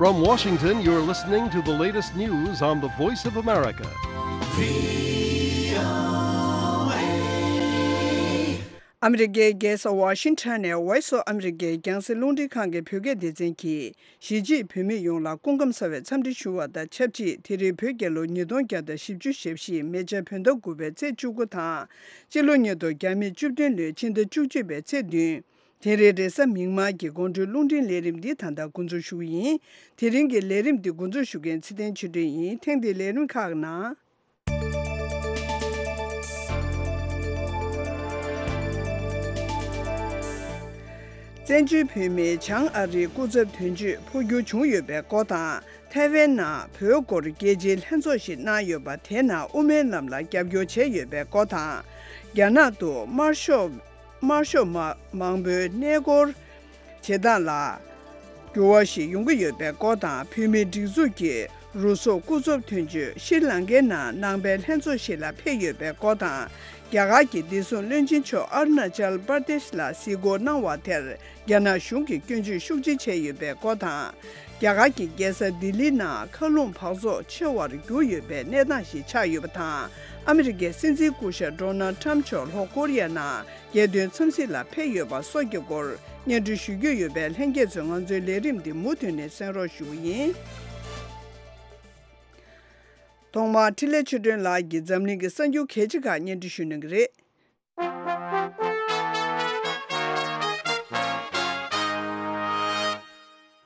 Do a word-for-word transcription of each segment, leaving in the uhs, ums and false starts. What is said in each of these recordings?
From Washington, you're listening to the latest news on the Voice of America. ཨ་མི་རི་ཀའི་རྒྱལ་ས་ཝ་ཤིང་ཊོན་ནས་Voice of America རྒྱང་སྲིང་རླུང་འཕྲིན་ཁང་གི་བོད་སྐད་སྡེ་ཚན་གྱིས། གཞིས་བྱེས་བོད་མི་ཡོངས་ལ་སྐུ་ཁམས་གསར་བའི་འཚམས་འདྲི་ཞུ་བ་དང་ཆབས་ཅིག་དེ་རིང་བོད་རྒྱལ་ལོ་ཉིས་སྟོང་བརྒྱ་དང་བཞི་བཅུ་ཞེ་བཞི་མེ་བྱ་བོད་ཟླ་དགུ་པའི་ཚེས་བཅུ་དགུ་དང་། སྤྱི་ལོ་ཉིས་སྟོང་བརྒྱ་མེད་བཅུ་བདུན་ལོའི་ཕྱི་ཟླ་བཅུ་གཅིག་པའི་ཚེས་བདུན། དེ་རིང་རེས་གཟའ་མིག་དམར་གྱི་དགོང་དྲོའི་རླུང་འཕྲིན་ལས་རིམ་འདི་ད་ལྟ་འགོ་འཛུགས་ཞུ་གི་ཡིན། དེ་རིང་གི་ལས་རིམ་འདི་འགོ་འཛུགས་ཞུ་མཁན་ཚེ་བརྟན་ཆོས་སྒྲོན་ཡིན། ཐེངས་འདིའི་ལས་རིམ་ཁག་ནང་། བཙན་བྱོལ་བོད་མིའི་བྱང་ཨ་རིའི་སྐུ་ཚབ་དོན་གཅོད་འཕོ་འགྱུར་བྱུང་ཡོད་པའི་སྐོར་དང་། ཐའེ་ཝན་ནང་བོད་སྐོར་རྒྱལ་སྤྱིའི་ལྷན་ཚོགས་ཤིག་གནང་ཡོད་པ། དེའི་ནང་དབུ་མའི་ལམ་ལ་རྒྱབ་སྐྱོར་བྱས་ཡོད་པའི་སྐོར་དང་། རྒྱ་ནག་ཏུ་དམར་ཤོག་དམར་ཤོག་མ་མང་པོའི་གནས་སྐོར་བྱེད་སྟངས་ལ་འགྱུར་བ་ཞིག་ཡོང་གི་ཡོད་པའི་སྐོར་དང་། བོད་མིའི་སྒྲིག་འཛུགས་ཀྱི་རུ་ཟོག་སྐུ་ཚབ་དོན་གཅོད་ཤྲི་ལང་ཀའི་ནང་ནང་པའི་ལྷན་ཚོགས་ཤིག་ལ་ཕེབས་ཡོད་པའི་སྐོར་དང་། རྒྱ་གར་གྱི་བདེ་སྲུང་བློན་ཆེན་མཆོག་ཨ་རུ་ན་ཅལ་པར་དེཤ་ལ་གཟིགས་སྐོར་གནང་བ་དེར་རྒྱ་ནག་གཞུང་གིས་སྐྱོན་བརྗོད་ཤུགས་ཆེ་བྱས་ཡོད་པའི་སྐོར་དང་། རྒྱ་གར་གྱི་རྒྱལ་ས་ལྡི་ལི་ནང་མཁའ་རླུང་འབག་བཙོག་ཆེ་བར་གྱུར་ཡོད་པའི་གནས་སྟངས་ཤིག་ཆགས་ཡོད་པ་དང་། ཨ་མི་རི་ཀའི་སྲིད་འཛིན་སྐུ་ཞབས་ཌོ་ནལ་ཊམ་མཆོག་ལྷོ་ཀོ་རི་ཡ་ནང་རྒྱལ་དོན་འཚམས་གཟིགས་ལ་ཕེབས་ཡོད་པ་སོགས་ཀྱི་སྐོར་སྙན་སྒྲོན་ཞུ་རྒྱུ་ཡོད་པས། ལྷན་རྒྱས་ཚོས་ང་ཚོའི་ལས་རིམ་འདི་མུ་མཐུད་ནས་གསན་རོགས་ཞུ་གི་ཡིན། ཐོག་མར་འཕྲིན་ལས་ཆོས་སྒྲོན་ལགས་ཀྱིས་འཛམ་གླིང་གི་གསར་འགྱུར་གལ་ཆེ་ཁག་སྙན་སྒྲོན་ཞུ་གནང་གི་རེད།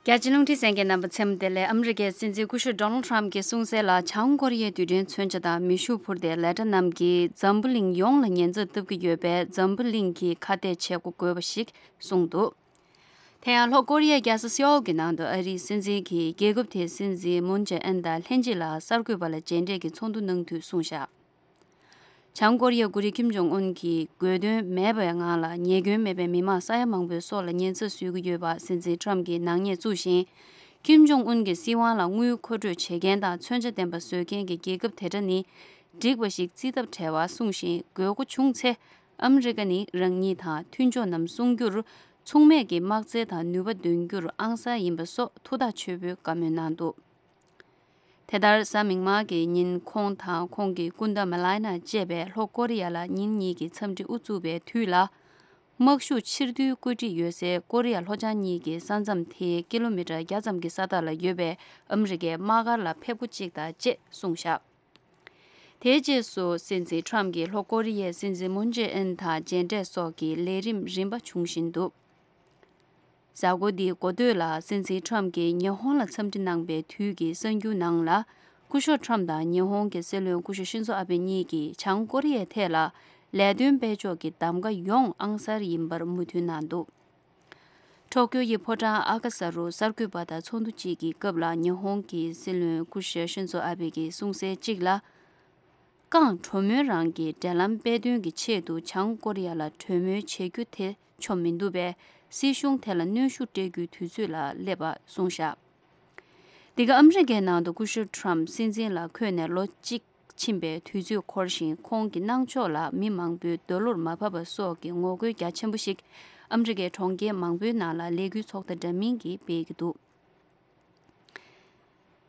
རྒྱ་ཆེའི་རླུང་འཕྲིན་གསན་མཁན་རྣམ་པ་མཚན་བདེ་ལེགས། ཨ་མི་རི་ཀའི་སྲིད་འཛིན་སྐུ་ཞབས་ཌོ་ནལ་ཊམ་གྱིས་གསུངས་གསལ་ལ། བྱང་ཀོ་རི་ཡའི་རྡུལ་ཕྲན་མཚོན་ཆ་དང་མེ་ཤུགས་འཕུར་མདེལ་ལེ་ཊ་རྣམས་ཀྱིས་འཛམ་བུ་གླིང་ཡོངས་ལ་ཉེན་ཚབས་བཏབ་ཀྱི་ཡོད་པས། འཛམ་བུ་གླིང་གིས་ཁ་གཏད་བྱེད་སྒོ་དགོས་པ་ཞིག་གསུངས་འདུག་དེ་ཡང་ལྷོ་ཀོ་རི་ཡའི་རྒྱལ་ས་སེའོལ་གྱི་ནང་དུ་ཨ་རིའི་སྲིད་འཛིན་གྱིས་རྒྱལ་ཁབ་དེའི་སྲིད་འཛིན་མུན་ཇེ་ཨིན་དང་ལྷན་ཅིག་ལ་གསར་འགོད་པ་ལ་མཇལ་འཕྲད་ཀྱིས་ཚོགས་འདུ་གནང་དུས་གསུངས་བཞག་བྱང་ཀོ་རི་ཡའི་འགོ་ཁྲིད་ཁིམ་ཇོང་ཨུན་གྱིས་དགོས་དོན་མེད་པའི་ངང་ལ་ཉེས་སྐྱོན་མེད་པའི་མི་མང་ས་ཡ་མང་པོའི་སྲོག་ལ་ཉེན་ཚབས་བཟོ་གི་ཡོད་པ་སྲིད་འཛིན་ཊམ་གྱིས་ནག་ཉེས་བཙུགས་ཤིང་། ཁིམ་ཇོང་ཨུན་གྱི་སྲིད་དབང་ལ་དངུལ་མཁོ་སྤྲོད་བྱེད་མཁན་དང་མཚོན་ཆ་ལྡན་པ་བཟོ་མཁན་གྱི་རྒྱལ་ཁབ་དེ་འདྲ་ནི་འགྲིག་པ་ཞིག་བརྩི་ཐབས་བྲལ་བ་གསུངས་ཤིང་། དགོས་མཁོ་བྱུང་ཚེ་ཨ་མི་རི་ཀ་ནི་རང་ཉིད་དང་མཐུན་ཕྱོགས་རྣམས་སྲུང་རྒྱུར་མཚུངས་མེད་ཀྱི་དམག་རྩལ་དང་ནུས་པ་འདོན་རྒྱུར་ཨང་གསར་ཡིན་པ་སོགས་ཐུགས་ཐག་ཆོད་པོས་བཀའ་མོལ་གནང་འདུག་དེ་ལྟར་གཟའ་མིག་དམར་གྱི་ཉིན་ཁོང་དང་ཁོང་གི་སྐུ་ཟླ་མེ་ལ་ན་བཅས་པས་ལྷོ་ཀོ་རི་ཡ་ལ་ཉིན་གཉིས་ཀྱི་འཚམས་འདྲི་དབུ་བཙུགས་པའི་དུས་ལ། དམག་ཤུགས་ཕྱིར་བསྡུའི་བཀོད་སྒྲིག་ཡོད་སའི་ཀོ་རི་ཡ་ལྷོ་བྱང་གཉིས་ཀྱི་ས་མཚམས་དེའི་ཀི་ལོ་མི་ཊར་བརྒྱ་ཙམ་གྱི་ས་ཐག་ལ་ཡོད་པའི་ཨ་མི་རི་ཀའི་དམག་སྒར་ལ་ཕེབས་སྒོ་གཅིག་དང་བཅས་གསུངས་བཞག་དེའི་རྗེས་སུ་སྲིད་འཛིན་ཊམ་གྱིས་ལྷོ་ཀོ་རི་ཡའི་སྲིད་འཛིན་མུན་ཇེ་ཨིན་དང་མཇལ་འཕྲད་སོགས་ཀྱི་ལས་རིམ་རིམ་པ་འབྱུང་བཞིན་འདུག་གཟའ་འཁོར་འདིའི་འགོ་སྟོད་ལ་སྲིད་འཛིན་ཊམ་གྱིས་ཉི་ཧོང་ལ་འཚམས་འདྲི་གནང་པའི་དུས་ཀྱི་གསར་འགྱུར་ནང་ལ། སྐུ་ཞབས་ཊམ་དང་ཉི་ཧོང་གི་སྲིད་བློན་སྐུ་ཞབས་ཤིན་ཛོ་ཨ་བེ་གཉིས་ཀྱིས་བྱང་ཀོ་རི་ཡའི་ཐད་ལ་ལས་དོན་སྤེལ་ཕྱོགས་ཀྱི་གདམ་ག་ཡོངས་ཨང་གསར་ཡིན་པར་མོས་མཐུན་གནང་འདུག་ཊོ་ཀྱོ་ཡི་ཕོ་བྲང་ཨ་ཀ་ས་རུ་གསར་འགོད་པ་དང་ཚོགས་འདུ་གཅིག་གི་སྐབས་ལ་ཉི་ཧོང་གི་སྲིད་བློན་སྐུ་ཞབས་ཤིན་ཛོ་ཨ་བེ་གིས་གསུངས་གསལ་གཅིག་ལ། ཀང་གྲོས་མོལ་རང་གི་འབྲེལ་ལམ་སྤེལ་དོན་གྱི་ཆེད་དུ་བྱང་ཀོ་རི་ཡ་ལ་གྲོས་མོལ་བྱེད་རྒྱུ་དེ་ཆོ་མི་འདུག་པས། སྲིད་གཞུང་དེ་ལ་གནོན་ཤུགས་སྤྲད་རྒྱུའི་དུས་ཚོད་ལ་སླེབས་པ་གསུངས་བཞག་འདི་ག་ཨ་མི་རི་ཀའི་ནང་དུ་སྐུ་ཞབས་ཊམ་སྲིད་འཛིན་ལ་འཁོད་ནས་ལོ་གཅིག་ཕྱིན་པའི་དུས་ཚོད་འཁོར་ཞིང་། ཁོང་གི་གནང་ཕྱོགས་ལ་མི་མང་པོའི་འདོད་བློར་མ་བབས་པ་སོགས་ཀྱི་ངོ་རྒོལ་རྒྱ་ཆེན་པོ་ཞིག་ཨ་མི་རི་ཀའི་གྲོང་ཁྱེར་མང་པོའི་ནང་ལ་ལས་འགུལ་ཚོགས་སྟངས་འདྲ་མིན་གྱིས་སྤེལ་གྱི་འདུག་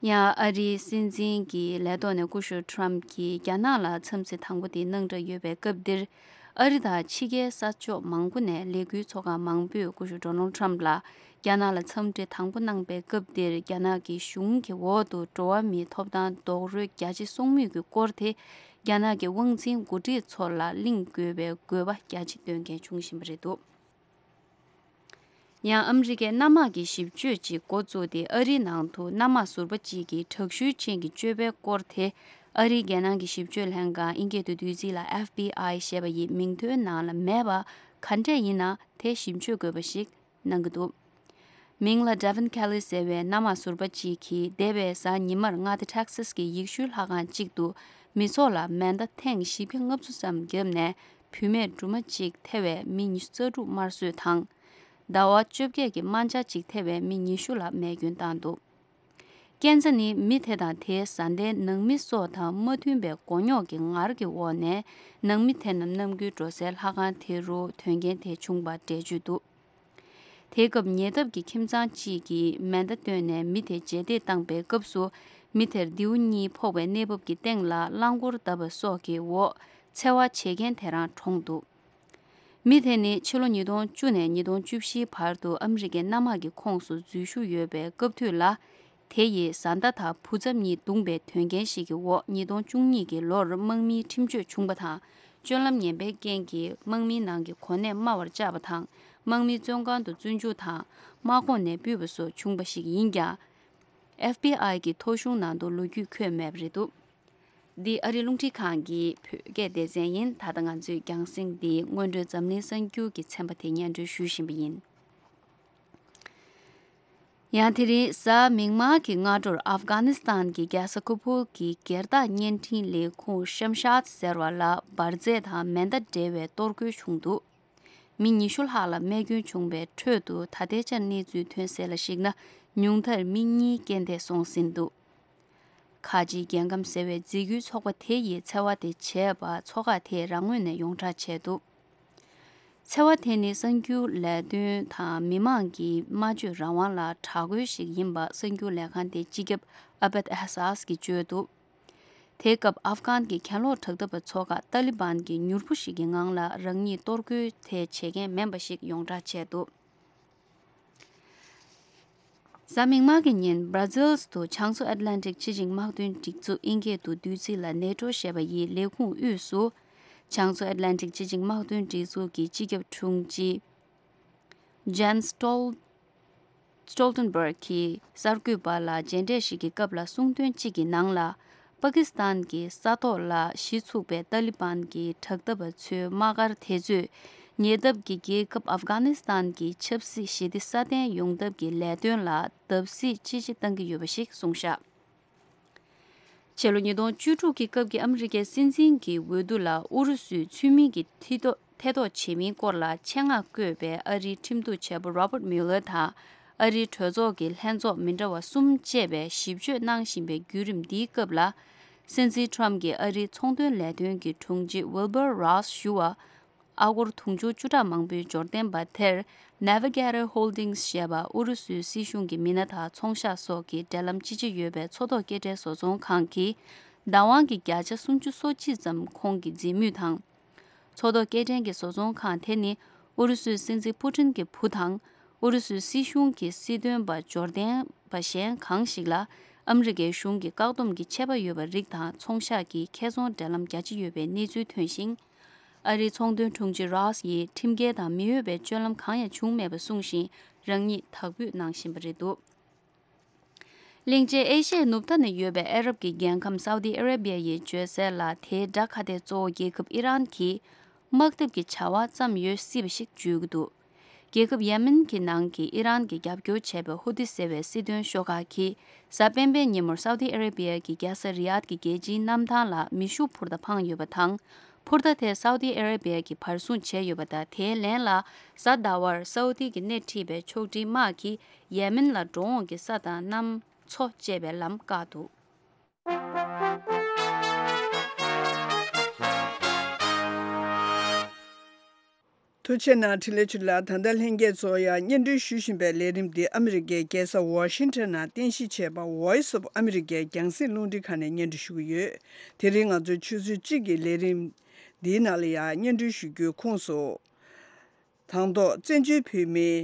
ཡང་ཨ་རིའི་སྲིད་འཛིན་གྱི་ལས་ཐོག་ནས་སྐུ་ཞབས་ཊམ་གྱིས་རྒྱ་ནག་ལ་འཚམས་གཟིགས་དང་པོ་དེ་གནང་གྲབས་ཡོད་པའི་སྐབས་འདིར། ཨ་རི་དང་ཕྱི་རྒྱལ་ས་ཕྱོགས་མང་པོ་ནས་ལས་འགུལ་ཚོགས་ཁག་མང་པོས་སྐུ་ཞབས་ཌོ་ནལ་ཊམ་ལ་རྒྱ་ནག་ལ་འཚམས་འདྲི་དང་པོ་གནང་པའི་སྐབས་འདིར། རྒྱ་ནག་གི་གཞུང་གི་འོག་ཏུ་འགྲོ་བ་མིའི་ཐོབ་ཐང་རྡོག་རོལ་རྒྱ་ཆེ་སོང་མུས་ཀྱི་སྐོར་དེ་རྒྱ་ནག་གི་དབང་འཛིན་འགོ་ཁྲིད་ཚོ་ལ་གླེང་དགོས་པའི་དགོས་པ་རྒྱ་ཆེ་བཏོན་མཁན་བྱུང་བཞིན་པ་རེད་འདུག་ཡང་ཨ་མི་རི་ཀས་གནམ་དམག་གི་ཞིབ་དཔྱོད་ཅིག་འགོ་བཙུགས་ཏེ། ཨ་རིའི་ནང་དུ་གནམ་དམག་ཟུར་པ་གཅིག་གི་དྲག་ཤུལ་ཅན་གྱི་སྤྱོད་པའི་སྐོར་དེ། ཨ་རིའི་རྒྱལ་ནང་གི་ཞིབ་དཔྱོད་ལྷན་ཁང་། ཨིན་སྐད་དུ་བསྡུས་ཚིག་ལ་ཨེཕ་བྷི་ཨའི་ཞེས་པ་ཡི་མིང་ཐོའི་ནང་ལ་མེད་པ་ག་འདྲས་ཡིན་ན་དེ་ཞིབ་དཔྱོད་དགོས་པ་ཞིག་གནང་གི་འདུག་མིང་ལ་Devon Kelley ཟེར་བའི་གནམ་དམག་ཟུར་པ་གཅིག་གིས་འདས་པའི་གཟའ་ཉི་མར་མངའ་སྡེ་Texas གི་ཡེ་ཤུའི་ལྷ་ཁང་གཅིག་ཏུ་མི་ཚོགས་ལ་མེ་མདའ་ཐེངས་བཞི་བརྒྱ་ལྔ་བཅུ་ཙམ་བརྒྱབ་ནས། བུད་མེད་སྦྲུམ་མ་གཅིག་ཐེ་བའི་མི་ཉི་ཤུ་རྩ་དྲུག་དམར་གསོད་དང་། ཟླ་བ་བཅོ་བརྒྱད་ཀྱི་དམར་འབྱར་གཅིག་ཐེ་བའི་མི་ཉི་ཤུ་ལ་རྨས་སྐྱོན་བཏང་འདུག་རྐྱེན་རྩ་ནི་མི་དེ་དང་དེའི་བཟའ་ཟླའི་ནང་མི་སོགས་དང་མ་མཐུན་པའི་མགོ་རྙོག་གི་ངར་གྱི་འོག་ནས། ནང་མི་དེ་རྣམས་ནམ་རྒྱུན་འགྲོ་སའི་ལྷ་ཁང་དེ་རུ་དོན་རྐྱེན་དེ་བྱུང་བར་འགྲེལ་བརྗོད་འདུག་དེ་སྐབས་ཉེ་འདབས་ཀྱི་ཁྱིམ་ཚང་གཅིག་གིས་མེ་མདའ་བཏོན་ནས་མི་དེ་རྗེས་འདེད་བཏང་པའི་སྐབས་སུ། མི་དེར་མདེའུ་གཉིས་ཕོག་པའི་གནས་བབ་ཀྱི་སྟེང་ལ་རླངས་འཁོར་བརྡབས་པ་སོགས་ཀྱི་འོག་འཚེ་བ་བྱེད་མཁན་དེ་རང་གྲོངས་འདུག་མི་དེ་ནི་ཕྱི་ལོ་ཉིས་སྟོང་བཅུ་ནས་ཉིས་སྟོང་བཅུ་བཞིའི་བར་དུ་ཨ་མི་རི་ཀའི་གནམ་དམག་གི་ཁོངས་སུ་འཛུལ་ཞུགས་ཡོད་པའི་སྐབས་དུས་ལ། དེ་ཡི་བཟའ་ཟླ་དང་བུ་ཚབ་གཉིས་བརྡུངས་པའི་དོན་རྐྱེན་ཞིག་གི་འོག་ཉིས་སྟོང་བཅུ་གཉིས་ཀྱི་ལོར་དམག་མིའི་ཁྲིམས་གཅོད་བྱུང་བ་དང་། སྤྱོད་ལམ་ངན་པའི་རྐྱེན་གྱིས་དམག་མིའི་ནང་གི་གོ་གནས་དམའ་བར་བཅག་པ་དང་། དམག་མིའི་བཙོན་ཁང་དུ་བཙོན་འཇུག་དང་། དམག་ཁོངས་ནས་ཕུད་པ་སོགས་བྱུང་བ་ཞིག་ཡིན་ཀྱང་། ཨེཕ་བི་ཨའི་གི་ཐོ་གཞུང་ནང་དུ་ལོ་རྒྱུས་འཁོད་མེད་པ་རེད་འདུག་འདི་ཨ་རིའི་རླུང་འཕྲིན་ཁང་གི་བོད་སྐད་སྡེ་ཚན་ཡིན། ད་ལྟ་ང་ཚོས་རྒྱང་སྲིང་འདི་སྔོན་འགྲོའི་འཛམ་གླིང་གསར་འགྱུར་གྱི་ཚན་པ་དེ་སྙན་སྒྲོན་ཞུ་བཞིན་པ་ཡིན། ཡང་དེ་རིང་གཟའ་མིག་དམར་གྱི་སྔ་དྲོར་ཨབ་གྷ་ནི་སི་ཐན་གྱི་རྒྱལ་ས་ཁ་བུལ་གྱི་སྒེར་བདག་བརྙན་འཕྲིན་ལས་ཁུངས་ཤམ་ཤཱད་ཟེར་བ་ལ་འབར་རྫས་དང་མེ་མདའ་འབྲེལ་བའི་གཏོར་རྒོལ་བྱུང་འདུག་མི་ཉི་ཤུ་ལྷག་ལ་རྨས་སྐྱོན་བྱུང་བའི་ཁྲོད་དུ། ད་ལྟའི་ཆར་གནས་ཚུལ་ཐོན་གསལ་ལ་གཞིགས་ན། ཉུང་མཐར་མི་གཉིས་རྐྱེན་འདས་སོང་ཟིན་འདུག་ཁ་ཆེའི་རྒྱལ་ཁམས་ཟེར་བའི་འཛིན་སྐྱོང་ཚོགས་པ་དེ་ཡིས་འཚེ་བ་དེ་བྱས་པ་ཚོགས་ཁག་དེས་རང་ངོས་ནས་ཡོངས་གྲགས་བྱས་འདུག་འཚེ་བ་དེ་ནི་གསར་འགྱུར་ལས་དོན་དང་མི་མང་གི་སྨྲ་བརྗོད་རང་དབང་ལ་དྲག་རྒོལ་ཞིག་ཡིན་པ་གསར་འགྱུར་ལས་ཁང་དེའི་སྤྱི་ཁྱབ་ཨ་བེད་ཨེ་ཧ་སཱས་ཀྱིས་བརྗོད་འདུག་དེའི་སྐབས་ཨབ་གྷན་གྱི་གྱེན་ལོག་དྲག་འཐབ་པ་ཚོ་ཁག་ཏཱ་ལི་བན་གྱིས་མྱུར་པོ་ཞིག་གི་ངང་ལ་རང་ཉིད་གཏོར་རྒོལ་དེ་བྱེད་མཁན་མིན་པ་ཞིག་ཡོངས་གྲགས་བྱས་འདུག་གཟའ་མིག་དམར་གྱི་ཉིན་Brussels་དུ་བྱང་མཚོ་ཨེཊ་ལན་ཊིག་སྤྱི་ཆིངས་དམག་དོན་སྒྲིག་འཛུགས་ཨིན་སྐད་དུ་བསྡུས་ཚིག་ལ་ནེ་ཊོ་ཞེས་པ་ཡི་ལས་ཁུངས་དབུས་སུ། བྱང་མཚོ་ཨེཊ་ལན་ཊིག་སྤྱི་ཆིངས་དམག་དོན་སྒྲིག་འཛུགས་ཀྱི་སྤྱི་ཁྱབ་དྲུང་ཆེ་Jens Stol- Stoltenberg་གྱིས་གསར་འགོད་པ་ལ་མཇལ་འཕྲད་ཞིག་གི་སྐབས་ལ་གསུང་དོན་གཅིག་གི་ནང་ལ། པ་ཀི་སི་ཐན་གྱི་ས་ཐོག་ལ་གཞི་ཚུགས་པའི་ཏཱ་ལི་བན་གྱི་དྲག་འཐབ་པ་ཚོའི་དམག་སྒར་དེ་ཚོས་ཉེ་འདབས་ཀྱི་རྒྱལ་ཁབ་ཨབ་གྷ་ནི་སི་ཐན་གྱི་ཆབ་སྲིད་ཞི་བདེ་སྲ་བརྟན་ཡོང་ཐབས་ཀྱི་ལས་དོན་ལ་བརྡབ་གསིག་ཅི་ཆེ་བཏང་གི་ཡོད་པ་ཞིག་གསུངས་བཞག་ཕྱི་ལོ་ཉིས་སྟོང་བཅུ་དྲུག་གི་སྐབས་ཀྱི་ཨ་མི་རི་ཀའི་སྲིད་འཛིན་གྱི་འོས་བསྡུ་ལ་ཨུ་རུ་སུས་ཚུལ་མིན་གྱི་ཐེ་གཏོགས་ཐེ་གཏོགས་བྱེད་མིན་སྐོར་ལ་ཆེད་མངགས་བསྐོས་པའི་ཨ་རིའི་ཁྲིམས་གཏུག་བྱེད་པོ་Robert Mueller་དང་ཨ་རིའི་གྲོས་ཚོགས་ཀྱི་ལྷན་ཚོགས་མི་འདྲ་བ་གསུམ་བཅས་པས་ཞིབ་དཔྱོད་གནང་བཞིན་པའི་བརྒྱུད་རིམ་འདིའི་སྐབས་ལ། སྲིད་འཛིན་Trump་གྱིས་ཨ་རིའི་ཚོང་དོན་ལས་དོན་གྱི་དྲུང་ཆེ་Wilbur Ross་ཞུ་བ། ཨ་སྒོར་དུང་ཕྱུར་བཅུ་ཕྲག་མང་པོའི་འབྱོར་ལྡན་པ་དེར་Navigator Holdings་ཞེས་པ་ཨུ་རུ་སུའི་སྲིད་གཞུང་གི་མི་སྣ་དང་ཚོང་ཤག་སོགས་ཀྱི་འབྲེལ་ལམ་ཅི་ཆེ་ཡོད་པའི་མཚོ་ཐོག་སྐྱེལ་འདྲེན་བཟོ་ཚོང་ཁང་གིས་བདག་དབང་གི་བརྒྱ་ཆ་སུམ་ཅུ་སོ་གཅིག་ཙམ་ཁོང་གིས་འཛིན་མུས་དང་། མཚོ་ཐོག་སྐྱེལ་འདྲེན་གྱི་བཟོ་ཚོང་ཁང་དེ་ནི་ཨུ་རུ་སུའི་སྲིད་འཛིན་པུ་ཏིན་གྱི་བུ་དང་། ཨུ་རུ་སུའི་སྲིད་གཞུང་གི་སྲིད་དོན་པ་འབྱོར་ལྡན་པ་གཞན་གང་ཞིག་ལ་ཨ་མི་རི་ཀའི་གཞུང་གི་བཀག་སྡོམ་གྱི་ཆད་པ་ཡོད་པ་རིགས་དང་ཚོང་ཤག་གི་ཁེ་བཟང་འབྲེལ་ལམ་རྒྱ་ཆེ་ཡོད་པའི་གནས་ཚུལ་ཐོན་ཞིང་། ཨ་རིའི་ཚོང་དོན་དྲུང་ཆེ་Ross་ཡིས་ཁྲིམས་འགལ་དང་མི་འོས་པའི་སྤྱོད་ལམ་གང་ཡང་བྱུང་མེད་པ་གསུངས་ཤིང་རང་ཉིད་དག་འབུད་གནང་བཞིན་པ་རེད་འདུག་གླིང་ཆེན་ཨེ་ཤི་ཡའི་ནུབ་མཐའ་ན་ཡོད་པའི་ཨ་རབ་ཀྱི་རྒྱལ་ཁམས་Saudi Arabia་ཡི་བརྗོད་གསལ་ལ། དེའི་དགྲ་ཁ་གཏད་གཙོ་བོ་རྒྱལ་ཁབ་ཨི་རན་གྱིས་དམག་འཐབ་ཀྱི་བྱ་བ་བརྩམས་ཡོད་སྲིད་པ་ཞིག་བརྗོད་ཀྱི་འདུག་རྒྱལ་ཁབ་ཡེ་མེན་གྱི་ནང་གི་ཨི་རན་གྱིས་རྒྱབ་སྐྱོར་བྱས་པའི་ཧུ་ཏི་ཟེར་བའི་སྲིད་དོན་ཤོག་ཁག་གིས་གཟའ་སྤེན་པའི་ཉིན་མོར་Saudi Arabia་གྱི་རྒྱལ་ས་རི་ཡཱད་ཀྱི་རྒྱལ་སྤྱིའི་གནམ་ཐང་ལ་མེ་ཤུགས་འཕུར་མདའ་འཕངས་ཡོད་པ་དང་། འཕུར་མདའ་དེ་Saudi Arabia་གྱིས་བར་སྲུང་བྱས་ཡོད་པ་དང་། དེའི་ལན་ལ་གཟའ་ཟླ་བར་Saudi་གྱིས་སྣེ་ཁྲིད་པའི་ཕྱོགས་སྒྲིག་དམག་གིས་ཡེ་མེན་ལ་འགྲོ་འོང་གི་ས་དང་གནམ་མཚོ་བཅད་པའི་ལམ་བཀག་འདུག་ཐུགས་རྗེ་གནང་འཕྲིན་ལས་ཆོས་ལགས། ད་ལྟ་ལྷན་རྒྱས་ཚོ་ཡང་སྙན་སྒྲོན་ཞུ་བཞིན་པའི་ལས་རིམ་འདི་ཨ་མི་རི་ཀའི་རྒྱལ་ས་ཝ་ཤིང་ཊོན་ནང་རྟེན་གཞི་བྱས་པ་Voice of America་རྒྱང་སྲིང་རླུང་འཕྲིན་ཁང་ནས་སྙན་སྒྲོན་ཞུ་གི་ཡོད། དེ་རིང་ང་ཚོའི་ཆུ་ཚོད་གཅིག་གི་ལས་རིམ་འདིའི་ནང་ལ་ཡང་སྙན་སྒྲོན་ཞུ་རྒྱུའི་ཁོངས་སུ། དང་ཐོག་བཙན་བྱོལ་བོད་མིའི་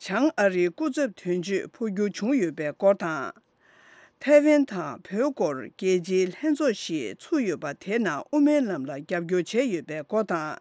བྱང་ཨ་རིའི་སྐུ་ཚབ་དོན་གཅོད་འཕོ་འགྱུར་བྱུང་ཡོད་པའི་སྐོར་དང་། ཐའེ་ཝན་དང་བོད་སྐོར་རྒྱལ་སྤྱིའི་ལྷན་ཚོགས་ཤིག་ཚུགས་ཡོད་པ་དེའི་ནང་དབུ་མའི་ལམ་ལ་རྒྱབ་སྐྱོར་བྱས་ཡོད་པའི་སྐོར་དང་།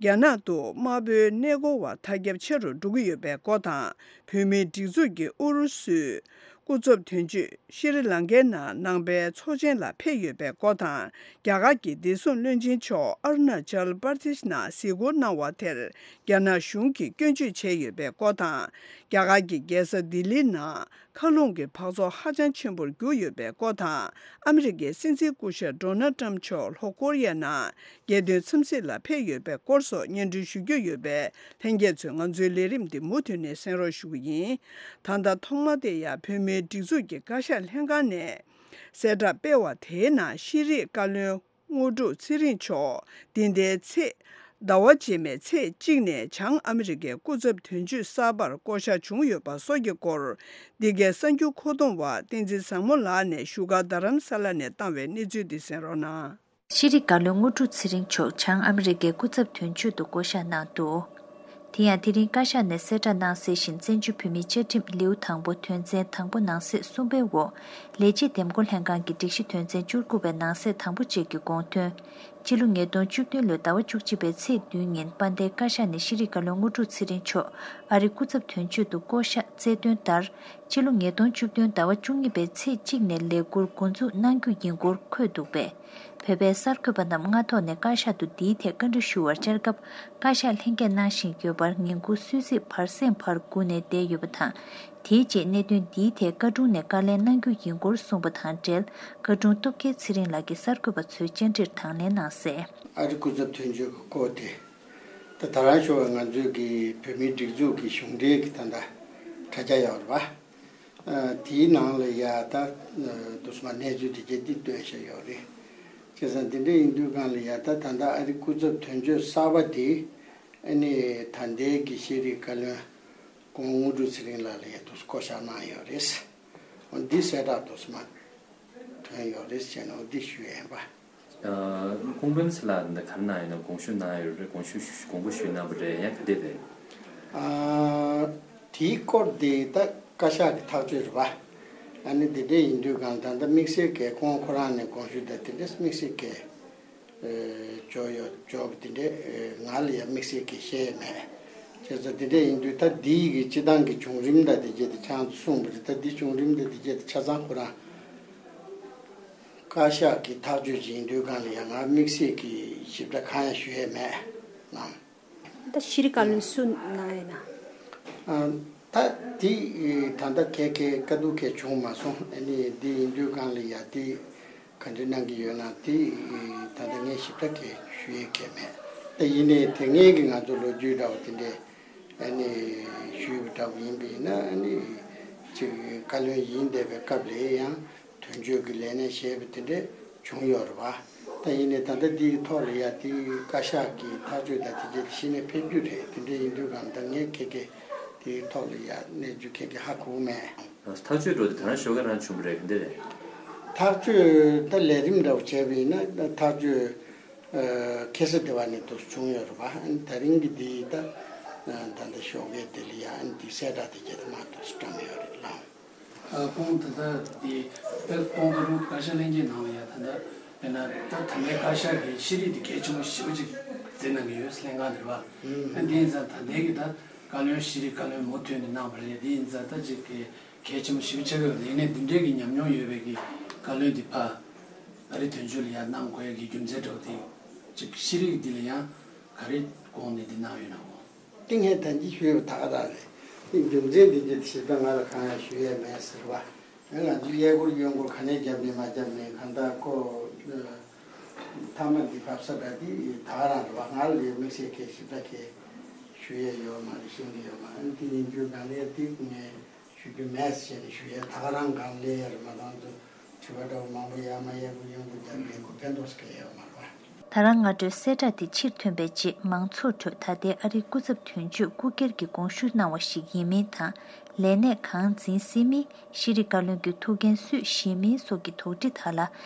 རྒྱ་ནག་ཏུ་དམར་པོའི་གནས་སྐོར་བ་ཐ་ཁྱབ་ཆེ་རུ་འགྲོ་གི་ཡོད་པའི་སྐོར་དང་། བོད་མིའི་སྒྲིག་འཛུགས་ཀྱི་ཨུ་རུ་སུའི་སྐུ་ཚབ་དོན་གཅོད་ཤྲི་ལང་ཀའི་ནང་ནང་པའི་ཚོགས་ཆེན་ལ་ཕེབས་ཡོད་པའི་སྐོར་དང་། རྒྱ་གར་གྱི་བདེ་སྲུང་བློན་ཆེན་མཆོག་ཨ་རུ་ན་ཅལ་པར་དེཤ་ནང་གཟིགས་སྐོར་གནང་བ་དེར་རྒྱ་ནག་གཞུང་གིས་སྐྱོན་བརྗོད་བྱས་ཡོད་པའི་སྐོར་དང་། རྒྱ་གར་གྱི་རྒྱལ་ས་ལྡི་ལིའི་ནང་མཁའ་རླུང་གི་འབག་བཙོག་ཧ་ཅང་ཆེན་པོར་གྱུར་ཡོད་པའི་སྐོར་དང་། ཨ་མི་རི་ཀའི་སྲིད་འཛིན་སྐུ་ཞབས་ཌོ་ནལ་ཏྲམ་མཆོག་ལྷོ་ཀོ་རི་ཡའི་ནང་རྒྱལ་དོན་འཚམས་གཟིགས་ལ་ཕེབས་ཡོད་པའི་སྐོར་སོགས་སྙན་སྒྲོན་ཞུ་རྒྱུ་ཡོད་པས། ལྷན་རྒྱས་ཚོས་ང་ཚོའི་ལས་རིམ་འདི་མུ་མཐུད་ནས་གསན་རོགས་ཞུ་གི་ཡིན། ད་ལྟ་ཐོག་མ་དེ་ཡང་བོད་མིའི་སྒྲིག་འཛུགས་ཀྱི་བཀའ་ཤག་ལྷན་ཁང་ནས་གསལ་བསྒྲགས་སྤེལ་བ་དེའི་ནང་ཤེས་རིག་བཀའ་བློན་དངོས་གྲུབ་ཚེ་རིང་མཆོག་འདི་ཟླའི་ཚེས་ ཟླ་བ་རྗེས་མའི་ཚེས་གཅིག་ནས་བྱང་ཨ་མི་རི་ཀའི་སྐུ་ཚབ་དོན་གཅོད་གསར་པར་བསྐོ་གཞག་བྱུང་ཡོད་པ་སོགས་ཀྱི་སྐོར། འདི་གའི་གསར་འགྱུར་མཁོ་གཏོང་བ་བསྟན་འཛིན་བཟང་མོ་ལགས་ནས་བཞུགས་སྒར་རྡ་རམ་ས་ལ་ནས་བཏང་བའི་གནས་ཚུལ་འདི་གསན་རོགས་གནང་། ཤེས་རིག་བཀའ་བློན་དངོས་གྲུབ་ཚེ་རིང་མཆོག་བྱང་ཨ་མི་རི་ཀའི་སྐུ་ཚབ་དོན་གཅོད་དུ་བསྐོ་གཞག་གནང་འདུག་དེ་ཡང་དེ་རིང་བཀའ་ཤག་ནས་གསལ་བསྒྲགས་གནང་གསལ་བཞིན། བཙན་བྱོལ་བོད་མིའི་བཅའ་ཁྲིམས་ལེའུ་དང་པོ་དོན་ཚན་དང་པོ་ནང་གསེས་གསུམ་པའི་འོག་ལས་བྱེད་འདེམས་བསྐོ་ལྷན་ཁང་གི་སྒྲིག་གཞི་དོན་ཚན་བཅུ་དགུ་པའི་ནང་གསེས་དང་པོ་གཅིག་གི་དགོངས་དོན། སྤྱི་ལོ་ཉིས་སྟོང་བཅུ་བདུན་ལོའི་ཟླ་བ་བཅུ་གཅིག་པའི་ཚེས་བདུན་ཉིན་དཔལ་ལྡན་བཀའ་ཤག་ནས་ཤེས་རིག་བཀའ་བློན་དངོས་གྲུབ་ཚེ་རིང་མཆོག་ཨ་རིའི་སྐུ་ཚབ་དོན་གཅོད་དུ་བསྐོ་གཞག་སྩལ་དོན་ལྟར། སྤྱི་ལོ་ཉིས་སྟོང་བཅུ་བདུན་ཟླ་བ་བཅུ་གཉིས་པའི་ཚེས་གཅིག་ནས་ལས་འཁུར་འགོ་འཛུགས་གནང་རྒྱུ་ཡིན་སྐོར་འཁོད་འདུག་པས། བོད་པའི་གསར་འགོད་པ་རྣམས་སྔ་ཐོག་ནས་བཀའ་ཤག་ཏུ་འདིའི་ཐད་བཀའ་འདྲི་ཞུ་བར་བཅར་སྐབས། བཀའ་ཤག་ལྷན་རྒྱས་གནང་བཞིན་ཡོད་པར་ཉིན་གུང་སུད་སི་བར་གསེང་བར་སྒུག་ནས་བསྡད་ཡོད་པ་དང་། དེའི་རྗེས་གནད་དོན་འདིའི་ཐད་བཀའ་དྲུང་ནས་བཀའ་ལན་གནང་རྒྱུ་ཡིན་སྐོར་གསུངས་པ་དང་འབྲེལ། བཀའ་དྲུང་སྟོབས་རྒྱལ་ཚེ་རིང་ལགས་ཀྱིས་གསར་འགོད་པ་ཚོའི་བཅར་འདྲིར་དང་ལེན་གནང་གསལ། ཨ་རི་སྐུ་ཚབ་དོན་གཅོད་ཀྱི་སྐོར་དེ། ད་ད་རང་ཞོགས་པ་ང་ཚོའི་གི་བོད་མིའི་སྒྲིག་འཛུགས་ཀྱི་གཞུང་འབྲེལ་གྱི་ད་ལྟ་དྲ་རྒྱ་ཡོད་རེད་པ། ཨ། དེའི་ནང་ལ་ཡ་ད་དུ་སུ་མ་གནས་ཚུལ་དེ་གྱད་འདི་སྟོན་བཞག་ཡོད་རེད། བྱས་ཙང་དེ་འདྲ་ཡིན་དུས་སྒང་ལ་ཡ་ད་ད་ལྟ་ཨ་རི་སྐུ་ཚབ་དོན་གཅོད་གསར་པ་དེ་ཨ་ནི་ད་ལྟའི་གི་ཤེས་རིག་བཀའ་བློན་ཁོང་དངོས་གྲུབ་ཚེ་རིང་ལགས་ལ་ཡ་དུ་སུ་བསྐོ་བཞག་གནང་ཡོད་རེད། འོ་འདི་གསལ་བསྒྲགས་དུ་སུ་མ་ཐོན་ཡོད་རེད་ཟེར་ནས་འོ་འདི་ཞུ་ཡས་ཡིན་པ། ཨ། ཁོང་པད་མ་ཚེ་ལགས་འདི་ག་རེ་གནང་ཡོད་ན། དགོངས་ཞུ་གནང་ཡོད་རེད། དགོངས་ཞུ་དགོངས་པ་ཞུས་གནང་བ་རེད། ཡང་ག་འདྲས་རེད། ཨ། དེའི་སྐོར་དེ་ད་བཀའ་ཤག་གི་ཐག་གཅོད་རེད་པ། ཨ་ནི་དེ་འདྲས་ཡིན་དུས་གང་ད་ལྟ་དམིགས་བསལ་གྱི་ཁོང་ཁོ་རང་ནས་དགོངས་ཞུ་དང་དེ་འདྲས་དམིགས་བསལ་གྱི་ཨ་འབྱོར་ཡོད་འབྱོར་བ་དེ་འདྲས་ཨ་ང་ལ་ཡང་དམིགས་བསལ་གྱི་བཤད་ཡས་མེད། བྱས་ཙང་དེ་འདྲས་ཡིན་དུས་ད་འདི་ཡི་གི་སྤྱི་བཏང་གི་བྱུང་རིམ་དང་དེ་གྱད་དེ་ཁྱེད་རང་ཚོ་གསུངས་པ་རེད། ད་འདི་བྱུང་རིམ་དང་དེ་གྱད་དེ་ཆ་ཚང་ཁོ་རང་བཀའ་ཤག་གི་ཐག་གཅོད་ཅིག་ཡིན་དུས་སྒང་ལ་ཡང་ང་དམིགས་བསལ་གྱི་ཞིབ་ཕྲ་གང་ཡང་ཞུ་ཡས་མེད་ལགས། ད་ཤེས་རིག་བཀའ་བློན་སུ་གནང་ཡོད་ན། ཨ། ད་དེ་ད་ལྟ་གལ་གལ་དཀའ་སྡུག་གལ་བྱུང་མ་སོང་། ཨ་ནི་འདི་ཡིན་དུས་སྒང་ལ་ཡ་དེ་ག་འདྲ་གནང་གི་ཡོད་ན་དེ་ད་ལྟ་ངས་ཞིབ་ཕྲ་གལ་ཞུ་ཡས་གལ་མེད། ད་ཡིན་ནའི་དེ་སྔའི་གི་ང་ཚོ་ལོ་རྒྱུས་འདྲ་བོ་དེ་འདྲས་ཨ་ནི་ཞུས་པ་འདྲ་བོ་ཡིན་པ་ཡིན་ན་ཨ་ནི་ཅིག་བཀའ་བློན་ཡིན་བསྡད་པའི་སྐབས་ལ་ཡང་། དོན་གཅོད་ཀྱི་ལས་གནས་བཞེས་པ་དེ་འདྲས་བྱུང་ཡོད་རེད་བ། ད་ཡིན་ནའི་ད་ལྟ་འདིའི་ཐོག་ལ་ཡ་དེའི་བཀའ་ཤག་གི་ཐག་གཅོད་དང་དེ་རྗེས་གཞི་ནས་ཕེབས་རྒྱུ་རེད། དེ་འདྲས་ཡིན་དུས་གང་ད་ངས་ཁེ་ཁེ་དེའི་ཐོག་ལ་ཡ་གནས་ཚུལ་ཁེ་ཁེ་ཧ་གོ་གི་མེད། ཐག་གཅོད་འགྲོ་དེ་ད་ནང་ཞོགས་ཀ་རང་བྱུང་བ་རེད། ག་འདྲས་རེད། ཐག་གཅོད་ད་ལས་རིམ་འདྲ་བོ་བྱས་པ་ཡིན་ན་ད་ཐག་གཅོད་ཨ་ཁ་སང་དེ་བ་ནས་དུ་བྱུང་ཡོད་རེད་བ། ཨ་ནི་ད་རིང་གི་འདི་ད་ཨ་ད་ལྟ་ཞོགས་ཀའི་དེ་ལ་ཡ་ཨ་ནི་འདི་གསལ་བསྒྲགས་དེ་གྱད་དུ་མ་གཏོགས་སུ་བཀྲམ་ཡོད་རེད་ལགས། ཨ། ཁོང་ད་ལྟ་དེ་ད་ཁོང་ད་རུང་བཀའ་ཤག་ལྷན་རྒྱས་ནང་ལ་ཡ་ད་ལྟ་དཔེར་ན་ད་ད་ལྟའི་བཀའ་ཤག་གི་ཤེས་རིག་དེ་གལ་ཆེན་པོ་ཞེ་པོ་ཅིག་བརྩི་གནང་གི་ཡོད་ལྷན་ཁང་དེ་རེད་བ། ཨ་དེ་ཡིན་ཙང་ད་ལྟའི་གི་ད་བཀའ་བློན་ཤེས་རིག་བཀའ་བློན་མུ་མཐུད་ནས་གནང་བ་རེད། དེ་ཡིན་ཙང་ད་ཅིག་གི་གལ་ཆེན་པོ་ཞེ་པོ་ཆགས་ཀྱི་ཡོད་རེད། ཡིན་ནའི་འདི་འདྲའི་གི་ཉམས་མྱོང་ཡོད་པའི་གི་བཀའ་བློན་དེ་ཕར་ཨ་རི་དོན་གཅོད་ལ་ཡ་གནང་དགོས་ཡ་གི་རྒྱུ་མཚན་འདྲ་བོ་དེ་ཅིག་ཤེས་རིག་འདི་ལ་ཡང་ག་རེ་དགོངས་ནས་འདི་གནང་ཡོད་ན་འོ། ཏིང་ཧེ་ཐན་གྱིས་ཞུས་པ་ད་ག་རང་རེད། ཏིང་རྒྱུ་མཚན་འདི་གྱི་ཞིབ་ཕྲ་ང་ལ་གང་ཡང་ཞུ་ཡས་མེད་ཟེར་བ། ང་ང་ཚོས་གཡས་སྐོར་གཡོན་སྐོར་ག་ནས་རྒྱབ་ནས་མ་རྒྱབ་ནས་གང་ལྟར་ཁོ་མཐའ་མ་འདི་བབས་ས་འདྲ་འདི་ད་ག་རང་རེད་བ། ང་ལ་ཡང་དམིགས་བསལ་གྱི་ཞིབ་ཕྲ་གི་ཞུ་ཡས་ཡོད་མ་རེད། ཤེས་ཀྱི་ཡོད་མ་རེད། འདི་ཡིན་རྒྱུ་གང་ལས་འདི་ངས་ཞུ་རྒྱུ་མེད་ཟེར་ནས་ཞུ་ཡས་ད་ག་རང་གང་ལས་ཡ་རེད་མ་གཏོགས་ཚོ་དྲི་བ་འདྲ་བོ་མང་པོ་ཡར་མར་གཡས་སྐོར་གཡོན་སྐོར་རྒྱབ་ནས་ཁོ་ཕན་ཐོགས་སུ་གལ་ཡོད་མ་རེད་བ། ད་རང་སྔ་དྲོའི་གསལ་བསྒྲགས་དེ་ཕྱིར་ཐོན་པའི་རྗེས་མང་ཚོགས་ཁྲོད་ད་ལྟའི་ཨ་རིའི་སྐུ་ཚབ་དོན་གཅོད་སྐུ་སྒེར་གྱི་དགོངས་ཞུ་གནང་བ་ཞིག་ཡིན་མིན་དང་། ལས་གནས་གང་འཛིན་སྲིད་མིན། ཤེས་རིག་བཀའ་བློན་གྱི་ཐུགས་འགན་སུས་བཞེས་མིན་སོགས་ཀྱི་དོགས་འདྲི་དག་ལ་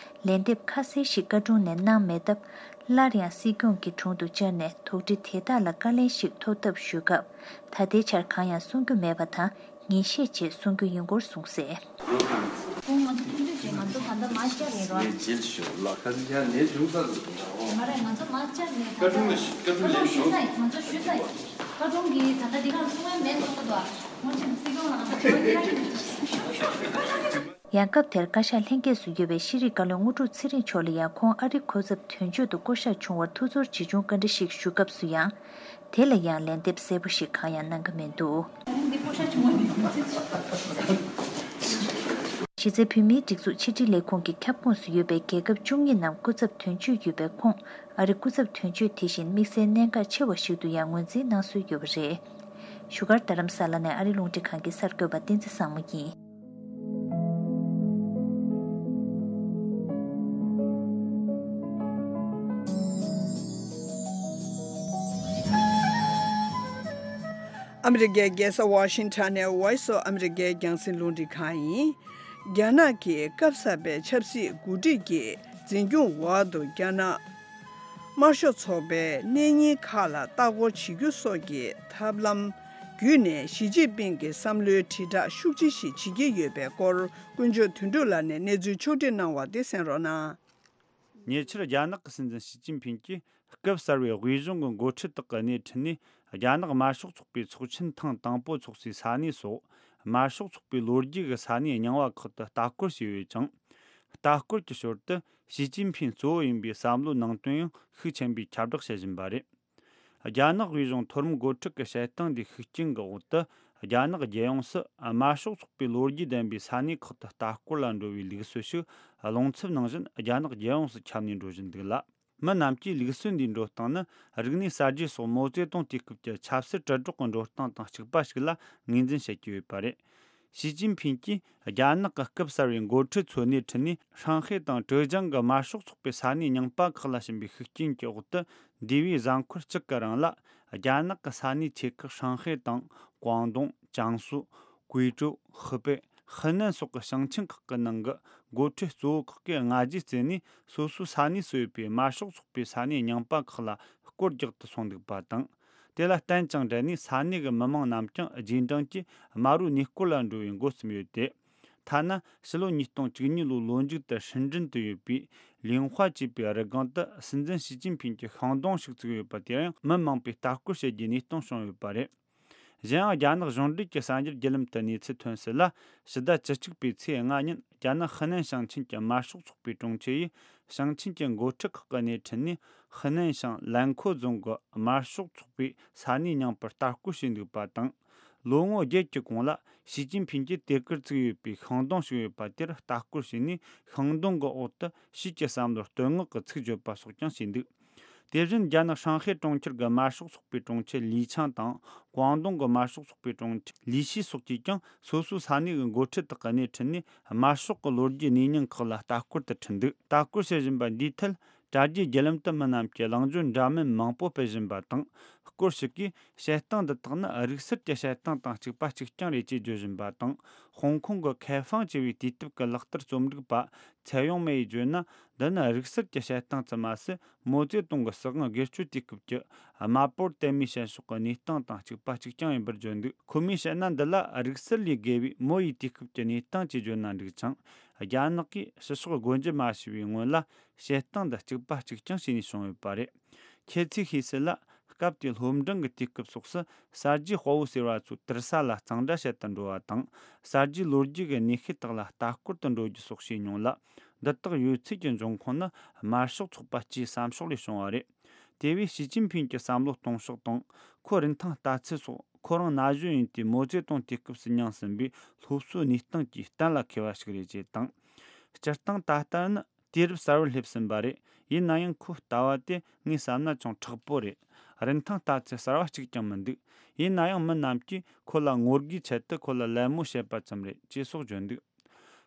ལན་འདེབས་ཁ་གསལ་ཞིག་བཀའ་དྲུང་ནས་གནང་མེད་སྟབས། སླར་ཡང་སྲིད་སྐྱོང་གི་དྲུང་དུ་བཅར་ནས་དོགས་འདྲི་དེ་དག་ལ་བཀའ་ལན་ཞིག་ཐོབ་ཐབས་ཞུ་སྐབས། ད་ལྟའི་ཆར་གང་ཡང་གསུང་རྒྱུ་མེད་པ་དང་། ཉིན་ཤས་རྗེས་གསུང་རྒྱུ་ཡིན་སྐོར་གསུངས་གསལ། ཁོང་ང་ཚོ་མཐུན་སྒྲིལ་བྱས། ང་ཚོ་ད་ལྟ་མར་བཅར་ཡིན་རོ། ངས་རྗེས་ཞུ་ལ་ཁ་ཡ་ནས་བྱུང་ས་རེད་འདྲ་འོ། མ་རེད། ང་ཚོ་མར་བཅར་ནས་ད་ལྟ་བཀའ་དྲུང་ལ་ཞུ། བཀའ་དྲུང་ལ་བཀའ་དྲུང་ཞུས་ས་ཡིན། ང་ཚོ་ཞུས་ས་ཡིན། བཀའ་དྲུང་གིས་ད་ལྟ་འདི་གར་གསུང་ཡ་མེད་གསུང་གི་འདུག་ཁོང་ཅིག་སྲིད་སྐྱོང་ལ་ང་ཚོ་ཁྱོད་ཀྱི་ཡང་སྐབས་དེར་བཀའ་ཤག་ལྷན་རྒྱས་སུ་ཡོད་པའི་ཤེས་རིག་བཀའ་བློན་དངོས་གྲུབ་ཚེ་རིང་མཆོག་ལ་ཡང་ཁོང་ཨ་རིའི་གོ་ཚབ་དོན་གཅོད་དུ་བསྐོ་གཞག་བྱུང་བར་ཐུགས་ཚོར་ཇི་བྱུང་བཀའ་འདྲི་ཞིག་ཞུ་སྐབས་སུ་ཡང་། དེ་ལ་ཡང་ལན་འདེབས་གསལ་པོ་ཞིག་གང་ཡང་གནང་གི་མི་འདུག་གཞི་རྩའི་བོད་མིའི་སྒྲིག་འཛུགས་ཕྱི་དྲིལ་ལས་ཁུངས་ཀྱི་ཁྱབ་ཁོངས་སུ་ཡོད་པའི་རྒྱལ་ཁབ་བཅུ་གཉིས་ནང་སྐུ་ཚབ་དོན་གཅོད་ཡོད་པའི་ཁོངས། ཨ་རིའི་སྐུ་ཚབ་དོན་གཅོད་དེ་བཞིན་དམིགས་བསལ་གནད་འགག་ཆེ་བ་ཞིག་ཏུ་ཡང་ངོས་འཛིན་གནང་སྲོལ་ཡོད་པ་རེད། བཞུགས་སྒར་རྡ་རམ་ས་ལ་ནས་ཨ་རིའི་རླུང་འཕྲིན་ཁང་གི་གསར་འགོད་པ་བསྟན་འཛིན་བཟང་མོ་ཡིན། ཨ་མི་རི་ཀའི་རྒྱལ་ས་ཝ་ཤིང་ཊོན་ནས་Voice of America་རྒྱང་སྲིང་རླུང་འཕྲིན་ཁང་ཡིན། རྒྱ་ནག་གི་སྐབས་གསར་པའི་ཆབ་སྲིད་འགོ་ཁྲིད་ཀྱི་འཛིན་སྐྱོང་འོག་ཏུ་རྒྱ་ནག་དམར་ཤོག་ཚོགས་པའི་གནས་རྙིང་ཁག་ལ་ལྟ་སྐོར་བྱེད་རྒྱུ་སོགས་ཀྱི་ཐབས་ལམ་བརྒྱུད་ནས་ཞི་ཅིན་ཕིང་གི་བསམ་བློའི་དྲིལ་བསྒྲགས་ཤུགས་ཆེ་ཞིག་བྱེད་ཀྱི་ཡོད་པའི་སྐོར། དཀོན་མཆོག་དོན་གྲུབ་ལགས་ནས་གནས་ཚུལ་ཕྱོགས་སྒྲིག་གནང་བ་དེ་གསན་རོགས་གནང་། ཉེ་ཆར་རྒྱ་ནག་གི་སྲིད་འཛིན་ཞི་ཅིན་ཕིང་གིས་སྐབས་གསར་བའི་དབུས་གཞུང་གི་འགོ་ཁྲིད་དག་གི་སྣེ་ཁྲིད་ནས། རྒྱ་ནག་དམར་ཤོག་ཚོགས་པའི་ཚོགས་ཆེན་ཐེངས་དང་པོ་འཚོགས་སའི་ས་གནས་སོགས། དམར་ཤོག་ཚོགས་པའི་ལོ་རྒྱུས་ཀྱི་ས་གནས་རྙིང་བ་ཁག་ཏུ་ལྟ་སྐོར་བྱས་ཡོད་ཅིང་། ལྟ་སྐོར་གྱི་ཞོར་དུ་ཞི་ཅིན་ཕིང་གཙོ་བོ་ཡིན་པའི་བསམ་བློའི་ནང་དོན་ཡང་ཤུགས་ཆེན་པོས་ཁྱབ་བསྒྲགས་བྱེད་བཞིན་པ་རེད། རྒྱ་ནག་དབུས་གཞུང་མཐོ་རིམ་འགོ་ཁྲིད་ཀྱི་བཤད་སྟངས་འདིའི་ཤུགས་རྐྱེན་གྱི་འོག་ཏུ། རྒྱ་ནག་རྒྱལ་ཡོངས་སུ་དམར་ཤོག་ཚོགས་པའི་ལོ་རྒྱུས་ལྡན་པའི་ས་གནས་ཁག་ཏུ་ལྟ་སྐོར་ལ་འགྲོ་བའི་ལུགས་སྲོལ་ཞིག་རླུང་འཚུབ་ནང་བཞིན་རྒྱ་ནག་རྒྱལ་ཡོངས་སུ་ཁྱབ་ནས་འགྲོ་བཞིན་འདུག་ལ། མི་རྣམས་ཀྱིས་ལུགས་སྲོལ་འདིའི་འགྲོ་སྟངས་ནི་རིག་གནས་གསར་བརྗེ་སོགས་མའོ་ཙེ་ཏུང་དུས་སྐབས་ཀྱི་ཆབ་སྲིད་དྲིལ་སྒྲོག་གི་འགྲོ་སྟངས་དང་གཅིག་པ་ཞིག་ལ་ངོས་འཛིན་བྱེད་ཀྱི་ཡོད་པ་རེད། ཞི་ཅིན་ཕིང་གིས་རྒྱ་ནག་གི་སྐབས་གསར་བའི་འགོ་ཁྲིད་ཚོའི་སྣེ་ཁྲིད་ནས་ཧྲང་ཧའེ་དང་ཀྲེ་ཅང་གི་དམར་ཤོག་ཚོགས་པའི་ས་གནས་རྙིང་པ་ཁག་ལ་ཕྱིན་པའི་ཤུགས་རྐྱེན་གྱི་འོག་ཏུ། འདས་པའི་གཟའ་འཁོར་གཅིག་གི་རིང་ལ། རྒྱ་ནག་གི་ས་གནས་ཆེ་ཁག་ཧྲང་ཧའེ་དང་ཀོང་ཏུང་། ཅང་སུའུ། ཀུའེ་ཀྲོའུ། ཧི་པེ། ཧི་ནན་སོགས་ཀྱི་ཞིང་ཆེན་ཁག་གི་ནང་གི་འགོ་ཁྲིད་གཙོ་བོ་ཁག་གིས་སྔ་རྗེས་བརྩིས་ནས་སོ་སོའི་ས་གནས་སུ་ཡོད་པའི་དམར་ཤོག་ཚོགས་པའི་ས་གནས་རྙིང་པ་ཁག་ལ་སྐོར་རྒྱག་ཏུ་སོང་འདུག་པ་དང་། དེ་ལ་བརྟེན་ཅིང་འབྲེལ་ནས་ས་གནས་ཀྱི་མི་མང་རྣམས་ཀྱང་རྗེས་འབྲང་གིས་དམར་པོའི་གནས་སྐོར་ལ་འགྲོ་བའི་འགོ་བརྩམས་ཡོད་དེ། ཐ་ན་ཕྱི་ལོ་ཉིས་སྟོང་བཅུ་གཉིས་ལོའི་ལོ་མཇུག་ཏུ་ཧྲིན་ཀྲིན་དུ་ཡོད་པའི་ལིང་ཧྭ་ཅེས་པའི་རི་སྒང་དུ་སྲིད་འཛིན་ཞི་ཅིན་ཕིང་གི་ཤིང་སྡོང་ཞིག་བཙུགས་ཡོད་པ་དེར་ཡང་མི་མང་པོས་ལྟ་སྐོར་བྱེད་རྒྱུའི་གནས་སྟངས་བྱུང་ཡོད་པ་རེད། གཞན་ཡང་རྒྱ་ནག་གཞུང་འབྲེལ་གྱི་གསར་འགྱུར་བརྒྱུད་ལམ་དུ་གནས་ཚུལ་ཐོན་གསལ་ལ། ཕྱི་ཟླ་བཅུ་གཅིག་པའི་ཚེས་ལྔ་ཉིན་རྒྱ་ནག་ཧི་ནན་ཞིང་ཆེན་གྱི་དམར་ཤོག་ཚོགས་པའི་དྲུང་ཆེ་ཡིས་ཞིང་ཆེན་གྱི་འགོ་ཁྲིད་ཁག་གི་སྣེ་ཁྲིད་ནས་ཧི་ནན་ཞིང་ལན་ཁོ་རྫོང་གི་དམར་ཤོག་ཚོགས་པའི་ས་གནས་རྙིང་པར་ལྟ་སྐོར་བྱས་འདུག་པ་དང་། ལོ་ངོ་བརྒྱད་ཀྱི་གོང་ལ་ཞི་ཅིན་ཕིང་གིས་དེ་གར་བཙུགས་ཡོད་པའི་ཤིང་སྡོང་ཞིག་ཡོད་པ་དེར་ལྟ་སྐོར་བྱས་ནས། ཤིང་སྡོང་གི་འོག་ཏུ་ཕྱིས་ཀྱི་བསམ་བློར་བསྟོད་བསྔགས་ཀྱི་ཚིག་བརྗོད་པ་སོགས་ཀྱང་བྱས་འདུག་དེ་བཞིན་རྒྱ་ནག་ཧྲང་ཧའེ་གྲོང་ཁྱེར་གྱི་དམར་ཤོག་ཚོགས་པའི་དྲུང་ཆེ་ལི་ཆང་དང་། ཀོང་ཏུང་གི་དམར་ཤོག་ཚོགས་པའི་དྲུང་ཆེ་ལི་ཤི་སོགས་ཀྱིས་ཀྱང་སོ་སོའི་ས་གནས་ཀྱི་འགོ་ཁྲིད་དག་གི་སྣེ་ཁྲིད་ནས་དམར་ཤོག་གི་ལོ་རྒྱུས་གནས་རྙིང་ཁག་ལ་ལྟ་སྐོར་དུ་ཁྲིད་འདུག་ལྟ་སྐོར་བྱེད་བཞིན་པ་འདིའི་ཐད་དྲ་རྒྱའི་བརྒྱུད་ལམ་དུ་མི་རྣམས་ཀྱིས་གླེང་བརྗོད་འདྲ་མིན་མང་པོ་སྤེལ་བཞིན་པ་དང་། སྐོར་ཞིག་གིས་བཤད་སྟངས་འདི་དག་ནི་རིག་གསར་གྱི་བཤད་སྟངས་དང་གཅིག་པ་གཅིག་རྐྱང་རེད་ཅེས་བརྗོད་བཞིན་པ་དང་། ཧོང་ཀོང་གི་ཁེ་ཧྥང་ཅེས་པའི་དུས་དེབ་ཀྱི་ལག་བསྟར་རྩོམ་སྒྲིག་པ་ཚེ་ཡོང་མེ་ཡིས་བརྗོད་ན། འདི་ནི་རིག་གསར་གྱི་བཤད་སྟངས་ཙམ་མ་ཟད། མའོ་ཙེ་ཏུང་གི་སྲིད་དབང་སྒེར་གཅོད་དུས་སྐབས་ཀྱི་དམར་པོར་དད་མོས་བྱེད་ཕྱོགས་ཀྱི་གནས་སྟངས་དང་གཅིག་པ་གཅིག་རྐྱང་ཡིན་པར་བརྗོད་འདུག་ཁོ་མོས་བཤད་ན། འདི་ལ་རིག་གསར་ལས་བརྒལ་བའི་མའོ་ཡི་དུས་སྐབས་ཀྱི་གནས་སྟངས་ཅེས་བརྗོད་ན་འགྲིག་ཅིང་། རྒྱ་ནག་གིས་ཕྱི་ཕྱོགས་སྒོ་འབྱེད་མ་བྱས་པའི་སྔོན་ལ་བཤད་སྟངས་འདི་གཅིག་པ་གཅིག་རྐྱང་བྱས་ནས་བྱུང་ཡོད་པ་རེད། ཁྱེད་ཚོས་ཤེས་གསལ་ལ། སྐབས་དེའི་སློབ་འབྲིང་གི་དུས་སྐབས་སོགས་སུ་གསར་བརྗེའི་དཔའ་བོ་ཟེར་བ་ཚོས་དུར་ས་ལ་གཙང་སྦྲ་བྱེད་དུ་འགྲོ་བ་དང་། གསར་བརྗེའི་ལོ་རྒྱུས་ཀྱི་གནས་ཤུལ་དག་ལ་ལྟ་སྐོར་དུ་འགྲོ་རྒྱུ་སོགས་བྱས་མྱོང་ལ། འདི་དག་ཡོད་ཚད་ཀྱི་འབྱུང་ཁུངས་ནི་དམར་ཤོག་ཚོགས་པ་སྤྱིའི་བསམ་ཕྱོགས་ལས་བྱུང་བ་རེད། དེ་བས་ཞི་ཅིན་ཕིང་གི་བསམ་བློ་གཏོང་ཕྱོགས་དང་། ཁོའི་རིན་ཐང་ལྟ་ཚུལ་སོགས་ཁོ་རང་ན་གཞོན་ཡིན་དུས་མའོ་ཙེ་ཏུང་དུས་སྐབས་སུ་མྱངས་ཟིན་པའི་སློབ་གསོའི་གནས་སྟངས་ཀྱིས་གཏན་ལ་འཁེལ་བ་ཞིག་རེད་ཅེས་དང་། སྤྱིར་བཏང་ད་ལྟ་ནི་དུས་རབས་གསར་བར་སླེབས་ཟིན་པ་རེད། ཡིན་ན་ཡང་ཁོའི་ལྟ་བ་དེ་ངས་བསམ་ན་ཅུང་མཁྲེགས་པོ་རེད། རིན་ཐང་ལྟ་ཚུལ་གསར་བ་གཅིག་ཀྱང་མི་འདུག་ཡིན་ན་ཡང་མི་རྣམས་ཀྱིས་ཁོ་ལ་ངོ་རྒོལ་ཆེད་དུ་ཁོ་ལ་ལད་མོ་བྱེད་པ་ཙམ་རེད་ཅེས་སོགས་བརྗོད་འདུག་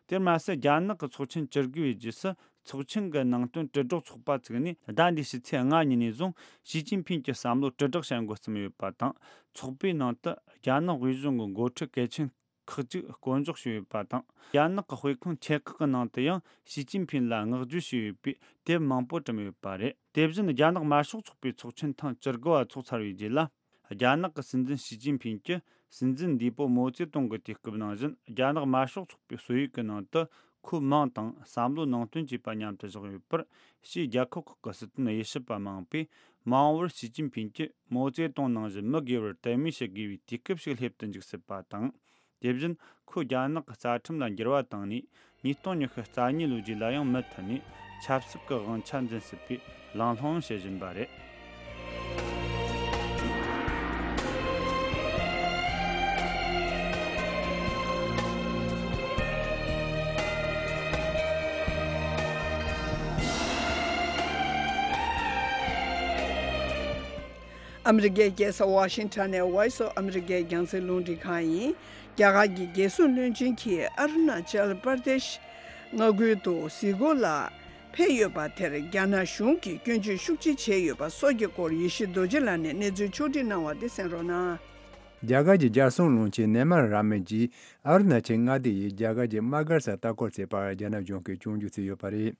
དེར་མ་ཟད། རྒྱ་ནག་གི་ཚོགས་ཆེན་བཅུ་དགུ་པའི་རྗེས་སུ་ཚོགས་ཆེན་གྱི་ནང་དོན་དྲིལ་སྒྲོག་ཚོགས་པ་བཙུགས་ནས། ཟླ་འདིའི་ཕྱི་ཚེས་ལྔ་ཉིན་ནས་བཟུང་ཞི་ཅིན་ཕིང་གི་བསམ་བློ་དྲིལ་བསྒྲགས་བྱ་འགོ་བརྩམས་ཡོད་པ་དང་། ཚོགས་པའི་ནང་དུ་རྒྱ་ནག་དབུས་གཞུང་གི་འགོ་ཁྲིད་གལ་ཆེན་ཁག་ཅིག་བསྐོ་འཇོག་བྱས་ཡོད་པ་དང་། རྒྱ་ནག་གི་དཔེ་ཁང་ཆེ་ཁག་གི་ནང་དུ་ཡང་ཞི་ཅིན་ཕིང་ལ་བསྔགས་བརྗོད་བྱས་ཡོད་པའི་དེབ་མང་པོ་བཀྲམ་ཡོད་པ་རེད། དེ་བཞིན་རྒྱ་ནག་དམར་ཤོག་ཚོགས་པའི་ཚོགས་ཆེན་ཐེངས་བཅུ་དགུ་པ་འཚོགས་ཚར་བའི་རྗེས་ལ། རྒྱ་ནག་གི་སྲིད་འཛིན་ཞི་ཅིན་ཕིང་གིས་སྲིད་འཛིན་འདས་པོ་མའོ་ཙེ་ཏུང་གི་དུས་སྐབས་ནང་བཞིན། རྒྱ་ནག་དམར་ཤོག་ཚོགས་པའི་སྲོལ་ཡིག་གི་ནང་དུ་ཁོའི་མིང་དང་བསམ་བློ་ནང་དོན་བཅས་པ་མཉམ་དུ་བཞག་ཡོད་པར། ཕྱིའི་རྒྱལ་ཁབ་ཁག་གི་སྲིད་དོན་དབྱེ་ཞིབ་པ་མང་པོས། མ་འོངས་པར་ཞི་ཅིན་ཕིང་གིས་མའོ་ཙེ་ཏུང་ནང་བཞིན་མི་སྒེར་བར་དད་མོས་བྱེད་དགོས་པའི་དུས་སྐབས་ཤིག་སླེབས་དུ་འཇུག་སྲིད་པ་དང་། དེ་བཞིན་ཁོས་རྒྱ་ནག་གི་རྩ་ཁྲིམས་ལ་འགྱུར་བ་བཏང་ནས། ཉིས་སྟོང་ཉི་ཤུ་རྩ་གཉིས་ལོའི་རྗེས་ལ་ཡང་མུ་མཐུད་ནས་ཆབ་སྲིད་ཀྱི་དབང་ཆ་འཛིན་སྲིད་པའི་གླེང་སློང་བྱེད་བཞིན་པ་རེད། ཨ་མི་རི་ཀའི་རྒྱལ་ས་ཝ་ཤིང་ཊོན་ནས་Voice of America་རྒྱང་སྲིང་རླུང་འཕྲིན་ཁང་ཡིན། རྒྱ་གར་གྱི་རྒྱལ་སྲུང་བློན་ཆེན་གྱིས་ཨ་རུ་ན་ཅལ་པར་དེ་ཤི་མངའ་ཁུལ་དུ་གཟིགས་སྐོར་ལ་ཕེབས་ཡོད་པ་དེར་རྒྱ་ནག་གཞུང་གིས་སྐྱོན་བརྗོད་ཤུགས་ཆེ་བྱས་ཡོད་པ་སོགས་ཀྱི་སྐོར་ཡེ་ཤེས་རྡོ་རྗེ་ལགས་ནས་གནས་ཚུལ་ཕྱོགས་སྒྲིག་གནང་བ་དེ་གསན་རོགས་གནང་། རྒྱ་གར་གྱི་རྒྱལ་སྲུང་བློན་ཆེན་ནེ་མ་ར་མན་གྱིས་ཨ་རུ་ན་ཅལ་མངའ་སྡེ་ཡི་རྒྱ་གར་གྱི་དམག་སྒར་སར་ལྟ་སྐོར་བྱས་པར་རྒྱ་ནག་གཞུང་གིས་སྐྱོན་བརྗོད་བྱས་ཡོད་པ་རེད།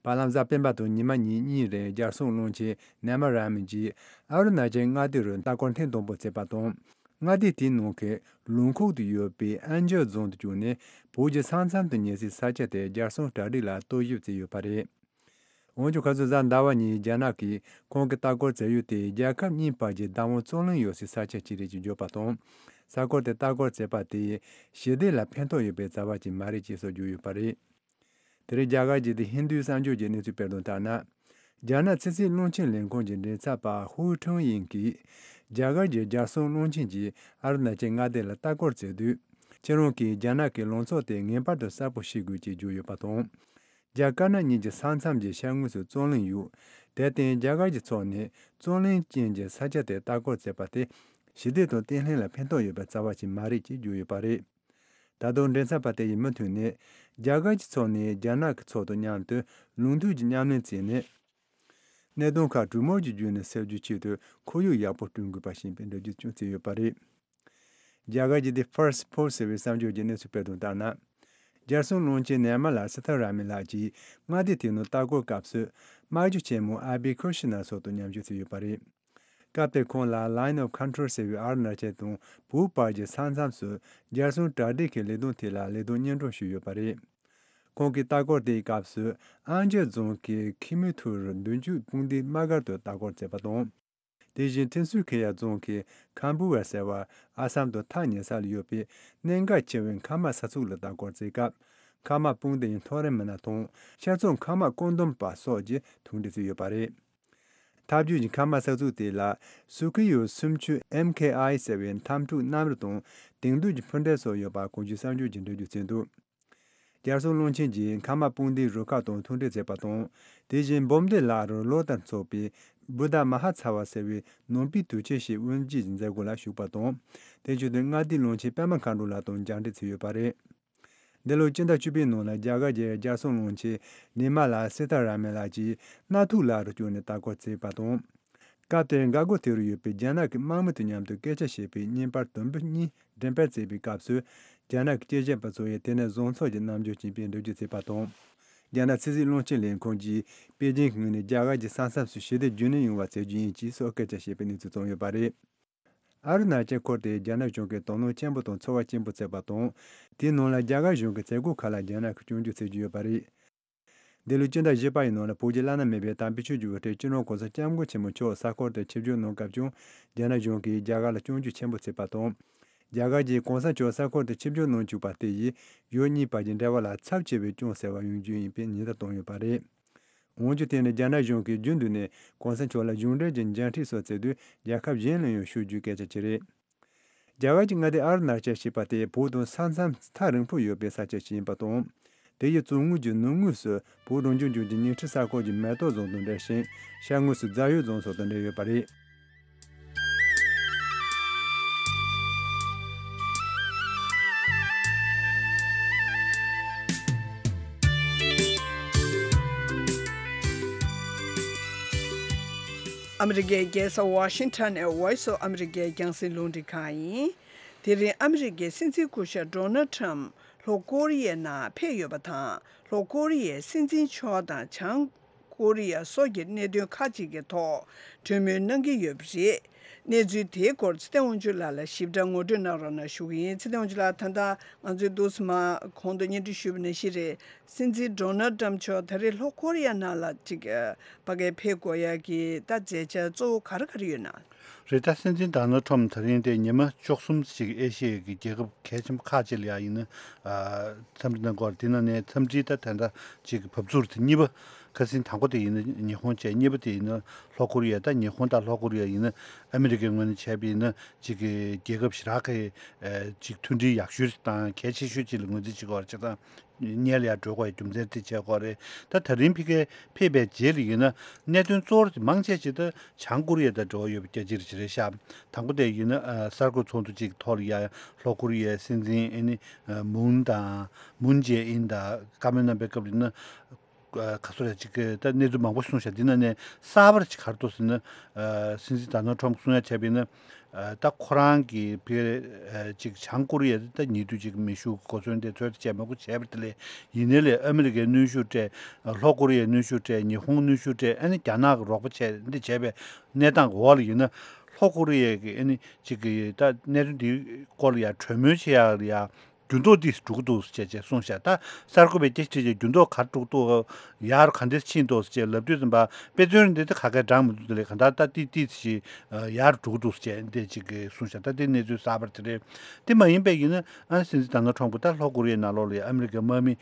བར་ལམ་གཟའ་སྤེན་པ་དང་ཉི་མ་ཉིན་གཉིས་རིང་རྒྱལ་སྲུང་བློན་ཆེན་ནེ་མ་ར་མན་གྱིས་ཨ་རུ་ན་ཅལ་མངའ་སྡེ་རུ་ལྟ་སྐོར་ཐེངས་དང་པོ་བྱས་པ་དང་། མངའ་སྡེ་དེའི་ནང་གི་ལུང་ཁུག་ཏུ་ཡོད་པའི་ཨན་ཇོ་རྫོང་དུ་བསྐྱོད་ནས་བོད་ཀྱི་ས་མཚམས་དང་ཉེ་སའི་ས་ཆ་དེར་རྒྱལ་སྲུང་གྲ་སྒྲིག་ལ་རྟོག་ཞིབ་བྱས་ཡོད་པ་རེད། འོན་ཀྱང་ཁ་སང་གཟའ་ཟླ་བ་ཉིན་རྒྱ་ནག་གིས་ཁོང་གི་ལྟ་སྐོར་བྱ་ཡུལ་དེ་རྒྱལ་ཁབ་གཉིས་བར་གྱི་བདག་དབང་རྩོད་གླེང་ཡོད་སའི་ས་ཆ་ཅིག་རེད་ཅེས་བརྗོད་པ་དང་། ས་ཁུལ་དེར་ལྟ་སྐོར་བྱས་པ་དེས་ཞི་བདེ་ལ་ཕན་ཐོགས་ཡོད་པའི་རྩ་བ་ཅིག་མ་རེད་ཅེས་སོགས་བརྗོད་ཡོད་པ་རེད། དེ་རིང་རྒྱ་གར་གྱི་དེ་ཧིན་རྡུའི་གསར་འགྱུར་གྱི་གནས་ཚུལ་སྤེལ་དོན་ལྟར་ན། རྒྱ་ནག་ཕྱི་སྲིད་བློན་ཆེན་ལས་ཁུངས་ཀྱི་མགྲིན་ཚབ་པ་ཧུའུ་ཁྲུང་ཡིན་གྱིས། རྒྱ་གར་གྱི་རྒྱལ་སྲུང་བློན་ཆེན་གྱིས་ཨ་རུ་ན་ཅལ་མངའ་སྡེ་ལ་ལྟ་སྐོར་བྱེད་དུས། ཁྱེད་རང་གིས་རྒྱ་ནག་གི་ལངས་ཕྱོགས་དེ་ངེས་པར་དུ་གསལ་པོ་ཤེས་དགོས་ཅེས་བརྗོད་ཡོད་པ་དང་། རྒྱ་དཀར་ནག་གཉིས་ཀྱི་ས་མཚམས་ཀྱི་ཤར་ངོས་སུ་རྩོད་གླེང་ཡོད། དེར་བརྟེན་རྒྱ་གར་གྱི་ཕྱོགས་ནས་རྩོད་གླེང་ཅན་གྱི་ས་ཆ་དེར་ལྟ་སྐོར་བྱས་པ་དེ་ཞི་བདེ་དང་བརྟན་ལྷིང་ལ་ཕན་ཐོགས་ཡོད་པའི་རྩ་བ་ཞིག་མ་རེད་ཅེས་བརྗོད་ཡོད་པ་རེད། ད་དུང་མགྲིན་ཚབ་པ་དེ་ཡིས་མུ་མཐུད་ནས། རྒྱ་གར་གྱི་ཕྱོགས་ནས་རྒྱ་ནག་གི་ཕྱོགས་དང་མཉམ་དུ་ལུགས་མཐུན་གྱི་མཉམ་ལས་བྱས་ནས། གནད་དོན་ཁག་གྲོས་མོལ་གྱི་བརྒྱུད་ནས་སེལ་རྒྱུའི་ཆེད་དུ་ཁོར་ཡུག་ཡག་པོ་བསྐྲུན་དགོས་པ་ཞིག་ཡིན་པའི་འགྲེལ་བརྗོད་ཀྱང་བྱས་ཡོད་པ་རེད། རྒྱ་གར་གྱི་The First Post ཟེར་བའི་གསར་འགྱུར་གྱི་གནས་ཚུལ་སྤེལ་དོན་ལྟར་ན། རྒྱལ་སྲུང་བློན་ཆེན་ནེ་མ་ལ་སི་ཐ་ར་མན་ལགས་ཀྱིས་མངའ་སྡེ་དེའི་ནང་ལྟ་སྐོར་སྐབས་སུ། དམག་ཇོ་ཆེན་མོ་ཨ་བི་ཁུ་ཤི་ན་སོགས་དང་མཉམ་ཞུགས་བྱས་ཡོད་པ་རེད། སྐབས་དེར་ཁོང་ལ་Line of Control ཟེར་བའི་ཨ་རུ་ན་ཅལ་དང་བོད་བར་གྱི་ས་མཚམས་སུ་རྒྱལ་སྲུང་གྲ་སྒྲིག་གི་ལས་དོན་ཐད་ལ་ལས་དོན་སྙན་སྒྲོན་ཞུས་ཡོད་པ་རེད། ཁོང་གིས་ལྟ་སྐོར་དེའི་སྐབས་སུ་ཨན་ཇོ་རྫོང་གི་ཁི་མུ་ཐུར་མདུན་སྐྱོད་དཔུང་སྡེའི་དམག་སྒར་དུ་ལྟ་སྐོར་བྱས་པ་དང་། དེ་བཞིན་ཐིན་སུ་ཁེ་ཡ་རྫོང་གི་ཁམ་བུ་ཝེ་ཟེར་བ་ཨ་སམ་དང་ཐག་ཉེ་ས་ལ་ཡོད་པའི་གནད་འགག་ཆེ་བའི་མཁའ་དམག་ས་ཚུགས་ལ་ལྟ་སྐོར་བྱེད་སྐབས། མཁའ་དམག་དཔུང་སྡེ་ཡི་མཐོ་རིམ་མི་སྣ་དང་ཤར་ཕྱོགས་མཁའ་དམག་བཀོད་འདོམས་པ་སོགས་ཀྱིས་ཐུག་འཕྲད་བྱས་ཡོད་པ་རེད། ཐབས་ཇུས་ཀྱི་མཁའ་དམག་ས་ཚུགས་དེ་ལ་སུ་ཁི་ཡོ་སུམ་ཅུ་ཨེམ་ཁེ་ཨའི་ཟེར་བའི་འཐབ་འཁྲུག་གནམ་རུ་དང་དེང་དུས་ཀྱི་འཕུར་མདེལ་སོགས་ཡོད་པ་གོང་ཞུས་གསར་འགྱུར་གྱིས་འགྲེལ་བརྗོད་བྱས་འདུག་རྒྱལ་སྲུང་བློན་ཆེན་གྱིས་མཁའ་དམག་དཔུང་སྡེའི་རུ་ཁག་དང་ཐུག་འཕྲད་བྱས་པ་དང་། དེ་བཞིན་འབུམ་སྡེ་ལ་རུ་ལོ་ལྟར་འཚོགས་པའི་བུདྡྷ་མ་ཧཱ་ཚ་བ་ཟེར་བའི་ནང་པའི་དུས་ཆེན་ཞིག་དབུ་འབྱེད་ཀྱི་མཛད་སྒོ་ལ་ཞུགས་པ་དང་། དེ་བཞིན་དུ་མངའ་སྡེའི་བློན་ཆེན་པད་མ་མཁའ་འགྲོ་ལགས་དང་མཇལ་འཕྲད་བྱས་ཡོད་པ་རེད། འདི་ལོའི་སྤྱི་ཟླ་བཅུ་པའི་ནང་ལ་རྒྱ་གར་གྱི་རྒྱལ་སྲུང་བློན་ཆེན་ནི་མ་ལ་སི་ཐ་ར་མན་ལགས་ཀྱིས་གནའ་ཐུག་ལ་རུ་བསྐྱོད་ནས་ལྟ་སྐོར་བྱས་པ་དང་། སྐབས་དེར་འགག་སྒོ་དེ་རུ་ཡོད་པའི་རྒྱ་ནག་གི་དམག་མི་དང་མཉམ་དུ་སྐད་ཆ་བཤད་པའི་བརྙན་པར་དུམ་བུ་གཉིས་འགྲེམས་སྤེལ་བྱས་པའི་སྐབས་སུ། རྒྱ་ནག་གི་སྐྱེས་ཆེན་པ་ཚོ་ཡིས་དེ་ནས་བཟང་ཕྱོགས་ཀྱི་རྣམ་འགྱུར་ཅིག་སྤེལ་འགྲེལ་བརྗོད་བྱས་པ་དང་། རྒྱ་ནག་ཕྱི་སྲིད་བློན་ཆེན་ལས་ཁུངས་ཀྱིས་པེ་ཅིང་གི་ངོས་ནས་རྒྱ་གར་གྱི་ས་མཚམས་སུ་ཞི་བདེ་རྒྱུན་གནས་ཡོང་བ་བྱེད་རྒྱུ་ཡིན་ཅེས་སོགས་སྐད་ཆ་བཤད་པའི་གནས་ཚུལ་བྱུང་ཡོད་པ་རེད། ཨ་རུ་ན་ཅལ་ཁུལ་དེ་རྒྱ་ནག་གཞུང་གིས་དོ་སྣང་ཆེན་པོ་དང་ཚོར་བ་ཆེན་པོ་བྱས་པ་དང་། དེའི་ནང་ལ་རྒྱ་གར་གཞུང་གི་བྱེད་སྒོ་ཁག་ལ་རྒྱ་ནག་གིས་སྐྱོན་བརྗོད་བྱེད་ཀྱི་ཡོད་པ་རེད། འདི་ལོའི་སྤྱི་ཟླ་བཞི་པ་ཡི་ནང་ལ་བོད་ཀྱི་བླ་ན་མེད་པའི་དམ་པའི་ཆོས་ཀྱི་དབུ་ཁྲིད་སྤྱི་ནོར་༸གོང་ས་༸སྐྱབས་མགོན་ཆེན་པོ་མཆོག་ས་ཁུལ་དུ་ཆིབས་བསྒྱུར་གནང་སྐབས་ཀྱང་རྒྱ་ནག་གཞུང་གིས་རྒྱ་གར་ལ་སྐྱོན་བརྗོད་ཆེན་པོ་བྱས་པ་དང་། རྒྱ་གར་གྱིས་༸གོང་ས་མཆོག་ས་ཁུལ་དུ་ཆིབས་བསྒྱུར་གནང་བཅུག་པ་དེ་ཡིས་ཡུལ་གཉིས་བར་གྱི་འབྲེལ་བ་ལ་ཚབས་ཆེ་བའི་སྐྱོན་ཟེར་བ་ཡོང་རྒྱུ་ཡིན་པའི་ཉེན་བརྡ་བཏང་ཡོད་པ་རེད། འོན་ཀྱང་དེ་ནི་རྒྱ་ནག་གཞུང་གིས་རྒྱུན་དུ་ནས་༸གོང་ས་མཆོག་ལ་གཞུང་འབྲེལ་གྱི་མཇལ་འཕྲད་སོགས་བྱེད་དུས་རྒྱལ་ཁབ་གཞན་ལ་ཡང་ཞུ་རྒྱུའི་སྐད་ཆ་ཅིག་རེད། རྒྱ་གར་གྱི་མངའ་སྡེ་ཨ་རུ་ན་ཅལ་ཞེས་པ་དེ་བོད་དང་ས་མཚམས་ཐག་རིང་པོ་ཡོད་པའི་ས་ཆ་ཞིག་ཡིན་པ་དང་། དེ་ཡི་བཙོན་ངོས་ཀྱི་ནུབ་ངོས་སུ་བོད་རང་སྐྱོང་ལྗོངས་ཀྱི་ཉིང་ཁྲི་ས་ཁུལ་གྱི་མེ་ཏོག་རྫོང་དང་འབྲེལ་ཞིང་། ཤར་ངོས་སུ་རྫ་ཡོལ་རྫོང་སོགས་དང་འབྲེལ་ཡོད་པ་རེད། ཨ་མི་རི་ཀའི་རྒྱལ་ས་ཝ་ཤིང་ཊོན་ནས་Voice of America རྒྱང་སྲིང་རླུང་འཕྲིན་ཁང་ཡིན། དེ་རིང་ཨ་མི་རི་ཀའི་སྲིད་འཛིན་སྐུ་ཞབས་ཌོ་ནལ་ཊམ་ལྷོ་ཀོ་རི་ཡའི་ནང་ཕེབས་ཡོད་པ་དང་། ལྷོ་ཀོ་རི་ཡའི་སྲིད་འཛིན་མཆོག་དང་བྱང་ཀོ་རི་ཡ་སོགས་ཀྱི་གནད་དོན་ཁག་ཅིག་གི་ཐོག་གྲོས་མོལ་གནང་གི་ཡོད་པ་རེད། གནས་ཚུལ་དེའི་སྐོར་ཚེ་བརྟན་དབང་ཕྱུག་ལགས་ལ་ཞིབ་ཕྲ་ངོ་སྤྲོད་གནང་རོགས་གནང་ཞུ་གི་ཡིན། ཚེ་བརྟན་དབང་ཕྱུག་ལགས། ད་ལྟ་ང་ཚོའི་འདུག་སེ་མར་གོང་དུ་སྙན་སྒྲོན་ཞུས་པ་ནང་བཞིན་རེད། སྲིད་འཛིན་ཌོ་ནལ་ཊམ་མཆོག་ད་རེས་ལྷོ་ཀོ་རི་ཡ་ནང་ལ་ཅིག་ཕ་གིར་ཕེབས་དགོས་ཡག་གི་ད་མཛད་འཆར་གཙོ་བོ་ག་རེ་ག་རེ་ཡོད་ན། རེད། ད་སྲིད་འཛིན་ཌོ་ནལ་ཊམ་ད་རིང་དེ་ཉི་མ་བཅུ་གསུམ་ཅིག་ཨེ་ཤི་ཡའི་གི་རྒྱལ་ཁབ་གལ་ཆེན་པོ་ཁག་ཅིག་ལ་ཡ་ཡིན་ན་འཚམས་འདྲི་གནང་གི་ཡོད་རེད། དེ་ནང་ནས་འཚམས་འདྲིའི་ད་དེ་འདྲ་ཅིག་གི་བབས་ཚུགས་དེ་གཉིས་པ། ཁ་སང་དང་པོ་དེ་ཡིན་ན་ཉི་ཧོང་བྱས། གཉིས་པ་དེ་ཡིན་ན་ལྷོ་ཀོ་རི་ཡ། ད་ཉི་ཧོང་དང་ལྷོ་ཀོ་རི་ཡ་ཡིན་ན་ཨ་མི་རི་ཀའི་ངོས་ནས་བྱས་པ་ཡིན་ན་ཅིག་གི་རྒྱལ་ཁབ་ཞེ་དྲག་གི་ཅིག་མཐུན་སྒྲིལ་ཡག་ཤོས་དང་གལ་ཆེ་ཤོས་ཅིག་ལ་ངོས་འཛིན་བྱེད་ཀྱི་ཡོད་རེད། བྱས་ཙང་སྔོན་ལ་ཡར་འགྲོ་དགོས་ཡ་རྒྱུ་མཚན་དེ་བྱས་ཀྱི་ཡོད་རེད། ད་ད་རིང་ཕ་གིར་ཕེབས་པའི་རྗེས་ལ་ཡིན་ན་གནད་དོན་གཙོ་བོ་དེ་མང་ཆེ་ཅིག་ད་བྱང་ཀོ་རི་ཡ་དང་འབྲེལ་བ་ཡོད་པ་རྒྱ་ཆེར་ཅིག་རེད་ཤག་དང་པོ་དེ་ཡིན་ན་གསར་འགོད་ཚོགས་འདུ་ཅིག་གི་ཐོག་ལ་ཡ་ལྷོ་ཀོ་རི་ཡའི་སྲིད་འཛིན་ཨ་ནི་མུན་དང་མུན་ཇེ་ཨིན་དང་བཀའ་མོལ་གནང་པའི་སྐབས་ལ་ཡིན་ན། ག་ཚོད་རེད་ཅིག་གི་ད་གནས་ཚུལ་མང་པོ་གསུངས་ཤག་འདི་ནང་ནས་གསར་པ་ཅིག་ག་རེ་འདུག་ཟེར་ན། སྲིད་འཛིན་ཌོ་ནལ་ཊམ་གསུང་ཡ་བྱས་པ་ཡིན་ན། ཨ་ད་ཁོ་རང་གི་བི་ཨ་ཅིག་བྱང་ཀོ་རི་ཡ་ད་ཉེ་དུས་ཅིག་མེ་ཤུགས་གོ་མཚོན་དེ་ཚོད་ད་བྱས་མ་དགོས་བྱས་པ་དེ་ལས་ཡིན་ནའི་ལས་ཨ་མི་རི་ཀའི་གནོན་ཤུགས་སྤྲད། ལྷོ་ཀོ་རི་ཡའི་གནོན་ཤུགས་སྤྲད། ཉི་ཧོང་གནོན་ཤུགས་སྤྲད། ཨ་ནི་རྒྱ་ནག་གི་རོགས་པ་བྱས་འདི་བྱས་པའི་གནས་སྟངས་ཀྱི་འོག་ལ་ཡིན་ན། ལྷོ་ཀོ་རི་ཡ་གི་ཨ་ནི་ཅིག་གི་ད་གནད་དོན་འདིའི་སྐོར་ལ་ཡ་གྲོས་མོལ་བྱེད་ཡག་ལ་ཡ་འགྱུར་ལྡོག་འདི་འགྲོ་གི་འདུག་ཟེར་བྱས་བྱས་གསུངས་ཤག་ད་གསར་འགོད་པས་སྐད་ཆ་དྲིས་བྱས་འགྱུར་ལྡོག་ག་རེ་འགྲོ་གི་འདུག་ཡར་ག་འདྲས་ཕྱིན་འདུག་ཟེར་བྱས་ལབ་དུས་ཙམ་པ་དཔེ་མཚོན་འདི་ད་ག་གེ་འགྲངས་མི་འདུག་དེ་ལས་གང་ལྟར་ད་ཏི་ཏི་ཞིག་ཡར་འགྲོ་གི་འདུག་ཟེར་བྱས་འདི་ཅིག་གི་གསུངས་ཤག་ད་དེ་གནས་ཚུལ་གསར་པ་དེ་རེད། དེ་མ་ཡིན་པའི་ཡིན་ན་ཨ་ནི་སྲིད་འཛིན་ཌོ་ནལ་ཊམ་ཕུ་ད་ལྷོ་ཀོ་རི་ཡའི་ནང་ལོགས་ལ་ཡ་ཨ་མི་རི་ཀའི་དམག་མི་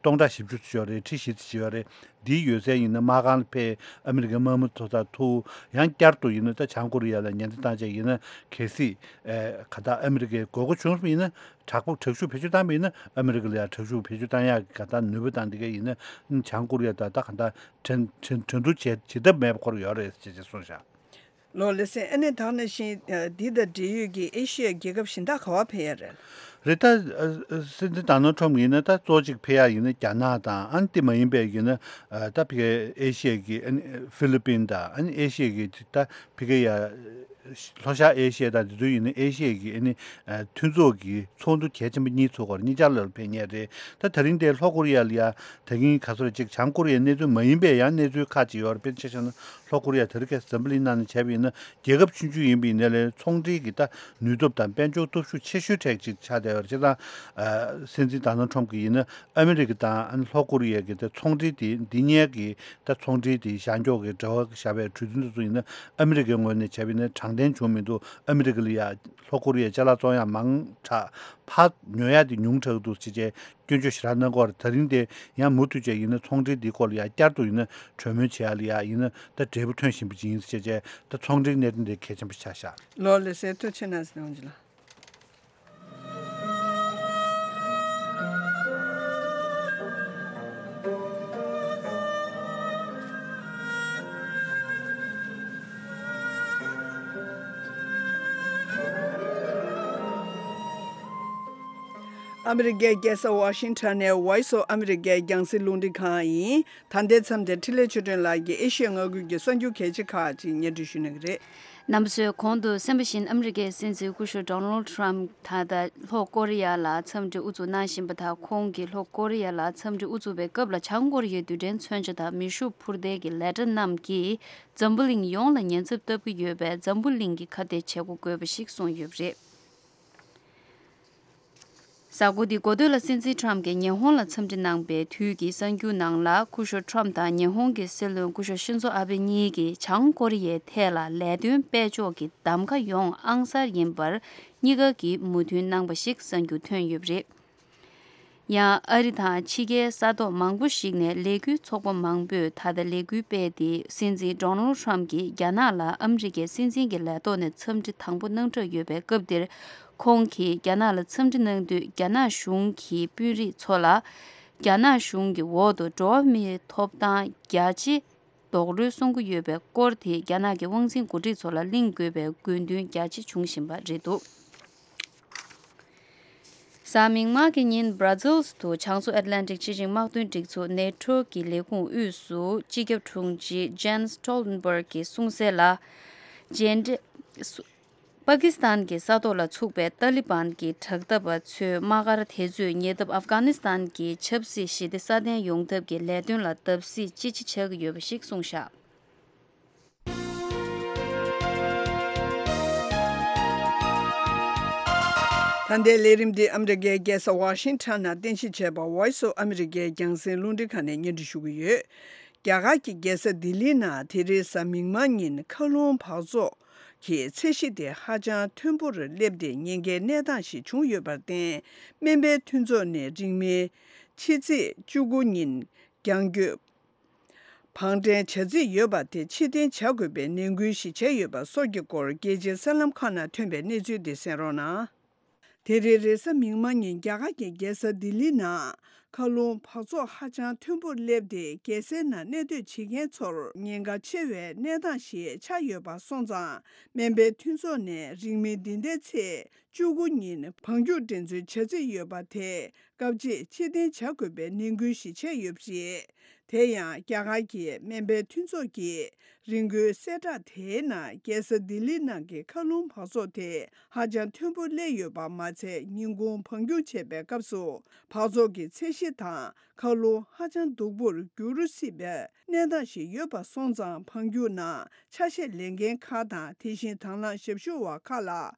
སྟོང་ཕྲག་བཞི་བཅུ་ཙམ་ཡོད་རེད། ཁྲི་བཞི་ཙམ་ཡོད་རེད། འདིའི་ཡོད་ཚད་ཡིན་ན་དམག་ཁང་ལ་ཕེབས། ཨ་མི་རི་ཀའི་དམག་མི་ཐོག་ཐག་ཐུག་ཡང་བསྐྱར་དུ་ཡིན་ན་ད་བྱང་ཀོ་རི་ཡ་ལ་ཉེན་བརྡ་བཏང་བྱས་ཡིན་ན་གལ་སྲིད་ཨེ་ག་ད་ཨ་མི་རི་ཀའི་དགོས་མཁོ་བྱུང་སོང་ཡིན་ན་དྲག་པོ་དྲག་ཤུགས་བེད་སྤྱོད་བཏང་བ་ཡིན་ན་ཨ་མི་རི་ཀ་ལ་ཡང་དྲག་ཤུགས་བེད་སྤྱོད་བཏང་ཡག་གི་ག་ད་ནུས་པ་བཏང་འདི་ག་ཡིན་ན་བྱང་ཀོ་རི་ཡ་ད་ད་ག་ད་འགྲན་འགྲན་འགྲན་བསྡུར་བྱེད་བྱེད་ཐབས་མེད་པ་ཁོ་ར་ཡོད་རེད་ཅེས་ཅེས་གསུངས་བཞག་ལོ་ལེ་སེ་ཨ་ནེ་དག་ནང་བཞིན་འདི་དང་འབྲེལ་ཡོད་ཀྱི་ཨེ་ཤི་ཡའི་རྒྱལ་ཁབ་གཞན་དག་ག་བ་ཕེབས་ཡ་རེད། རེད་ད། སྲིད་འཛིན་ཌོ་ནལ་ཊམ་ཡིན་ན་ད་གཙོ་གཅིག་ཕེབས་ཡ་ཡིན་ན་རྒྱ་ནག་དང་ཨ་ནི་དེ་མ་ཡིན་པའི་ཡིན་ན་ད་ཕི་ཨེ་ཤི་ཡའི་གི་ཨ་ནི་ཧྥི་ལི་པིན་དང་ཨ་ནི་ཨེ་ཤི་ཡའི་གི་ད་ཕི་ཀ་ཡ་ལྷོ་ཤར་ཨེ་ཤི་ཡ་དང་དེ་ཚོ་ཡིན་ན་ཨེ་ཤི་ཡའི་གི་ཨ་ནི་མཐུན་ཚོགས་ཀྱི་ཚོགས་འདུ་གལ་ཆེན་པོ་གཉིས་ཚོགས་སྐོར་གཉིས་ཆར་ལ་ཕེབས་མཁན་རེད། ད་ད་རིང་དེ་ལྷོ་ཀོ་རི་ཡ་ལ་ཡ་ད་གིན་ག་ཚོད་ཅིག་བྱང་ཀོ་རི་ཡའི་གནས་ཚུལ་མ་ཡིན་པའི་ཡང་གནས་ཚུལ་ཁག་ཅིག་ཡོད་རེད། དཔེར་ན་ཆ་བཞག་ན་ལྷོ་ཀོ་རི་ཡ་དེ་རིང་ཁ་སང་འཛམ་བུ་གླིང་ནང་ནས་བྱས་པ་ཡིན་ན་རྒྱལ་ཁབ་ཆུང་ཆུང་ཡིན་པ་ཡིན་ནའི་ལས་ཚོང་འབྲེལ་གྱི་ད་ནུས་སྟོབས་དང་དཔལ་འབྱོར་སྟོབས་ཤུགས་ཆེ་ཤོས་གྲས་ཅིག་ཆགས་བསྡད་ཡོད་རེད། བྱས་ཙང་སྲིད་འཛིན་ཌོ་ནལ་ཊམ་གྱིས་ཡིན་ན་ཨ་མི་རི་ཀ་དང་ལྷོ་ཀོ་རི་ཡ་གི་ད་ཚོང་འབྲེལ་དེ་འདི་གཉིས་ཀྱི་ད་ཚོང་འབྲེལ་དེ་བཞག་འཇོག་གི་འབྲེལ་བ་བཞག་པའི་གྲོས་མཐུན་དེ་ཚོ་ཡིན་ན་ཨ་མི་རི་ཀའི་ངོས་ནས་བྱས་པ་ཡིན་ན་དྲང་བདེན་བྱུང་མི་འདུག་ཨ་མི་རི་ཀ་ལ་ཡ་ལྷོ་ཀོ་རི་ཡའི་ཅ་ལག་བཙོང་ཡ་མང་དྲགས་ཕར་ཉོ་ཡ་དེ་ཉུང་དྲགས་འདུག་ཅེས་བྱས་སྐྱོན་བརྗོད་ཞེ་དྲག་གནང་གི་ཡོད་རེད། ད་རིང་དེ་ཡང་མུ་མཐུད་བྱས་ཡིན་ན་ཚོང་འབྲེལ་འདིའི་སྐོར་ལ་ཡང་བསྐྱར་དུ་ཡིན་ན་གྲོས་མོལ་བྱེད་ཡ་ལ་ཡ་ཡིན་ན་ད་འབྲས་བུ་ཐོན་བཞིན་པ་ཅིག་ཡིན་ཟེར་བྱས་བྱས་ད་ཚོང་འབྲེལ་གནད་དོན་དེ་གལ་ཆེན་པོ་ཆགས་ཤག་ལོ་ལེ་སེ་ཐུགས་རྗེ་གནང་ཟེར་འོང་ཅི་ལ། ཨ་མི་རི་ཀའི་རྒྱལ་ས་ཝ་ཤིང་ཊོན་ནས་Voice of America་རྒྱང་སྲིང་རླུང་འཕྲིན་ཁང་ཡིན། ད་ལྟའི་མཚམས་དེར་འཕྲིན་ལས་ཆོས་སྒྲོན་ལགས་ཀྱིས་ཨེ་ཤི་ཡ་མངའ་ཁུལ་གྱི་གསར་འགྱུར་གལ་ཆེ་ཁག་ཅིག་སྙན་སྒྲོན་ཞུ་གནང་གི་རེད། རྣམ་པ་ཚོས་གོང་དུ་གསན་པ་བཞིན་ཨ་མི་རི་ཀའི་སྲིད་འཛིན་སྐུ་ཞབས་Donald Trump་ད་ལྟ་ལྷོ་ཀོ་རི་ཡ་ལ་འཚམས་འདྲི་དབུ་འཛུགས་གནང་བཞིན་པ་དང་། ཁོང་གིས་ལྷོ་ཀོ་རི་ཡ་ལ་འཚམས་འདྲི་དབུ་འཛུགས་པའི་སྐབས་ལ་བྱང་ཀོ་རི་ཡའི་རྡུལ་ཕྲན་མཚོན་ཆ་དང་མེ་ཤུགས་འཕུར་མདེལ་གྱི་ལས་གྲྭ་རྣམས་ཀྱིས་འཛམ་བུ་གླིང་ཡོངས་ལ་ཉེན་ཚབས་བཏབ་ཀྱི་ཡོད་པས་འཛམ་བུ་གླིང་གིས་ཁ་གཏད་བྱེད་དགོས་པ་ཞིག་གསུངས་ཡོད་པ་རེད། གཟའ་འཁོར་འདིའི་འགོ་སྟོད་ལ་སྲིད་འཛིན་ཊམ་གྱིས་ཉི་ཧོང་ལ་འཚམས་འདྲི་གནང་པའི་དུས་ཀྱི་གསར་འགྱུར་ནང་ལ། སྐུ་ཞབས་ཊམ་དང་ཉི་ཧོང་གི་སྲིད་བློན་སྐུ་ཞབས་ཤིན་ཛོ་ཨ་བྷེ་གཉིས་ཀྱིས་བྱང་ཀོ་རི་ཡའི་ཐད་ལ་ལས་དོན་སྤེལ་ཕྱོགས་ཀྱི་གདམ་ག་ཡོང་ཨང་གསར་ཡིན་པར་གཉིས་ཀ་གིས་མོས་མཐུན་གནང་པ་ཞིག་གསར་འགྱུར་ཐོན་ཡོད་པ་རེད། ཡང་ཨ་རི་དང་ཕྱི་རྒྱལ་ས་ཐོག་མང་པོ་ཞིག་ནས་ལས་འགུལ་ཚོགས་པ་མང་པོས་ད་ལྟ་ལས་འགུལ་སྤེལ་ཏེ། སྲིད་འཛིན་ཌོ་ནལ་ཊམ་གྱིས་རྒྱ་ནག་ལ་ཨ་མི་རི་ཀའི་སྲིད་འཛིན་གྱི་ལས་ཐོག་ནས་འཚམས་འདྲི་དང་པོ་གནང་གྲབས་ཡོད་པའི་སྐབས་འདིར། ཁོང་གིས་རྒྱ་ནག་ལ་འཚམས་འདྲི་གནང་དུས་རྒྱ་ནག་གཞུང་གི་དཔོན་རིགས་ཚོ་ལ་རྒྱ་ནག་གཞུང་གི་འོག་ཏུ་འགྲོ་བ་མིའི་ཐོབ་ཐང་རྒྱ་ཆེ་རྡོག་རོལ་གསུང་གི་ཡོད་པའི་སྐོར་དེ་རྒྱ་ནག་གི་དབང་འཛིན་འགོ་ཁྲིད་ཚོ་ལ་གླེང་དགོས་པའི་དགོས་འདུན་རྒྱ་ཆེ་བྱུང་བཞིན་པ་རེད་འདུག་གཟའ་མིག་དམར་གྱི་ཉིན་Brussels་དུ་བྱང་མཚོ་ཨེཊ་ལན་ཊིག་སྤྱི་ཆིངས་དམག་དོན་སྒྲིག་འཛུགས་NATO་གི་ལས་ཁུངས་དབུས་སུ་སྤྱི་ཁྱབ་དྲུང་ཆེ་Jens Stoltenberg་གིས་གསུངས་གསལ་ལ། མཇལ་འཕྲད། པ་ཀི་སི་ཐན་གྱི་ས་ཐོག་ལ་ཚུགས་པའི་ཏཱ་ལི་བན་གྱི་དྲག་འཐབ་པ་ཚོའི་དམག་སྒར་དེ་ཚོས་ཉེ་འདབས་ཨབ་གྷ་ནི་སི་ཐན་གྱི་ཆབ་སྲིད་ཞི་བདེ་སྲ་བརྟན་ཡོང་ཐབས་ཀྱི་ལས་དོན་ལ་བརྡབ་གསིག་ཅི་ཆེ་ཆགས་ཀྱི་ཡོད་པ་ཞིག་གསུངས་བཞག་ད་ལྟའི་ལས་རིམ་འདི་ཨ་མི་རི་ཀའི་རྒྱལ་ས་ཝ་ཤིང་ཊོན་ནང་རྟེན་གཞི་བྱས་པ་Voice of America་རྒྱང་སྲིང་རླུང་འཕྲིན་ཁང་ནས་སྙན་སྒྲོན་ཞུ་གི་ཡོད། རྒྱ་གར་གྱི་རྒྱལ་ས་ལྡི་ལིའི་ནང་དེ་རིང་གཟའ་མིག་དམར་ཉིན་མཁའ་རླུང་འབག་བཙོག་གི་ཚད་གཞི་དེ་ཧ་ཅང་མཐོན་པོར་སླེབས་ཏེ་ཉེན་ཁའི་གནས་སྟངས་ཤིག་བྱུང་ཡོད་པར་བརྟེན། སྨན་པའི་མཐུན་ཚོགས་ནས་རིང་མིན་ཕྱི་ཚེས་བཅུ་དགུ་ཉིན་རྒྱང་སྐྱོད་བང་བསྒྲན་བྱ་རྩིས་ཡོད་པ་དེ་ཕྱིར་འཐེན་བྱ་དགོས་པའི་ནན་སྐུལ་ཞིག་བྱས་ཡོད་པ་སོགས་ཀྱི་སྐོར་རྒྱལ་སྤྱིའི་གསར་ལམ་ཁག་ནང་ཐོན་པའི་གནས་ཚུལ་འདི་གསན་རོགས་གནང་། དེ་རིང་རེས་གཟའ་མིག་དམར་ཉིན་རྒྱ་གར་གྱི་རྒྱལ་ས་ལྡི་ལི་ནང་མཁའ་རླུང་འབག་བཙོག་ཧ་ཅང་མཐོན་པོར་སླེབས་ཏེ། རྒྱལ་སའི་ནང་གནས་སྡོད་བྱེད་མཁན་ཚོར་ཉེན་ཁ་ཆེ་བའི་གནས་སྟངས་ཤིག་ཆགས་ཡོད་པ་སོང་ཙང་། སྨན་པའི་མཐུན་ཚོགས་ནས་རིང་མིན་འདི་ཟླའི་ཚེས་བཅུ་དགུ་ཉིན་བང་རྒྱུག་འགྲན་རྩོད་བྱ་རྩིས་ཡོད་པ་དེ་སྐབས་གཅིག་ཕྱིར་འཐེན་བྱ་དགོས་པའི་ནན་སྐུལ་ཞིག་བྱས་ཡོད་པ་རེད། དེ་ཡང་རྒྱ་གར་གྱི་སྨན་པའི་མཐུན་ཚོགས་ཀྱིས་ རི་མགོའི་གསལ་བསྒྲགས་དེའི་ནང་རྒྱལ་ས་ལྡི་ལི་ནང་གི་མཁའ་རླུང་འབག་བཙོག་དེ་ཧ་ཅང་མཐོན་པོ་སླེབས་ཡོད་པ་མ་ཚད། ཉིན་གུང་འབག་འཁྱུག་བྱེད་པའི་སྐབས་སུ་འབག་བཙོག་གི་ཚད་གཞི་དང་མཁའ་རླུང་ཧ་ཅང་སྡུག་པོར་འགྱུར་སྲིད་པའི་གནས་སྟངས་ཤིག་ཡོད་པ་སོང་ཙང་། འབག་འཁྱུག་ནང་ཆ་ཤས་ལེན་མཁན་ཁག་དང་། དེ་བཞིན་དང་བླངས་ཞབས་ཞུ་བ་ཁག་ལ་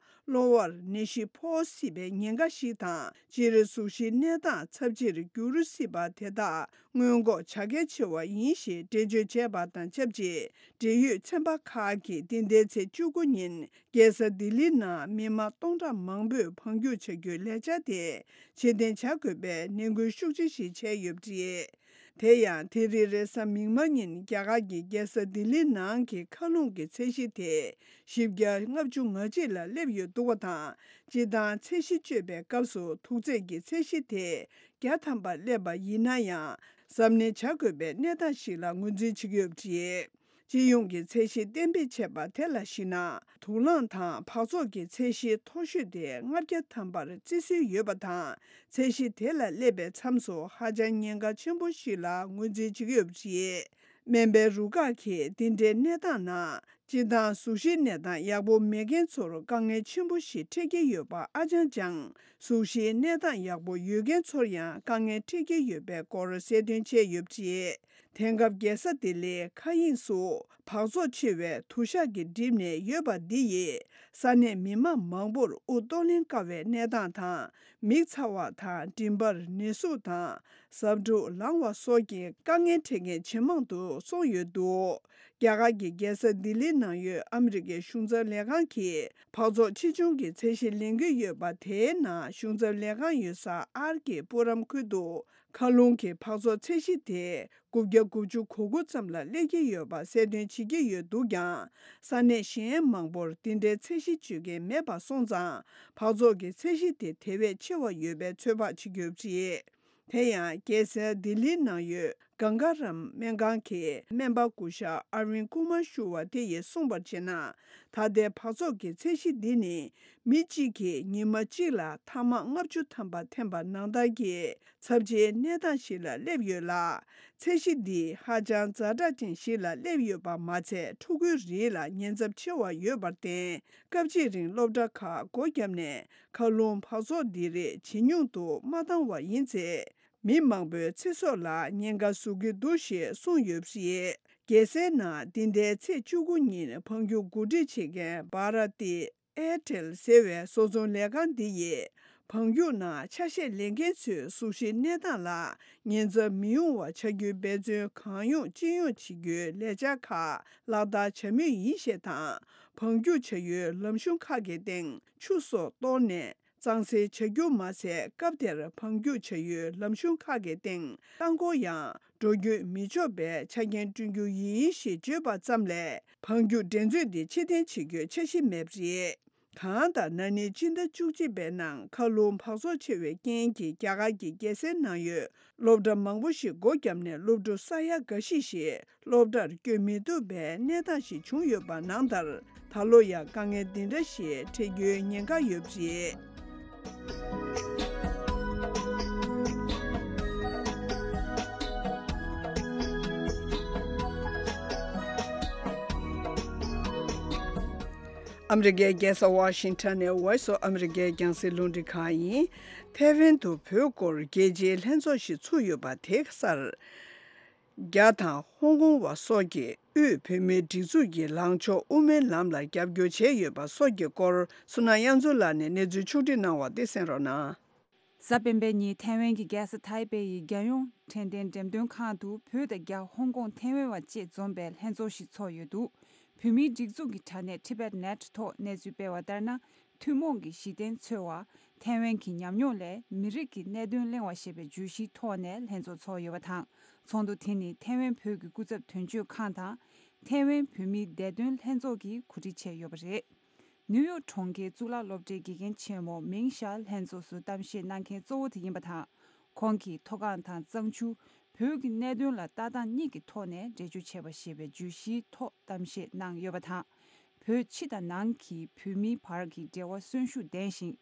གློ་བར་ནད་གཞི་ཕོག་སྲིད་པའི་ཉེན་ཁ་ཞིག་དང་། སྤྱིར་གཟུགས་གཞིའི་གནས་སྟངས་ཚབས་ཆེར་འགྱུར་སྲིད་པ་དེ་དག་སྔོན་འགོག་བྱ་གལ་ཆེ་བ་ཡིན་ཞེས་འགྲེལ་བརྗོད་བྱས་པ་དང་ཆབས་ཅིག་འབྲེལ་ཡོད་ཚན་པ་ཁག་གིས་འདི་ཟླའི་ཚེས་བཅུ་དགུ་ཉིན་རྒྱལ་ས་ལྡི་ལི་ནང་མི་མང་སྟོང་ཕྲག་མང་པོས་འབག་འཁྱུག་བྱ་རྒྱུའི་ལས་འཆར་དེ་ཕྱིར་འཐེན་བྱ་དགོས་པའི་ནན་སྐུལ་ཤུགས་ཆེ་ཞིག་བྱས་ཡོད་པ་རེད། དེ་ཡང་དེ་རིང་རེས་གཟའ་མིག་དམར་ཉིན་རྒྱ་གར་གྱི་རྒྱལ་ས་ལྡི་ལི་ནང་གི་མཁའ་རླུང་གི་ཚད་གཞི་དེ་བཞི་བརྒྱ་ལྔ་བཅུ་ང་གཅིག་ལ་སླེབས་ཡོད་འདུག་པ་དང་། སྤྱིར་བཏང་ཚད་གཞི་གཅོད་པའི་སྐབས་སུ་ཐུག་ཚད་ཀྱི་ཚད་གཞི་དེ་བརྒྱ་ཐམ་པ་སླེབས་པ་ཡིན་ན་ཡང་། གཟབ་ནན་བྱ་དགོས་པའི་གནས་སྟངས་ཤིག་ལ་ངོས་འཛིན་བྱེད་ཀྱི་ཡོད་པ་རེད། སྤྱི་ཡོངས་ཀྱི་ཚད་གཞི་གཏན་འབེབས་བྱས་པ་དེ་ལ་གཞིགས་ན། དུག་རླངས་དང་འབག་བཙོག་གི་ཚད་གཞི་མཐོ་ཤོས་དེ་ལྔ་བརྒྱ་ཐམ་པར་བརྩི་སྲོལ་ཡོད་པ་དང་། ཚད་གཞི་དེ་ལ་སླེབས་པའི་མཚམས་སུ་ཧ་ཅང་ཉེན་ཁ་ཆེན་པོ་ཞིག་ལ་ངོས་འཛིན་བྱེད་ཀྱི་ཡོད་པ་རེད། སྨན་པའི་རུ་ཁག་གིས་འདི་འདྲའི་གནས་སྟངས་ནང་། སྤྱིར་བཏང་གཟུགས་གཞིའི་གནས་སྟངས་ཡག་པོ་མེད་མཁན་ཚོར་དཀའ་ངལ་ཆེན་པོ་ཞིག་འཕྲད་ཀྱི་ཡོད་པ་ཨ་ཅང་ཅང་། གཟུགས་གཞིའི་གནས་སྟངས་ཡག་པོ་ཡོད་མཁན་ཚོར་ཡང་དཀའ་ངལ་འཕྲད་ཀྱི་ཡོད་པའི་སྐོར་གསལ་སྟོན་བྱས་ཡོད་པ་རེད། དེང་སྐབས་རྒྱལ་ས་ལྡི་ལིའི་མཁའ་དབྱིངས་སུ་འབག་བཙོག་ཆེ་བའི་དུ་ཞག་གིས་བསྒྲིབས་ནས་ཡོད་པ་འདི་ཡིས་ས་གནས་མི་མང་མང་པོར་དབུགས་གཏོང་ལེན་དཀའ་བའི་གནས་སྟངས་དང་། མིག་ཚ་བ་དང་། མགྲིན་པར་ནད་ཟུག་དང་གཟབ་ཕྲུག་ལངས་པ་སོགས་ཀྱི་དཀའ་ངལ་འཕྲད་མཁན་ཇེ་མང་དུ་སོང་ཡོད་འདུག་རྒྱ་གར་གྱི་རྒྱལ་ས་ལྡི་ལི་ནང་ཡོད་ཨ་མི་རི་ཀའི་གཞུང་ཚབ་ལས་ཁང་གིས་འབག་བཙོག་ཆེ་ཆུང་གི་ཚད་གཞི་ལེན་གྱི་ཡོད་པ། དེའི་ནང་གཞུང་ཚབ་ལས་ཁང་ཡོད་ས་ཨར་ཀེ་པུ་རམ་ཁུལ་དུ་མཁའ་རླུང་གི་འབག་བཙོག་ཚད་གཞི་དེ་དགུ་བརྒྱ་དགུ་བཅུ་གོ་དགུ་ཙམ་ལ་སླེབས་ཀྱི་ཡོད་པ་གསལ་སྟོན་བྱེད་ཀྱི་ཡོད་འདུག་ཀྱང་། ས་གནས་གཞན་མང་པོར་འདི་འདྲའི་ཚད་གཞི་གཅོད་མཁན་མེད་པ་སོང་ཙང་། འབག་བཙོག་གི་ཚད་གཞི་དེ་དེ་བས་ཆེ་བ་ཡོད་པའི་ཚོད་དཔག་བྱེད་ཀྱི་ཡོད་པ་རེད། དེ་ཡང་རྒྱལ་སའི་ལྡི་ལིའི་ནང་ཡོད་གངྒཱ་རམ་སྨན་ཁང་གི་སྨན་པ་སྐུ་ཞབས་ཨར་ཝིན་ཀུ་མར་ཞུ་བ་དེ་ཡིས་གསུངས་པར་བྱས་ན། ད་ལྟའི་འབག་བཙོག་གི་ཚད་གཞི་འདི་ནི་མི་གཅིག་གིས་ཉི་མ་གཅིག་ལ་ཐ་མག་ལྔ་བཅུ་ཐམ་པ་འཐེན་པ་ནང་ལྟར་གྱི་ཚབས་ཆེའི་གནས་སྟངས་ཤིག་ལ་སླེབས་ཡོད་ལ། ཚད་གཞི་འདི་ཧ་ཅང་ཛ་དྲག་ཅན་ཞིག་ལ་སླེབས་ཡོད་པ་མ་ཚད། ཕྲུ་གུའི་རིགས་ལ་ཉེན་ཚབས་ཆེ་བ་ཡོད་པར་བརྟེན། སྐབས་གཅིག་རིང་སློབ་གྲྭ་ཁག་སྒོ་བརྒྱབ་ནས་མཁའ་རླུང་འབག་བཙོག་འདི་རིགས་ཇེ་ཉུང་དུ་མ་བཏང་བ་ཡིན་ཚེ། མི་མང་པོའི་ཚེ་སྲོག་ལ་ཉེན་ཁ་བཟོ་གི་འདུག་ཞེས་གསུངས་ཡོད་པ་རེད། རྒྱལ་སའི་ནང་འདི་ཟླའི་ཚེས་བཅུ་དགུ་ཉིན་འབག་འཁྱུག་གོ་སྒྲིག་བྱེད་མཁན་བྷ་ར་ཏི་ཨེར་ཊེལ་ཟེར་བའི་བཟོ་ཚོང་ལས་ཁང་འདི་ཡིས། འབག་འཁྱུག་ནང་ཆ་ཤས་ལེན་མཁན་ཚོའི་གཟུགས་གཞིའི་གནས་སྟངས་ལ་ཉེན་ཚབས་མི་ཡོང་བ་བྱ་རྒྱུའི་འབད་བརྩོན་གང་ཡོང་ཅི་ཡོང་བྱེད་རྒྱུའི་ལས་འཆར་ཁག་ལག་བསྟར་བྱ་མུས་ཡིན་ཞེས་དང་། འབག་འཁྱུག་བྱ་ཡུལ་ལམ་གཞུང་ཁག་གི་སྟེང་ཆུ་སོགས་གཏོར་ནས། གཙང་སེལ་བྱ་རྒྱུ་མ་ཟད། སྐབས་དེར་འབག་འཁྱུག་བྱ་ཡུལ་ལམ་གཞུང་ཁག་གི་སྟེང་རླངས་འཁོར་ཡང་འགྲོ་སྐྱོད་མི་ཆོག་པའི་ཆ་རྐྱེན་བསྐྲུན་རྒྱུ་ཡིན་ཞེས་བརྗོད་པ་ཙམ་ལས། འབག་འཁྱུག་འགྲན་རྩོད་འདི་ཕྱིར་འཐེན་བྱེད་རྒྱུའི་འཆར་གཞི་མེད་པ་རེད། གང་ལྟར། ན་ནིང་སྤྱི་ཟླ་བཅུ་གཅིག་པའི་ནང་མཁའ་རླུང་འབག་བཙོག་ཆེ་བའི་རྐྱེན་གྱིས་རྒྱ་གར་གྱི་རྒྱལ་སའི་ནང་ཡོད་སློབ་གྲྭ་མང་པོ་ཞིག་སྒོ་བརྒྱབ་ནས། སློབ་ཕྲུག་ས་ཡ་འགའ་ཤས་ཤིག་སློབ་གྲྭར་བསྐྱོད་མི་ཐུབ་པའི་གནས་སྟངས་ཤིག་བྱུང་ཡོད་པ་ནང་ལྟར། ད་ལོ་ཡང་དཀའ་ངལ་འདི་འདྲ་ཞིག་འཕྲད་རྒྱུའི་ཉེན་ཁ་ཡོད་པ་རེད། ཨ་མི་རི་ཀའི་རྒྱལ་ས་ཝ་ཤིང་ཊོན་ནས་Voice of America་རྒྱང་སྲིང་རླུང་འཕྲིན་ཁང་ཡིན། ཐའེ་ཝན་དུ་བོད་སྐོར་རྒྱལ་སྤྱིའི་ལྷན་ཚོགས་ཤིག་ཚུགས་ཡོད་པ་དེ་ག་སར། རྒྱ་དང་ཧོང་ཀོང་བ་སོགས་ཀྱི་དབུས་བོད་མིའི་སྒྲིག་འཛུགས་ཀྱི་ལངས་ཕྱོགས་དབུ་མའི་ལམ་ལ་རྒྱབ་སྐྱོར་བྱས་ཡོད་པ་སོགས་ཀྱི་སྐོར། སུ་ན་དབྱངས་མཚོ་ལགས་ནས་གནས་ཚུལ་ཕྱོགས་བསྒྲིགས་གནང་བ་དེ་གསན་རོགས་གནང་། གཟའ་སྤེན་པའི་ཉིན་ཐའེ་ཝན་གྱི་རྒྱལ་ས་ཐའེ་པེ་ཡི་རྒྱལ་ཡོངས་དྲན་རྟེན་འགྲེམས་སྟོན་ཁང་དུ་བོད་དང་རྒྱ། ཧོང་ཀོང་། ཐའེ་ཝན་བ་བཅས་འཛོམས་པའི་ལྷན་ཚོགས་ཤིག་ཚོགས་ཡོད་འདུག་བོད་མིའི་སྒྲིག་འཛུགས་ཀྱི་དྲ་གནས་Tibet Net་ཐོག་གནས་ཚུལ་སྤེལ་བ་ལྟར་ན། ཐུན་མོང་གི་གཞི་རྟེན་འཚོལ་བ། ཐའེ་ཝན་གྱི་ཉམས་མྱོང་ལས་མི་རིགས་ཀྱི་གནད་དོན་གླེང་བ་ཞེས་པའི་བརྗོད་གཞིའི་ཐོག་ནས་ལྷན་ཚོགས་ཚོགས་ཡོད་པ་དང་། ཚོགས་འདུ་དེ་ནི་ཐའེ་ཝན་བོད་ཀྱི་སྐུ་ཚབ་དོན་གཅོད་ཁང་དང་། ཐའེ་ཝན་བོད་མིའི་བདེ་དོན་ལྷན་ཚོགས་ཀྱིས་གོ་སྒྲིག་བྱས་ཡོད་པ་རེད། ནིའུ་ཡོག་གྲོང་ཁྱེར་གཙུག་ལག་སློབ་གྲྭའི་དགེ་རྒན་ཆེན་མོ་མིང་ཞའེ་ལྷན་ཚོགས་སུ་གཏམ་བཤད་གནང་མཁན་གཙོ་བོ་དེ་ཡིན་པ་དང་། ཁོང་གིས་མཐོ་སྒང་དང་གཙང་ཆུ། བོད་ཀྱི་གནད་དོན་ལ་ལྟ་སྟངས་གཉིས་ཀྱི་ཐོག་ནས་འགྲེལ་བརྗོད་བྱས་པ་ཞེས་པའི་བརྗོད་གཞིའི་ཐོག་གཏམ་བཤད་གནང་ཡོད་པ་དང་། བོད་ཕྱི་དང་ནང་གི་བོད་མིའི་བར་གྱི་འབྲེལ་བ་གསོན་ཤུགས་ལྡན་ཞིང་།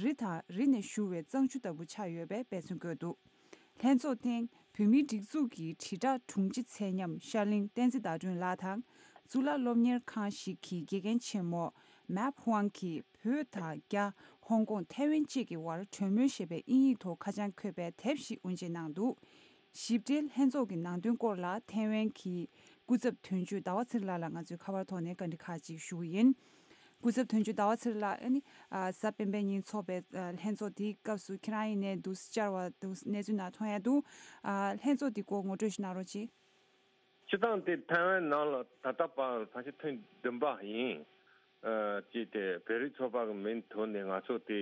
རི་དང་རི་ནས་བཞུར་བའི་གཙང་ཆུ་ལྟ་བུ་ཆགས་ཡོད་པའི་དཔེ་མཚོན་བཀོད་འདུག་ལྷན་ཚོགས་སྟེང་བོད་མིའི་སྒྲིག་འཛུགས་ཀྱི་དྲིལ་བསྒྲགས་དྲུང་ཆེ་ཚད་མཉམ་ཤར་གླིང་བསྟན་འཛིན་ཟླ་སྒྲོན་ལགས་དང་། གཙུག་ལག་སློབ་གཉེར་ཁང་ཞིག་གི་དགེ་རྒན་ཆེན་མོ་མེབ་ཧུའང་གིས་བོད་དང་རྒྱ། ཧོང་ཀོང་། ཐའེ་ཝན་བཅས་ཀྱི་དབར་གྲོས་མོལ་ཞེས་པའི་དབྱིན་ཡིག་ཐོག་ཁ་བྱང་འཁོད་པའི་དེབ་ཞིག་དབུ་འབྱེད་གནང་འདུག། ཞིབ་ཕྲའི་ལྷན་ཚོགས་ཀྱི་ནང་དོན་སྐོར་ལ་ཐའེ་ཝན་གྱི་སྐུ་ཚབ་དོན་གཅོད་ཟླ་བ་ཚེ་རིང་ལགས་ལ་ང་ཚོས་ཁ་པར་ཐོག་ནས་བཀའ་འདྲི་ཁག་ཅིག་ཞུ་གི་ཡིན། སྐུ་ཚབ་དོན་གཅོད་ཟླ་བ་ཚེ་རིང་ལགས། ཨ་ནི་ཨ་གཟའ་སྤེན་པའི་ཉིན་འཚོགས་པའི་ཨ་ལྷན་ཚོགས་དེའི་སྐབས་སུ་ཁྱེད་རང་ཡིན་ནའི་འདུག། བཅར་བ་འདུག། གནས་ཚུལ་ནང་མཐོང་ཡ་འདུག། ཨ་ལྷན་ཚོགས་དེ་སྐོར་ངོ་སྤྲོད་ཞིག་གནང་རོགས་གྱིས། སྤྱིར་བཏང་དེ་ཐའེ་ཝན་ནང་ལ་ད་ལྟ་བར་ཕལ་ཆེར་ཐེངས་བདུན་པ་ཡིན། ཨ་ཅེས་དེ་བོད་རིགས་ཚོགས་པ་གི་མིང་ཐོག་ནས་ང་ཚོ་དེ་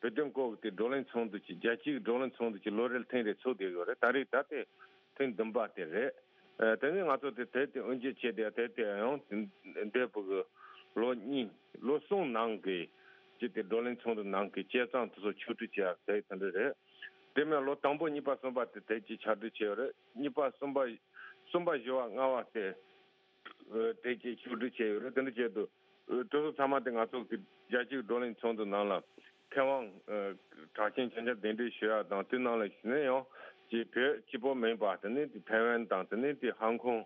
བོད་དོན་སྐོར་གྱི་དེ་བགྲོ་གླེང་ཚོགས་འདུ་ཅིག་རྒྱལ་སྤྱིའི་བགྲོ་གླེང་ཚོགས་འདུ་ཅིག་ལོ་རེར་ཐེངས་རེ་ཚོགས་བསྡད་ཡོད་རེད། ད་རེས་ད་དེ་ཐེངས་བདུན་པ་དེ་རེད། ཨ་དེ་ནས་ང་ཚོ་དེ་དེ་དེ་དབུ་འབྱེད་བྱས་ཏེ་དེ་དེ་ཡང་འདས་པའི་གི་ལོ་གཉིས་ལོ་གསུམ་ནང་གི་ཅིག་དེ་བགྲོ་གླེང་ཚོགས་འདུ་ནང་གི་བྱས་ཙང་དེ་ཚོ་ཕྱོགས་བསྒྲིགས་བྱས་དེ་དེ་འདྲ་རེད། དེ་མིན་ལོ་དང་པོ་གཉིས་པ་གསུམ་པ་དེ་དེ་ཅིག་ཕྱོགས་བསྒྲིགས་བྱས་ཡོད་རེད། གཉིས་པ་གསུམ་པ་གསུམ་པ་བཞི་བ་ལྔ་བ་དེ། ཨ་དེ་ཅིག་ཕྱོགས་བསྒྲིགས་བྱས་ཡོད་རེད། དེ་འདྲ་བྱས་དུས་ཨ་དེ་ཚོ་ཚང་མ་དེ་ང་ཚོ་གི་རྒྱལ་སྤྱིའི་བགྲོ་གླེང་ཚོགས་འདུ་ནང་ལ་མཁས་དབང་ཨ་གྲགས་ཅན་ཆ་ཆ་གདན་འདྲེན་ཞུ་ཡག་དང་། དེ་ནང་ལ་གཞི་ནས་ཡང་ཅིག་བོད་གཅིག་པོ་མིན་པ་དེ་ནས་དེ་ཐའེ་ཝན་དང་། དེ་ནས་དེ་ཧང་ཀོང་།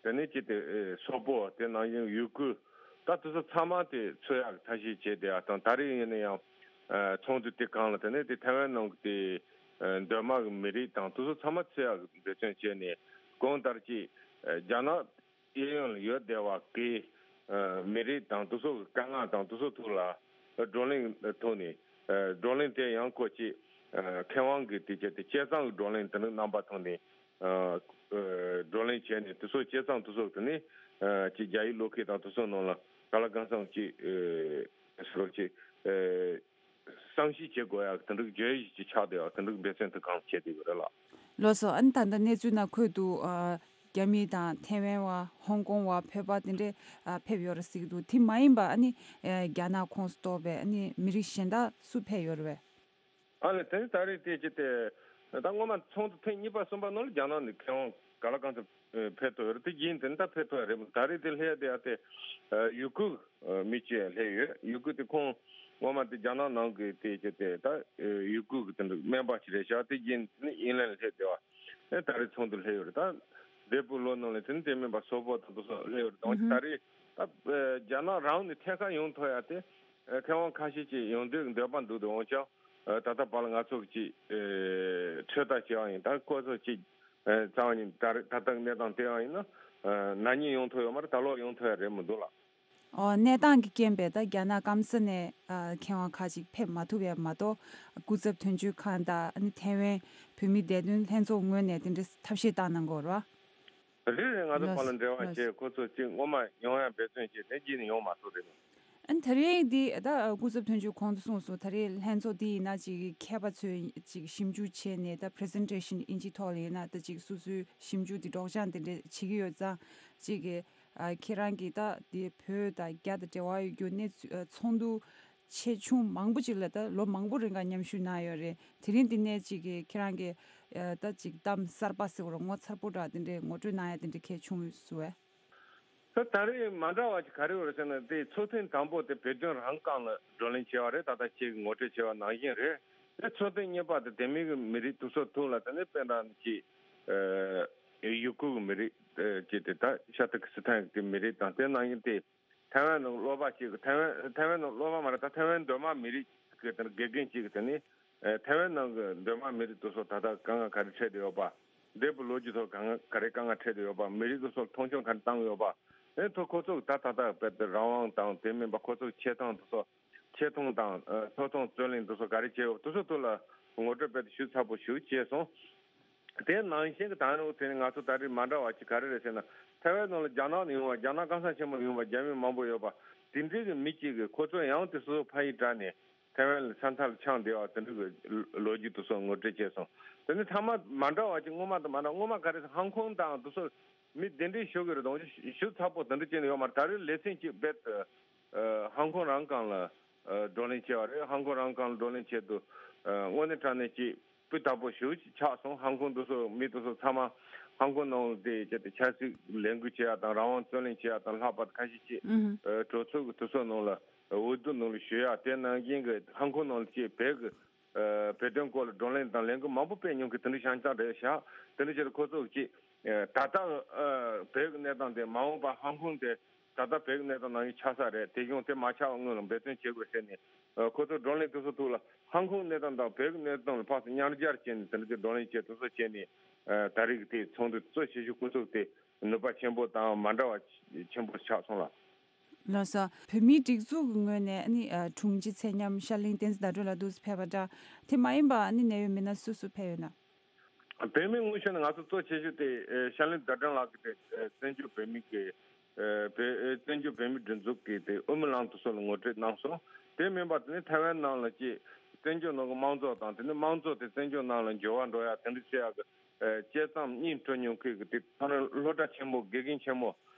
དེ་ནས་ཅིག་དེ་ཨ་སོག་པོ། དེ་ནང་བཞིན་ཡུ་གུར། ད་དེ་ཚོ་ཚང་མ་དེ་ཚུད་ཡག་གི་ཐབས་ཤེས་བྱས་བསྡད་ཡག་དང་། ད་རེས་ཡིན་ན་ཡང་ཨ་ཚོགས་འདུ་དེ་སྒང་ལ་དེ་ནས་དེ་ཐའེ་ཝན་ནང་གི་དེ་ཨ་མདོ་དམངས་ཀྱི་མི་རིགས་དང་དེ་ཚོ་ཚང་མ་ཚུད་ཡག་གི་འབད་བརྩོན་བྱས་ནས། གང་ལྟར་ཅིག་ཨ་རྒྱ་ནག་གཡས་གཡོན་ལ་ཡོད་བསྡད་པ་གི་ཨ་མི་རིགས་དང་དེ་ཚོ་གི་དཀའ་ངལ་དང་དེ་ཚོ་ཐོག་ལ་བགྲོ་གླེང་ཐོག་ནས། ཨ་བགྲོ་གླེང་དེ་ཡང་ཁོ་ཅིག་ཨ་མཁས་དབང་གི་དེ་བྱས་ཏེ་བྱས་ཙང་གི་བགྲོ་གླེང་དེ་འདྲ་རྣམ་པ་ཐོག་ནས་ཨ་ཨ་བགྲོ་གླེང་བྱས་ནས། དེ་ཚོ་བྱས་ཙང་དེ་ཚོ་དེ་ནས་ཨ་ཅིག་རྒྱ་ཡིག་ཀློག་མཁན་དང་དེ་ཚོ་ནང་ལ་ག་ལ་གང་འཚམ་ཅིག་ཨ་ཟེར་རོགས་ཅིག་ཨ་བསམ་ཤེས་བྱེད་དགོས་ཡག་དེ་འདྲ་བརྗོད་གཞི་ཅིག་ཆགས་བསྡད་ཡག་དེ་འདྲ་འབད་བརྩོན་དེ་གང་བྱས་བསྡད་ཡོད་རེད་ལགས། ལགས་སོ། ཨ་ནི་ད་ལྟ་གནས་ཚུལ་ནང་འཁོད་འདུག། ཨ་རྒྱ་མི་དང་ཐའེ་ཝན་བ། ཧོང་ཀོང་བ། བོད་པ་དེ་འདྲས་ཨ་ཕེབས་ཡོད་རེད་ཟེར་གྱི་འདུག། དེ་མ་ཡིན་པ་ཨ་ནི་ཨ་རྒྱ་ནག་ཁོངས་སུ་གཏོགས་པའི་ཨ་ནི་མི་རིགས་གཞན་དག་སུ་ཕེབས་ཡོད་རེད་པས། ཨ་ནི་དེ་ནི་ད་རེས་དེ་ཅི་སྟེ་ད་སྔོན་མ་ཚོགས་འདུ་ཐེངས་གཉིས་པ་གསུམ་པ་ནང་ལ་རྒྱ་ནག་ནས་མཁས་དབང་ག་ལ་གང་འཚམ་ཕེབས་ཐུབ་ཡོད་རེད། དེ་རྗེས་དེ་ནི་ད་ཕེབས་ཐུབ་ཡ་རེད་མོད། ད་རེས་དེ་སླེབས་ཡ་དེ་ཡ་དེ་ཡུ་གུར་མི་གཅིག་སླེབས་ཡོད། ཡུ་གུར་དེ་ཁོང་སྔོན་མ་དེ་རྒྱ་ནག་ནང་གི་དེ་ཅི་སྟེ་ད་ཡུ་གུར་གི་དེ་འདྲ་སྨན་པ་ཞིག་རེད་ཤག། དེ་རྗེས་དེ་ནི་ཨིན་ལན་སླེབས་བསྡད་པ། ཨེ་ད་རེས་ཚོགས་འདུ་སླེབས་ཡོད་རེད། ད་འདས་པའི་ལོ་ནང་ལ་དེ་ནི་དེ་མིན་པ་སོག་པོ་དང་དེ་ཚོ་སླེབས་ཡོད་རེད། འོན་ཀྱང་ད་རེས་ད་རྒྱ་ནག་རང་ནས་ཐད་ཀར་ཡོང་ཐུབ་ཡ་དེ་མཁས་དབང་ཁ་ཤས་ཅིག་ཡོང་འདོད་འདོད་པ་འདུག། དེ་འོན་ཀྱང་ད་ལྟ་བར་ལ་ང་ཚོ་གི་ཅིག་ཚོད་ལྟ་བྱེད་པ་ཡིན། ད་ཁོ་ཚོ་ཅིག་རྩ་བ་ཉིད་ད་རེས་ད་ལྟ་གནས་སྟངས་དེ་ཡང་ཡིན་ན་ན་ནིང་ཡོང་ཐུབ་ཡོད་མ་རེད། ད་ལོ་ཡོང་ཐུབ་ཡ་རེད་མི་འདུག་ལགས། ཨོ། གནས་སྟངས་ཀྱི་རྐྱེན་པས་ད་རྒྱ་ནག་སྐམ་ས་ནས་ཨ་མཁས་དབང་ཁག་ཅིག་ཕེབས་མ་ཐུབ་ཡ་མ་གཏོགས། སྐུ་ཚབ་དོན་གཅོད་ཁང་དང་ཨ་ནི་ཐའེ་ཝན་བོད་མིའི་བདེ་དོན་ལྷན་ཚོགས་ངོས་ནས་དེ་འདྲའི་ཐབས་ཤེས་བཏང་གནང་གི་ཡོད་རེད་པ། རེད་རེད། ང་ཚོ་ལགས་བར་ལ་འབྲེལ་བ་ལགས་བྱས། ཁོ་ཚོ་ཅིག་སྔོན་མ་ཡོང་ཡ་འབད་བརྩོན་བྱས། དེ་རྗེས་ནས་ཡོང་མ་ཐུབ་རེད། ཨ་ནི་ད་རེས་འདི་ད་སྐུ་ཚབ་དོན་གཅོད་གོང་དུ་གསུངས་སོང་། ད་རེས་ལྷན་ཚོགས་འདི་ཡིན་ན་ཅིག་མཁས་པ་ཚོས་ཅིག་ཞིབ་འཇུག་བྱས་ནས་ད་པི་རི་སེན་ཊེ་ཤན་ཨིན་ཇིའི་ཐོག་ལ་ཡིན་ན་ད་ཅིག་སོ་སོའི་ཞིབ་འཇུག་འདི་སྒྲོག་སྦྱང་དེ་འདྲ་བྱེད་ཀྱི་ཡོད་ཙང་། ཅིག་གི་ཨ་ཁྱེད་རང་གིས་ད་དེ་བོད་དང་རྒྱ་དང་འབྲེལ་བ་ཡོད་རྒྱུ་གནས་ཚུལ་ཨ་ཚོགས་འདུ་ཆེ་ཆུང་མང་པོ་ཅིག་ལ་ད་ལོ་མང་པོ་རིང་ག་མཉམ་ཞུགས་གནང་ཡོད་རེད། དེ་རིང་འདི་ནས་ཅིག་གི་ཁྱེད་རང་གིས་ཨ་ད་ཅིག་གཏམ་གསར་པ་ཟེར་བ་རེད། ངོ་མཚར་པོ་འདྲ་དེ་འདྲའི་ངོ་སྤྲོད་གནང་ཡ་དེ་འདྲ་གལ་བྱུང་ཡོད་སུ་བས། ད་ད་རེས་མ་འདྲ་བ་ཅིག་ག་རེ་ཡོད་རེད་ཟེར་ན། དེ་ཚོགས་ཐེངས་དང་པོ་དེ་བོད་དོན་རང་སྒང་ལ་བགྲོ་གླེང་བྱས་པ་རེད། ད་ལྟ་ཁྱེད་ཀྱིས་ངོ་སྤྲོད་བྱས་པ་ནང་བཞིན་རེད། དེ་ཚོགས་ཐེངས་གཉིས་པ་དེ་དེ་མིན་གྱི་མི་རིགས་དེ་ཚོ་ཐོག་ལ་དེ་ནས་དཔེར་ན་ཅིག་ཨ་ཡུ་གུར་གྱི་མི་རིགས་ཨ་ཅིག་དེ་ད་ཤ་ཏི་ཀི་སི་ཐན་གྱི་མི་རིགས་དང་། དེ་ནང་བཞིན་དེ་ཐའེ་ཝན་ནང་སློབ་པ་ཅིག་ཐའེ་ཝན་ཐའེ་ཝན་ནང་སློབ་པ་མ་རེད། ད་ཐའེ་ཝན་མདོ་དམངས་མི་རིགས་ཀྱི་དེ་ནས་དགེ་རྒན་ཅིག་གིས་དེ་ནས་ཨ་ཐའེ་ཝན་ནང་གི་མདོ་དམངས་མི་རིགས་དེ་ཚོ་ད་ལྟ་དཀའ་ངལ་ག་རེ་འཕྲད་བསྡད་ཡོད་པ། འདས་པའི་ལོ་རྒྱུས་ཐོག་ག་ང་ག་རེ་དཀའ་ངལ་འཕྲད་བསྡད་ཡོད་པ། མི་རིགས་དེ་ཚོར་མཐོང་ཆུང་ག་རེ་བཏང་ཡོད་པ། དེ་ཐོག་ཁོ་ཚོ་ད་ད་ལྟ་དཔེ་དེ་རང་དབང་དང་དེ་མིན་པ་ཁོ་ཚོ་ཆེ་མཐོང་དེ་ཚོ་ཆེ་མཐོང་དང་ཨ་ཐོག་མཐོང་རྩོད་གླེང་དེ་ཚོ་ག་རེ་བྱས་ཡོད་པ་དེ་ཚོ་ཐོག་ལ་ངོ་སྤྲོད་དཔེ་དེ་ཞིབ་ཚགས་པོ་ཞིག་བྱས་སོང་། དེ་ནང་བཞིན་གྱི་ད་ནི་དེ་ནི་ང་ཚོ་ད་རེས་མ་འདྲ་བ་ཅིག་ག་རེ་རེད་ཟེར་ན། ཐའེ་ཝན་ནང་ལ་རྒྱ་ནག་ནས་ཡོང་བ། རྒྱ་ནག་སྐམ་ས་ཆེན་མོ་ནས་ཡོང་བ་རྒྱ་མི་མང་པོ་ཡོད་པ། དེ་འདྲའི་གི་མི་གཅིག་གིས་ཁོ་ཚོ་ཡང་དེ་སོ་སོ་ཕ་ཡུལ་དྲངས་ནས་ཐའེ་ཝན་ལ་ས་མཐའ་ལ་འཁྱམས་བསྡད་པ་དེ་འདྲ་གི་ལོ་རྒྱུས་དེ་ཚོ་ངོ་སྤྲོད་བྱས་སོང་། དེ་ནི་ཚང་མ་མ་འདྲ་བ་ཅིག་སྔོན་མ་དང་མ་འདྲ། སྔོན་མ་ག་རེ་ཟེར་ཧང་ཀོང་དང་དེ་ཚོ་མི་གདན་འདྲེན་ཞུ་གི་རེད། དང་ཞུ་ཚགས་པོ་དེ་འདྲ་བྱས་ནས་ཡོད་མ་རེད། ད་རེས་ལེ་ཚན་གཅིག་རྦད་ཨ་ཧང་ཀོང་རང་སྒང་ལ་ཨ་བགྲོ་གླེང་བྱས་པ་རེད། ཧང་ཀོང་རང་སྒང་ལ་བགྲོ་གླེང་བྱས་དུས་ཨ་དངོས་གནས་དྲང་གནས་ཀྱི་སྤུས་དག་པོ་ཞེ་པོ་ཅིག་ཆགས་སོང་། ཧང་ཀོང་དེ་ཚོ་མི་དེ་ཚོ་ཚང་མ་ཧང་ཀོང་ནང་ལ་དེ་བྱས་ཏེ་ཆབ་སྲིད་ལས་འགུལ་བྱེད་ཡག་དང་རང་དབང་རྩོད་གླེང་བྱེད་ཡག་དང་ལྷག་པར་དུ་ཁ་ཤས་ཅིག་ཨུ་ཧུ། ཨ་གྲོས་ཚོགས་ཀྱི་དེ་ཚོ་ནང་ལ་འོས་བསྡུ་ནང་ལ་ཞུགས་ཡག་དེ་ནང་བཞིན་གྱི་ཧང་ཀོང་ནང་ལ་ཅིག་བོད་ཀྱི་ཨ་བོད་དོན་སྐོར་ལ་བགྲོ་གླེང་དང་ལས་འགུལ་མང་པོ་སྤེལ་མྱོང་གི་དེ་འདྲ་ཤང་ཅང་རེད་ཤག། དེ་འདྲ་བྱས་ཏེ་ཁོ་ཚོ་ཅིག་ ཨ་ད་ལྟ་ཨ་བོད་ཀྱི་གནས་སྟངས་དེ་མ་འོངས་པ་ཧང་ཀོང་དེ་ད་ལྟ་བོད་ཀྱི་གནས་སྟངས་ནང་བཞིན་ཆགས་ས་རེད། དེ་གཞུང་དེ་མ་ཆགས་པ་སྔོན་ལ་འབད་བརྩོན་བྱེད་དགོས་ཟེར་ནས་ཨ་ཁོ་ཚོ་བགྲོ་གླེང་དེ་ཚོ་ཐོག་ལ་ཧང་ཀོང་གནས་སྟངས་དང་བོད་ཀྱི་གནས་སྟངས་ལ་ཕར་ཚུར་མཉམ་སྦྱར་བྱས་ནས་དེ་འདྲ་དེ་བགྲོ་གླེང་བྱས་དེ་ཚོ་བྱས་ནས་ཨ་ད་རེས་ཀྱི་དེ་ཚོགས་འདུ་གཙོ་ཆེ་ཤོས་སྐུ་ཚབ་དེ་ནུས་པ་ཆེན་པོ་དང་མ་འདྲ་བ་ཆེན་པོ་ཆགས་སོང་ལ། ལགས་སོ། བོད་མིའི་སྒྲིག་འཛུགས་ཀྱི་ངོས་ནས་ཨ་ནི་ཨ་དྲུང་ཆེ་ཚེ་མཉམ་ཤར་གླིང་བསྟན་འཛིན་ཟླ་སྒྲོན་ལགས་འདུག་སེ་ཕེབས་པ་འདྲ། དེ་མ་ཡིན་པ་ཨ་ནི་གནད་ཡོད་མི་སྣ་སུ་སུ་ཕེབས་ཡོད་ན། བོད་མིའི་དབུ་ཁྲིད་ནས་ང་ཚོ་གཙོ་ཆེ་ཤོས་དེ་ཨ་ཤར་གླིང་ཟླ་སྒྲོན་ལགས་ཀྱིས་དེ་ཨ་བཙན་བྱོལ་བོད་མི་གི་ཨ་བོད་ཨ་བཙན་བྱོལ་བོད་མིའི་སྒྲིག་འཛུགས་ཀྱི་དེ་དབུ་མའི་ལམ་དེ་ཚོ་ལ་ངོ་སྤྲོད་གནང་སོང་། དེ་མིན་པ་དེ་ནི་ཐའེ་ཝན་ནང་ལ་ཅིག་བཙན་བྱོལ་ནང་གི་དམངས་གཙོ་དང་དེ་ནི་དམངས་གཙོ་དེ་བཙན་བྱོལ་ནང་ལ་འགྱུར་བ་འགྲོ་ཡ་དེ་འདྲ་བྱེད་ཡ་གི་ཨ་དཔྱད་རྩོམ་སྙིང་བྲོ་མྱོང་མཁན་གྱི་དེ་ཐོ་རངས་སློབ་གྲྭ་ཆེན་མོ་དགེ་རྒན་ཆེན་མོ་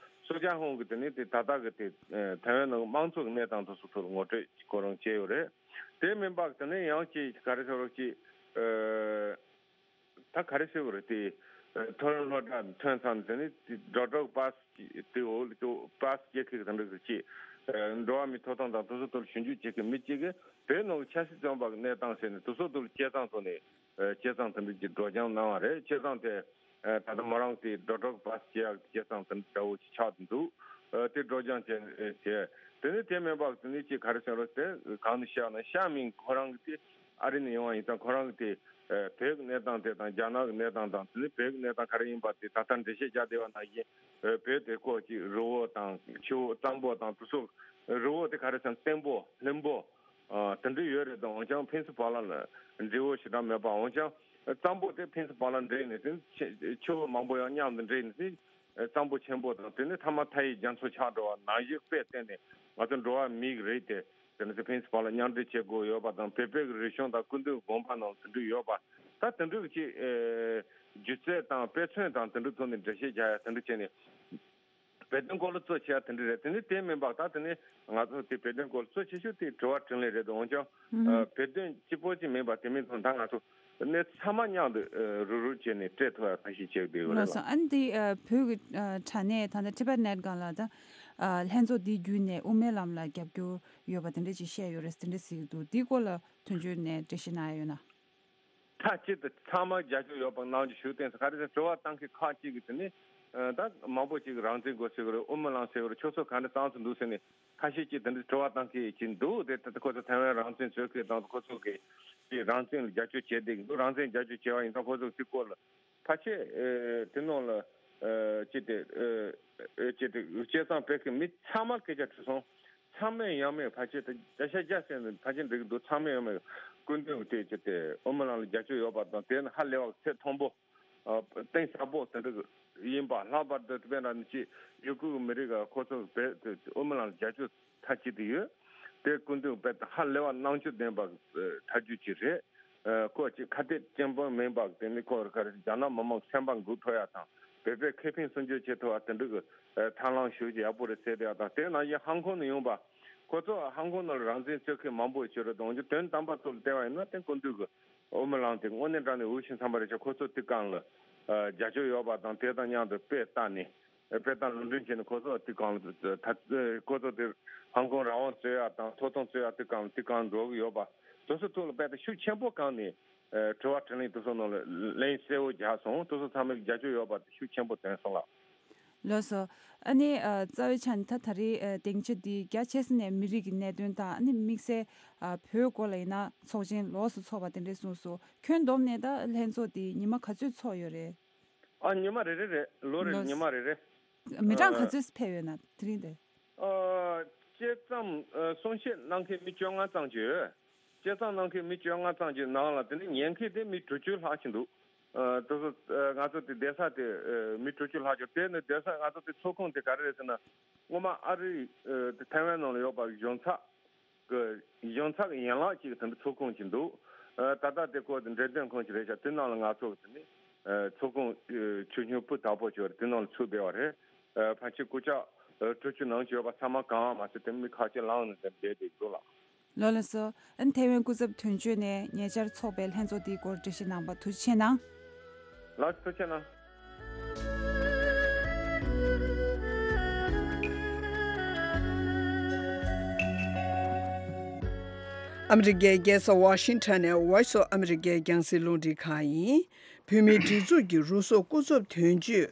སུ་ཅཱ་ཧུང་གིས་དེ་ནི་དེ་ད་ལྟ་གི་དེ་ཨ་ཐའེ་ཝན་ནང་གི་དམངས་གཙོ་གི་གནས་སྟངས་དེ་ཚོ་ཐོག་ལ་ངོ་སྤྲོད་ཁོ་རང་བྱས་ཡོད་རེད། དེ་མིན་པ་དེ་ནི་ཡང་ཅིག་ག་རེ་ཟེར་རོགས་ཅིག་ཨ་ད་ག་རེ་ཟེར་དགོས་རེད་དེ། ཨ་ཐོ་རངས་སློབ་གྲྭ་ཐོན་ཙང་དེ་ནི་དེ་སྒྲོ་སྒྲོག་པ་སི་དེ་འོག་ལ་ཅོ་པ་སི་རྒྱག་མཁན་གྱི་དེ་འདྲ་གི་ཅིག་ཨ་འགྲོ་བ་མིའི་ཐོབ་ཐང་དང་དེ་ཚོ་ཐོག་ཞིབ་འཇུག་བྱེད་མཁན་མི་གཅིག་གིས་བོད་ནང་གི་ཆབ་སྲིད་བཙོན་པ་གི་གནས་སྟངས་ཟེར་ནས་དེ་ཚོ་ཐོག་ལ་དཔྱད་རྩོམ་ཐོག་ནས་ཨ་དཔྱད་རྩོམ་དེ་འདྲ་ཅིག་སྒྲོག་སྦྱང་གནང་བ་རེད། དཔྱད་རྩོམ་དེ་ཨ་ད་ལྟ་མོ་རང་དེ་སྒྲོ་སྒྲོག་པ་སི་བྱེད་ཡག་དཔྱད་རྩོམ་དེ་འདྲ་འདྲ་བོ་ཅིག་ཆགས་འདུག་ཨ་དེ་སྒྲོག་སྦྱང་བྱས་ཨ་བྱས། དེ་ནི་དེ་མིན་པ་དེ་ནི་ཅིག་ག་རེ་ཟེར་རོ་དེ་གང་ནས་བཤད་ན་ཤ་མིན་ཁོ་རང་གི་དེ་ཨ་རི་ནས་ཡོང་བ་ཡིན་ཙང་ཁོ་རང་གི་དེ་ཨ་བོད་ཀྱི་གནས་སྟངས་དེ་དང་རྒྱ་ནག་གི་གནས་སྟངས་དང་དེ་ནི་བོད་ཀྱི་གནས་སྟངས་ག་རེ་ཡིན་པ་དེ་ད་ལྟ་འགྲེལ་བཤད་རྒྱག་བསྡད་པ་ནང་བཞིན་ཨ་བོད་དེ་ཁོ་ཅིག་རི་བོ་དང་ཆུ་བོ་གཙང་པོ་དང་དེ་ཚོ་རི་བོ་དེ་ག་རེ་ཟེར་ན་བརྟན་པོ་ལྷུན་པོ་ཨ་དེ་འདྲ་ཡོད་རེད་དང་། འོན་ཀྱང་ཕུན་སུམ་ཚོགས་པ་ལ་འབྲས་བུ་ཞེ་དྲག་མེད་པ། འོན་ཀྱང་གཙང་པོ་དེ་ཕུན་སུམ་ཚོགས་པ་ལ་འདྲེས་ནས་དེ་ཆུ་བོ་མང་པོ་ཡང་མཉམ་དུ་འདྲེས་ནས་དེ་གཙང་པོ་ཆེན་པོ་དང་དེ་ནི་མཐའ་མ་མཐའ་ཡས་རྒྱ་མཚོ་ཆགས་འགྲོ་བ་ནང་བཞིན་དཔེ་བལྟས་ནས་ང་ཚོ་འགྲོ་བ་མིའི་རིགས་དེ་དེ་ནི་དེ་ཕུན་སུམ་ཚོགས་པ་ལ་མཉམ་འདྲེས་བྱེད་དགོས་ཡོད་པ་དང་། བོད་པའི་རིག་གཞུང་དང་སྐུ་མདུན་དགོངས་པ་ནང་དེ་འདྲ་ཡོད་པ། ད་དེ་འདྲ་ཅིག་ཨེ་སྒྱུ་རྩལ་དང་དཔེ་མཚོན་དང་དེ་འདྲ་ཐོག་ནས་འགྲེལ་བཤད་རྒྱག་ཡ་དེ་འདྲ་བྱས་ནས། བོད་དོན་སྐོར་ལ་གཙོ་ཆེ་བ་དེ་འདྲ་རེད། དེ་ནི་དེ་མིན་པ་ད་དེ་ནི་ང་ཚོ་དེ་བོད་དོན་སྐོར་ལ་གཙོ་ཆེ་ཤོས་དེ་དྲི་བ་དྲིས་ལན་རེད། འོན་ཀྱང་ཨ་བོད་དོན་གཅིག་པོ་གཅིག་མིན་པ་དེ་མིན་ཙང་ད་ང་ཚོ་གནས་ཚང་མ་མཉམ་དུ་ཨ་རུབ་རུབ་བྱས་ནས་སྤྲད་ཐུབ་ཡ་ཐབས་ཤེས་བྱེད་དགོས་ཡོད་རེད་ལགས་ལ། སོ། ཨ་ནི་དེ་ཨ་བོད་ཀྱི་ཨ་དྲ་གནས་ད་ལྟ་ཊི་བེཊ་ནེཊ་སྒང་ལ་ད་ཨ་ལྷན་ཚོགས་འདི་བརྒྱུད་ནས་དབུ་མའི་ལམ་ལ་རྒྱབ་སྐྱོར་ཡོད་པ་དེ་འདྲ་ཅིག་བཤད་ཡོད་རེད། དེ་འདྲ་ཟེར་གྱི་འདུག་འདིའི་སྐོར་ལ་དོན་གཅོད་ནས་འགྲེལ་བཤད་གནང་ཡ་ཡོད་ན། མཐའ་གཅིག་ཏུ་ཚང་མ་རྒྱབ་སྐྱོར་ཡོད་པ་གནང་རྒྱུ་ཞུ་བསྟན་སོང་། ག་རེ་ཟེར་དྲི་བ་བཏང་མཁན་ཁག་ཅིག་གིས་དེ་ནི་ཨ་ད་མང་པོ་ཅིག་རང་བཙན་དགོས་ཟེར་གི་རེད། དབུ་མའི་ལམ་ཟེར་གི་རེད། ཁྱོད་ཚོ་ག་འདྲ་བཏང་ཚུལ་འདུག་ཟེར་ནས་ཁ་ཤས་ཀྱིས་དེ་འདྲ་དྲི་བ་བཏང་མཁན་ཅིག་འདུག་དེ་ད་ཁོ་ཚོ་ཐའེ་ཝན་རང་བཙན་རྩོད་མཁན་དང་ཁོ་ཚོ་གི་དེ་རང་བཙན་ལ་རྒྱབ་སྐྱོར་བྱས་བསྡད་ཀྱི་འདུག་རང་བཙན་རྒྱབ་སྐྱོར་བྱས་པ་ཡིན་ཙང་ཁོ་ཚོ་གི་དེ་སྐོར་ལ་ཕལ་ཆེར་ཨེ་དེ་ནང་ལ་ཨེ་ཅི་སྟེ་ཨེ་ཨེ་ཅི་སྟེ་དཔྱད་རྩོམ་སྤེལ་མཁན་མི་ཚང་མར་སྐད་ཆ་དྲིས་སོང་། ཚང་མས་ཡང་མིན་ཕལ་ཆེར་དེ་བརྒྱ་ཆ་བརྒྱ་ཟེར་ནས་ཕལ་ཆེར་འགྲིག་གི་འདུག་ཚང་མས་ཡང་མིན་སྐུ་མདུན་དེ་ཅི་སྟེ་དབུ་མའི་ལམ་ལ་རྒྱབ་སྐྱོར་ཡོད་པ་དང་། དེ་ནི་ཧ་ལས་པ་ཚད་མཐོན་པོ་ཨ་གཏིང་ཟབ་པོ་དེ་འདྲ་ཡིན་པ། ལྷག་པར་དུ་དཔེར་ན་ཅིག་ཡུ་གུར་མི་རིགས་ཁོ་ཚོ་བོད་དེ་དབུ་མའི་ལམ་ལ་རྒྱབ་སྐྱོར་མཐའ་གཅིག་ཏུ་ཡོད། དེ་སྐུ་མདུན་དཔེ་ཧ་ལས་པ་རྣམ་དཔྱོད་ལྡན་པ་ཐབས་ཇུས་ཅིག་རེད། ཨ་ཁོ་ཅིག་ཁ་གཏད་གཅོད་པ་མིན་པ་དེ་ནི་ཁོ་ག་རེ་རྒྱ་ནག་མི་མང་སེམས་པ་འགུག་ཐུབ་ཡ་དང་བོད་པའི་ཁེ་ཕན་སྲུང་སྐྱོབ་བྱེད་ཐུབ་པ་དེ་འདྲ་གི་ཨ་ཐབས་ལམ་ཞུ་རྒྱུ་ཡག་པོ་རེད་ཟེར་བསྡད་ཡ་དང་། དེ་ནང་བཞིན་ཧང་ཀོང་ནས་ཡོང་པ་ཁོ་ཚོ་ཧང་ཀོང་ནང་ལ་རང་བཙན་རྩོད་མཁན་མང་པོ་ཡོད་རེད། དོན་དམ་པ་ཚོ་ལ་བལྟས་པ་ཡིན་ན་དེ་སྐུ་མདུན་གི་དབུ་མའི་ལམ་དེ་དངོས་གནས་དྲང་གནས་འུ་ཤིང་ཚང་པ་རེད་ཤག་ཁོ་ཚོ་དེ་སྒང་ལ་ཨ་རྒྱབ་སྐྱོར་ཡོད་པ་དང་དེ་དང་མཉམ་དུ་དཔེ་བལྟས་ནས། དཔེ་དང་ལུང་འདྲེན་བྱས་ནས་ཁོ་ཚོ་དེ་སྒང་ལ་ད་ཁོ་ཚོ་དེ་ཧང་ཀོང་རང་དབང་རྩོད་ཡ་དང་ཐོབ་ཐང་རྩོད་ཡ་དེ་སྒང་དེ་སྒང་འགྲོ་གི་ཡོད་པ་དེ་ཚོ་ཐོག་ལ་དཔེ་དེ་ཤུགས་ཆེན་པོ་བསྐངས་ནས་ཨ་དྲི་བ་དྲིས་ལན་དེ་ཚོ་ནང་ལ་ལན་གསལ་བོ་རྒྱག་སོང་། དེ་ཚོ་ཚང་མས་རྒྱབ་སྐྱོར་ཡོད་པ་དེ་ཤུགས་ཆེན་པོ་བཏོན་སོང་ལགས། ལགས་སོ། ཨ་ནི་ཨ་རྩ་བའི་ཆ་ནས་ད་ད་རེས་ཨ་སྡིངས་ཆ་འདི་རྒྱ་ཆེ་ས་ནས་མི་རིགས་ཀྱི་གནད་དོན་དང་ཨ་ནི་དམིགས་བསལ་ཨ་བོད་སྐོར་ལ་ཡིན་ན་ཚོགས་ཆེན་ལོགས་སུ་ཚོགས་པ་དེ་འདྲས་གསུངས་སོང་། ཁྱོན་བསྡོམས་ནས་ད་ལྷན་ཚོགས་འདི་ཉི་མ་ག་ཚོད་ཚོགས་ཡོད་རེད། ཨ་ཉི་མ་རེ་རེ་རེད། ལོ་རེ་ལོ་ཉི་མ་རེ་རེ། མི་གྲངས་ག་ཨ་ཚོད་ཕེབས་ཡོད་ན་དེ་རིང་དེ། ཨ་དཔྱད་རྩོམ་ཨ་གསུང་བཤད་གནང་མཁན་མི་བཅོ་ལྔ་ཙམ་ཅིག་ཡོད། དཔྱད་རྩོམ་གནང་མཁན་མི་བཅོ་ལྔ་ཙམ་ཅིག་ནང་ལ་དེ་ནི་ཉན་མཁན་དེ་མི་དྲུག་ཅུ་ལྷག་ཅིག་འདུག་ཨ་དེ་ཚོ་ཨ་ང་ཚོ་དེ་བསྡད་ས་དེ་ཨ་མི་དྲུག་ཅུ་ལྷག་ཅིག་དེ་ནི་བསྡད་ས་ང་ཚོ་དེ་ཚོགས་ཁང་དེ་ག་རེ་རེད་ཟེར་ན། སྔོན་མ་ཨ་རི་ཨ་དེ་ཐའེ་ཝན་ནང་ལ་ཡོད་པ་གཞུང་ཚབ་གི་གཞུང་ཚབ་ཡན་ལག་ཅིག་དེ་འདྲ་ཚོགས་ཁང་ཅིག་འདུག་ཨ་ད་ལྟ་དེ་ཁོ་འགྲེམས་སྟོན་ཁང་ཅིག་རེད་ཤག་དེ་ནང་ལ་ང་ཚོ་དེ་ནི་ཨ་ཚོགས་ཁང་ཨ་ཆུང་ཆུང་སྤུས་དག་པོ་ཅིག་ཡོད་རེད། དེ་ནང་ལ་ཚུད་བསྡད་པ་རེད། ཨ་ཕལ་ཆེར་སྐུ་ཞབས་ཨ་དྲུག་ཅུ་ནང་ཅིག་ཡོད་པ་ཚང་མ་གང་མ་ཟད་དེ་མི་ཁ་ཤས་ལངས་ནས་དེ་བསྡད་བསྡད་འདུག་ལགས། ལགས་ལགས་སོ། ཨ་ནི་ཐའེ་ཝན་སྐུ་ཚབ་དོན་གཅོད་ནས་ཉེ་ཆར་ཚོགས་པའི་ལྷན་ཚོགས་འདིའི་སྐོར་འགྲེལ་བཤད་གནང་བར་ཐུགས་རྗེ་ཆེ་གནང་། ལགས་ཐུགས་རྗེ་གནང་། ཨ་མི་རི་ཀའི་རྒྱལ་ས་ཝ་ཤིང་ཊོན་ནས་Voice of America རྒྱང་སྲིང་རླུང་འཕྲིན་ཁང་ཡིན། བོད་མིའི་སྒྲིག་འཛུགས་ཀྱི་རུ་སོག་སྐུ་ཚབ་དོན་གཅོད་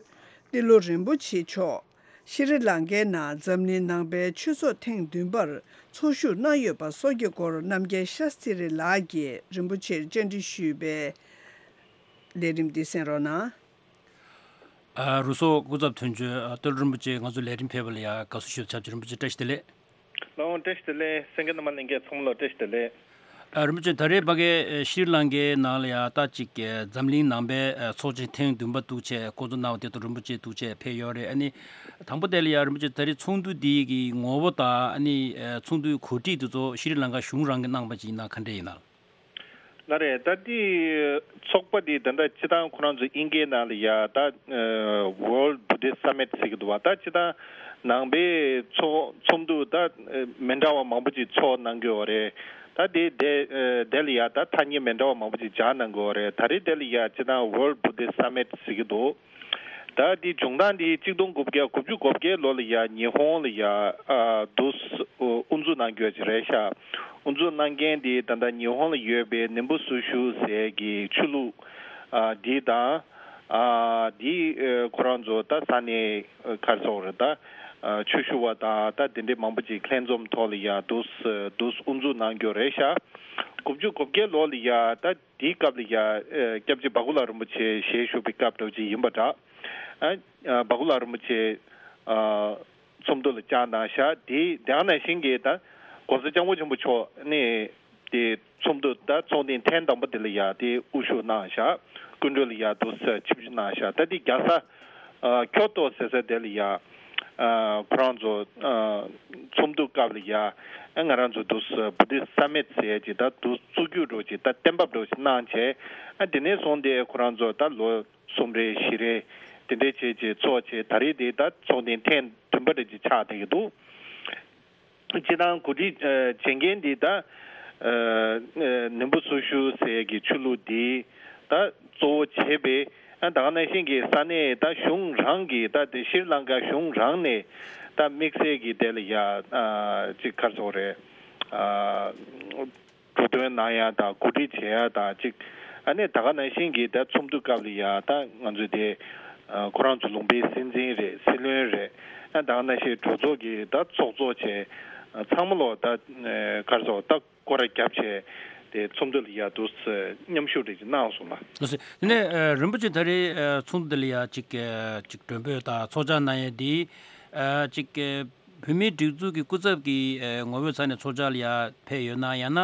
ཏི་ལོ་རིན་པོ་ཆེ་མཆོག་ཤྲི་ལང་ཀའི་ནང་འཛམ་གླིང་ནང་པའི་ཆོས་ཚོགས་ཐེངས་བདུན་པར་ཚོགས་ཞུགས་གནང་ཡོད་པ་སོགས་ཀྱི་སྐོར་རྣམ་རྒྱལ་ཤཱསྟྲི་ལགས་ཀྱིས་རིན་པོ་ཆེར་བཅར་འདྲི་ཞུས་པའི་ལས་རིམ་འདི་གསན་རོགས་གནང་། ཨ། རུ་སོག་སྐུ་ཚབ་དོན་གཅོད་ཨ་ཏི་ལོ་རིན་པོ་ཆེ་ང་ཚོའི་ལས་རིམ་ཕེབས་པ་ལ་ཡང་དགའ་བསུ་ཞུ་ཆབས་ཅིག་རིན་པོ་ཆེ་བཀྲ་ཤིས་བདེ་ལེགས། ལགས་འོང་། བཀྲ་ཤིས་བདེ་ལེགས། གསན་མཁན་རྣམ་པ་ལྷན་རྒྱས་ཚང་མ་ལ་བཀྲ་ཤིས་བདེ་ལེགས། ཨ། རིན་པོ་ཆེ་ད་རེས་ཕ་གི་ཤྲི་ལང་ཀའི་ནང་ལ་ཡང་ད་ཅིག་འཛམ་གླིང་ནང་པའི་ཚོགས་ཆེན་ཐེངས་བདུན་པ་འདུག་བྱས་སྐོང་ཚོགས་གནང་བ་དེ་ཚོ་རིན་པོ་ཆེ་འདུག་བྱས་ཕེབས་ཡོད་རེད། ཨ་ནི་དང་པོ་དེ་ལ་ཡང་རིན་པོ་ཆེ་ད་རེས་ཚོགས་འདུ་འདི་གི་ངོ་བོ་དང་ཨ་ནི་ཚོགས་འདུའི་གོ་སྒྲིག་དེ་ཚོ་ཤྲི་ལང་ཀ་གཞུང་རང་གིས་གནང་པ་ཅིག་ཡིན་ན་ག་འདྲ་ཡིན་ན། ལགས་རེད། ད་འདི་ཚོགས་པ་འདི་ད་ལྟ་སྤྱིར་བཏང་ཁོ་རང་ཚོ་དབྱིན་སྐད་ནང་ལ་ཡ་ད་World Buddhist Summit ཟེར་གྱི་འདུག་བ། ད་སྤྱིར་བཏང་ནང་པའི་ཚོགས་ཚོགས་འདུ་ད་མི་འདྲ་བ་མང་པོ་ཅིག་ཚོགས་གནང་གི་ཡོད་རེད། ད་དེ་དེ་དེ་ལ་ཡ་ད་ཐ་སྙད་མི་འདྲ་བ་མང་པོ་ཅིག་སྦྱར་གནང་གི་ཡོད་རེད། ད་རེས་དེ་ལ་ཡ་སྤྱིར་བཏང་World Buddhist Summit ཟེར་གྱི་འདུག་ད་དེ་བྱུང་སྟངས་དེ་གཅིག་སྟོང་དགུ་བརྒྱ་དགུ་བཅུ་གོ་བརྒྱད་ལོ་ལ་ཡ་ཉི་ཧོང་ལ་ཡ་ཨ་དུས་དབུ་འཛུགས་གནང་རྒྱུ་ཅིག་རེད་ཤག་དབུ་འཛུགས་གནང་མཁན་དེ་ད་ལྟ་ཉི་ཧོང་ལ་ཡོད་པའི་ནིམ་བུ་སུ་ཤུ་ཟེར་གྱི་ཆོས་ལུགས་ཨ་དེ་དང་ཨ་དེ་ཁོ་རང་ཚོ་ད་ས་གནས་ག་རེ་ཟེར་དགོས་རེད། ད་ཆོས་ཞུ་བ་དང་ད་དེ་འདྲའི་མང་པོ་ཅིག་ལྷན་འཛོམས་ཐོག་ལ་ཡ་དུས་དུས་དབུ་འཛུགས་གནང་རྒྱུ་རེད་ཤག་དགུ་བཅུ་གོ་བརྒྱད་ལོ་ལ་ཡ་ད། དེའི་སྐབས་ལ་ཡ་ཨ་སྐྱབས་རྗེ་འབའ་ཁུ་ལགས་རིན་པོ་ཆེ་ཞལ་བཞུགས་པའི་སྐབས་འདྲ་བོ་ཅིག་ཡིན་པ་འདྲ། ཨ་ཨ་འབའ་ཁུ་ལགས་རིན་པོ་ཆེ་ཨ་ཚོགས་འདུ་ལ་བཅར་གནང་ཤག་དེ་དེ་ནང་བཞིན་གྱི་ད་༸གོང་ས་༸སྐྱབས་མགོན་ཆེན་པོ་མཆོག་ནས་དེ་ཚོགས་འདུ་ད་ཚོགས་ཐེངས་ཐེངས་དང་པོ་དེ་ལ་ཡ་དེ་དབུ་བཞུགས་གནང་ཤག་སྐུ་མགྲོན་ལ་ཡ་དུ་ཆིབས་བསྒྱུར་གནང་ཤག་ད་དེ་རྒྱལ་ས་ཨ་ཁྱོ་ཏོ་ཟེར་ས་དེ་ལ་ཡ་ཨ་ཁོ་རང་ཚོ་ཨ་ཚོགས་འདུ་སྐབས་ལ་ཡ་ཨ་ང་རང་ཚོ་དུ་Buddhist Summit ཟེར་ཅིག་ད་དུ་བཙུགས་རྒྱུ་འདྲ་ཅིག་ད་གཏན་འབེབས་འདྲ་ཅིག་གནང་བྱས། ཨ་དེ་ནས་བཟུང་སྟེ་ཁོ་རང་ཚོ་ད་ལོ་གསུམ་རེ་བཞི་རེ་དེ་འདྲས་བྱས་ཅིག་ཚོགས་བྱས། ད་རེས་དེ་ད་ཚོགས་ཐེངས་ཐེངས་བདུན་པ་རེ་ཅིག་ཆགས་བསྡད་ཀྱི་འདུག་སྤྱིར་བཏང་གོ་སྒྲིག་ཨ་བྱེད་མཁན་འདི་ད་ཨ་ཨ་ནིམ་བུ་སུ་ཤུ་ཟེར་གྱི་ཆོས་ལུགས་འདི་ད་གཙོ་བོ་བྱས་པའི་ཨ་ད་ག་ནང་བཞིན་གྱི་ས་གནས་ད་གཞུང་རང་གི་ད་དེ་ཤྲི་ལང་ཀ་གཞུང་རང་ནས་ད་དམིགས་བསལ་གྱི་དེ་ལ་ཡ་ཨ་ཅིག་ག་རེ་ཟེར་དགོས་རེད། ཨ་འགྲོ་དོན་གནང་ཡ་དང་གོ་སྒྲིག་བྱེད་ཡ་དང་ཅིག་ཨ་ནི་ད་ག་ནང་བཞིན་གྱི་ད་ཚོགས་འདུ་སྐབས་ལ་ཡ་ད་ང་ཚོས་དེ་ཨ་ཁོ་རང་ཚོ་ལུང་པའི་སྲིད་འཛིན་རེད། སྲིད་བློན་རེད། ཨ་ད་ག་ནང་བཞིན་གྲོས་ཚོགས་ཀྱི་ད་ཚོགས་གཙོ་བྱས་ཨ་ཚང་མ་ལོ་ད་ཨ་ག་རེ་ཟེར་ད་སྐོར་ར་བརྒྱབ་བྱས་དེ་ཚོགས་འདུ་ལ་ཡ་དུ་མཉམ་ཞུགས་རེ་ཅིག་གནང་སོང་ལ། ལགས་སོ། དེ་ནས་ཨ་རིན་པོ་ཆེ་ད་རེས་ཨ་ཚོགས་འདུ་འདི་ལ་ཡ་ཅིག་ཨ་ཅིག་མགྲོན་འབོད་དང་ཚོགས་བཅར་གནང་ཡས་འདི་ཨ་ཅིག་ཨ་བོད་མིའི་སྒྲིག་འཛུགས་ཀྱི་སྐུ་ཚབ་ཀྱི་ཨ་ངོ་བོའི་ཚབ་ནས་ཚོགས་བཅར་ལ་ཡ་ཕེབས་ཡོད་ན། ཡང་ན་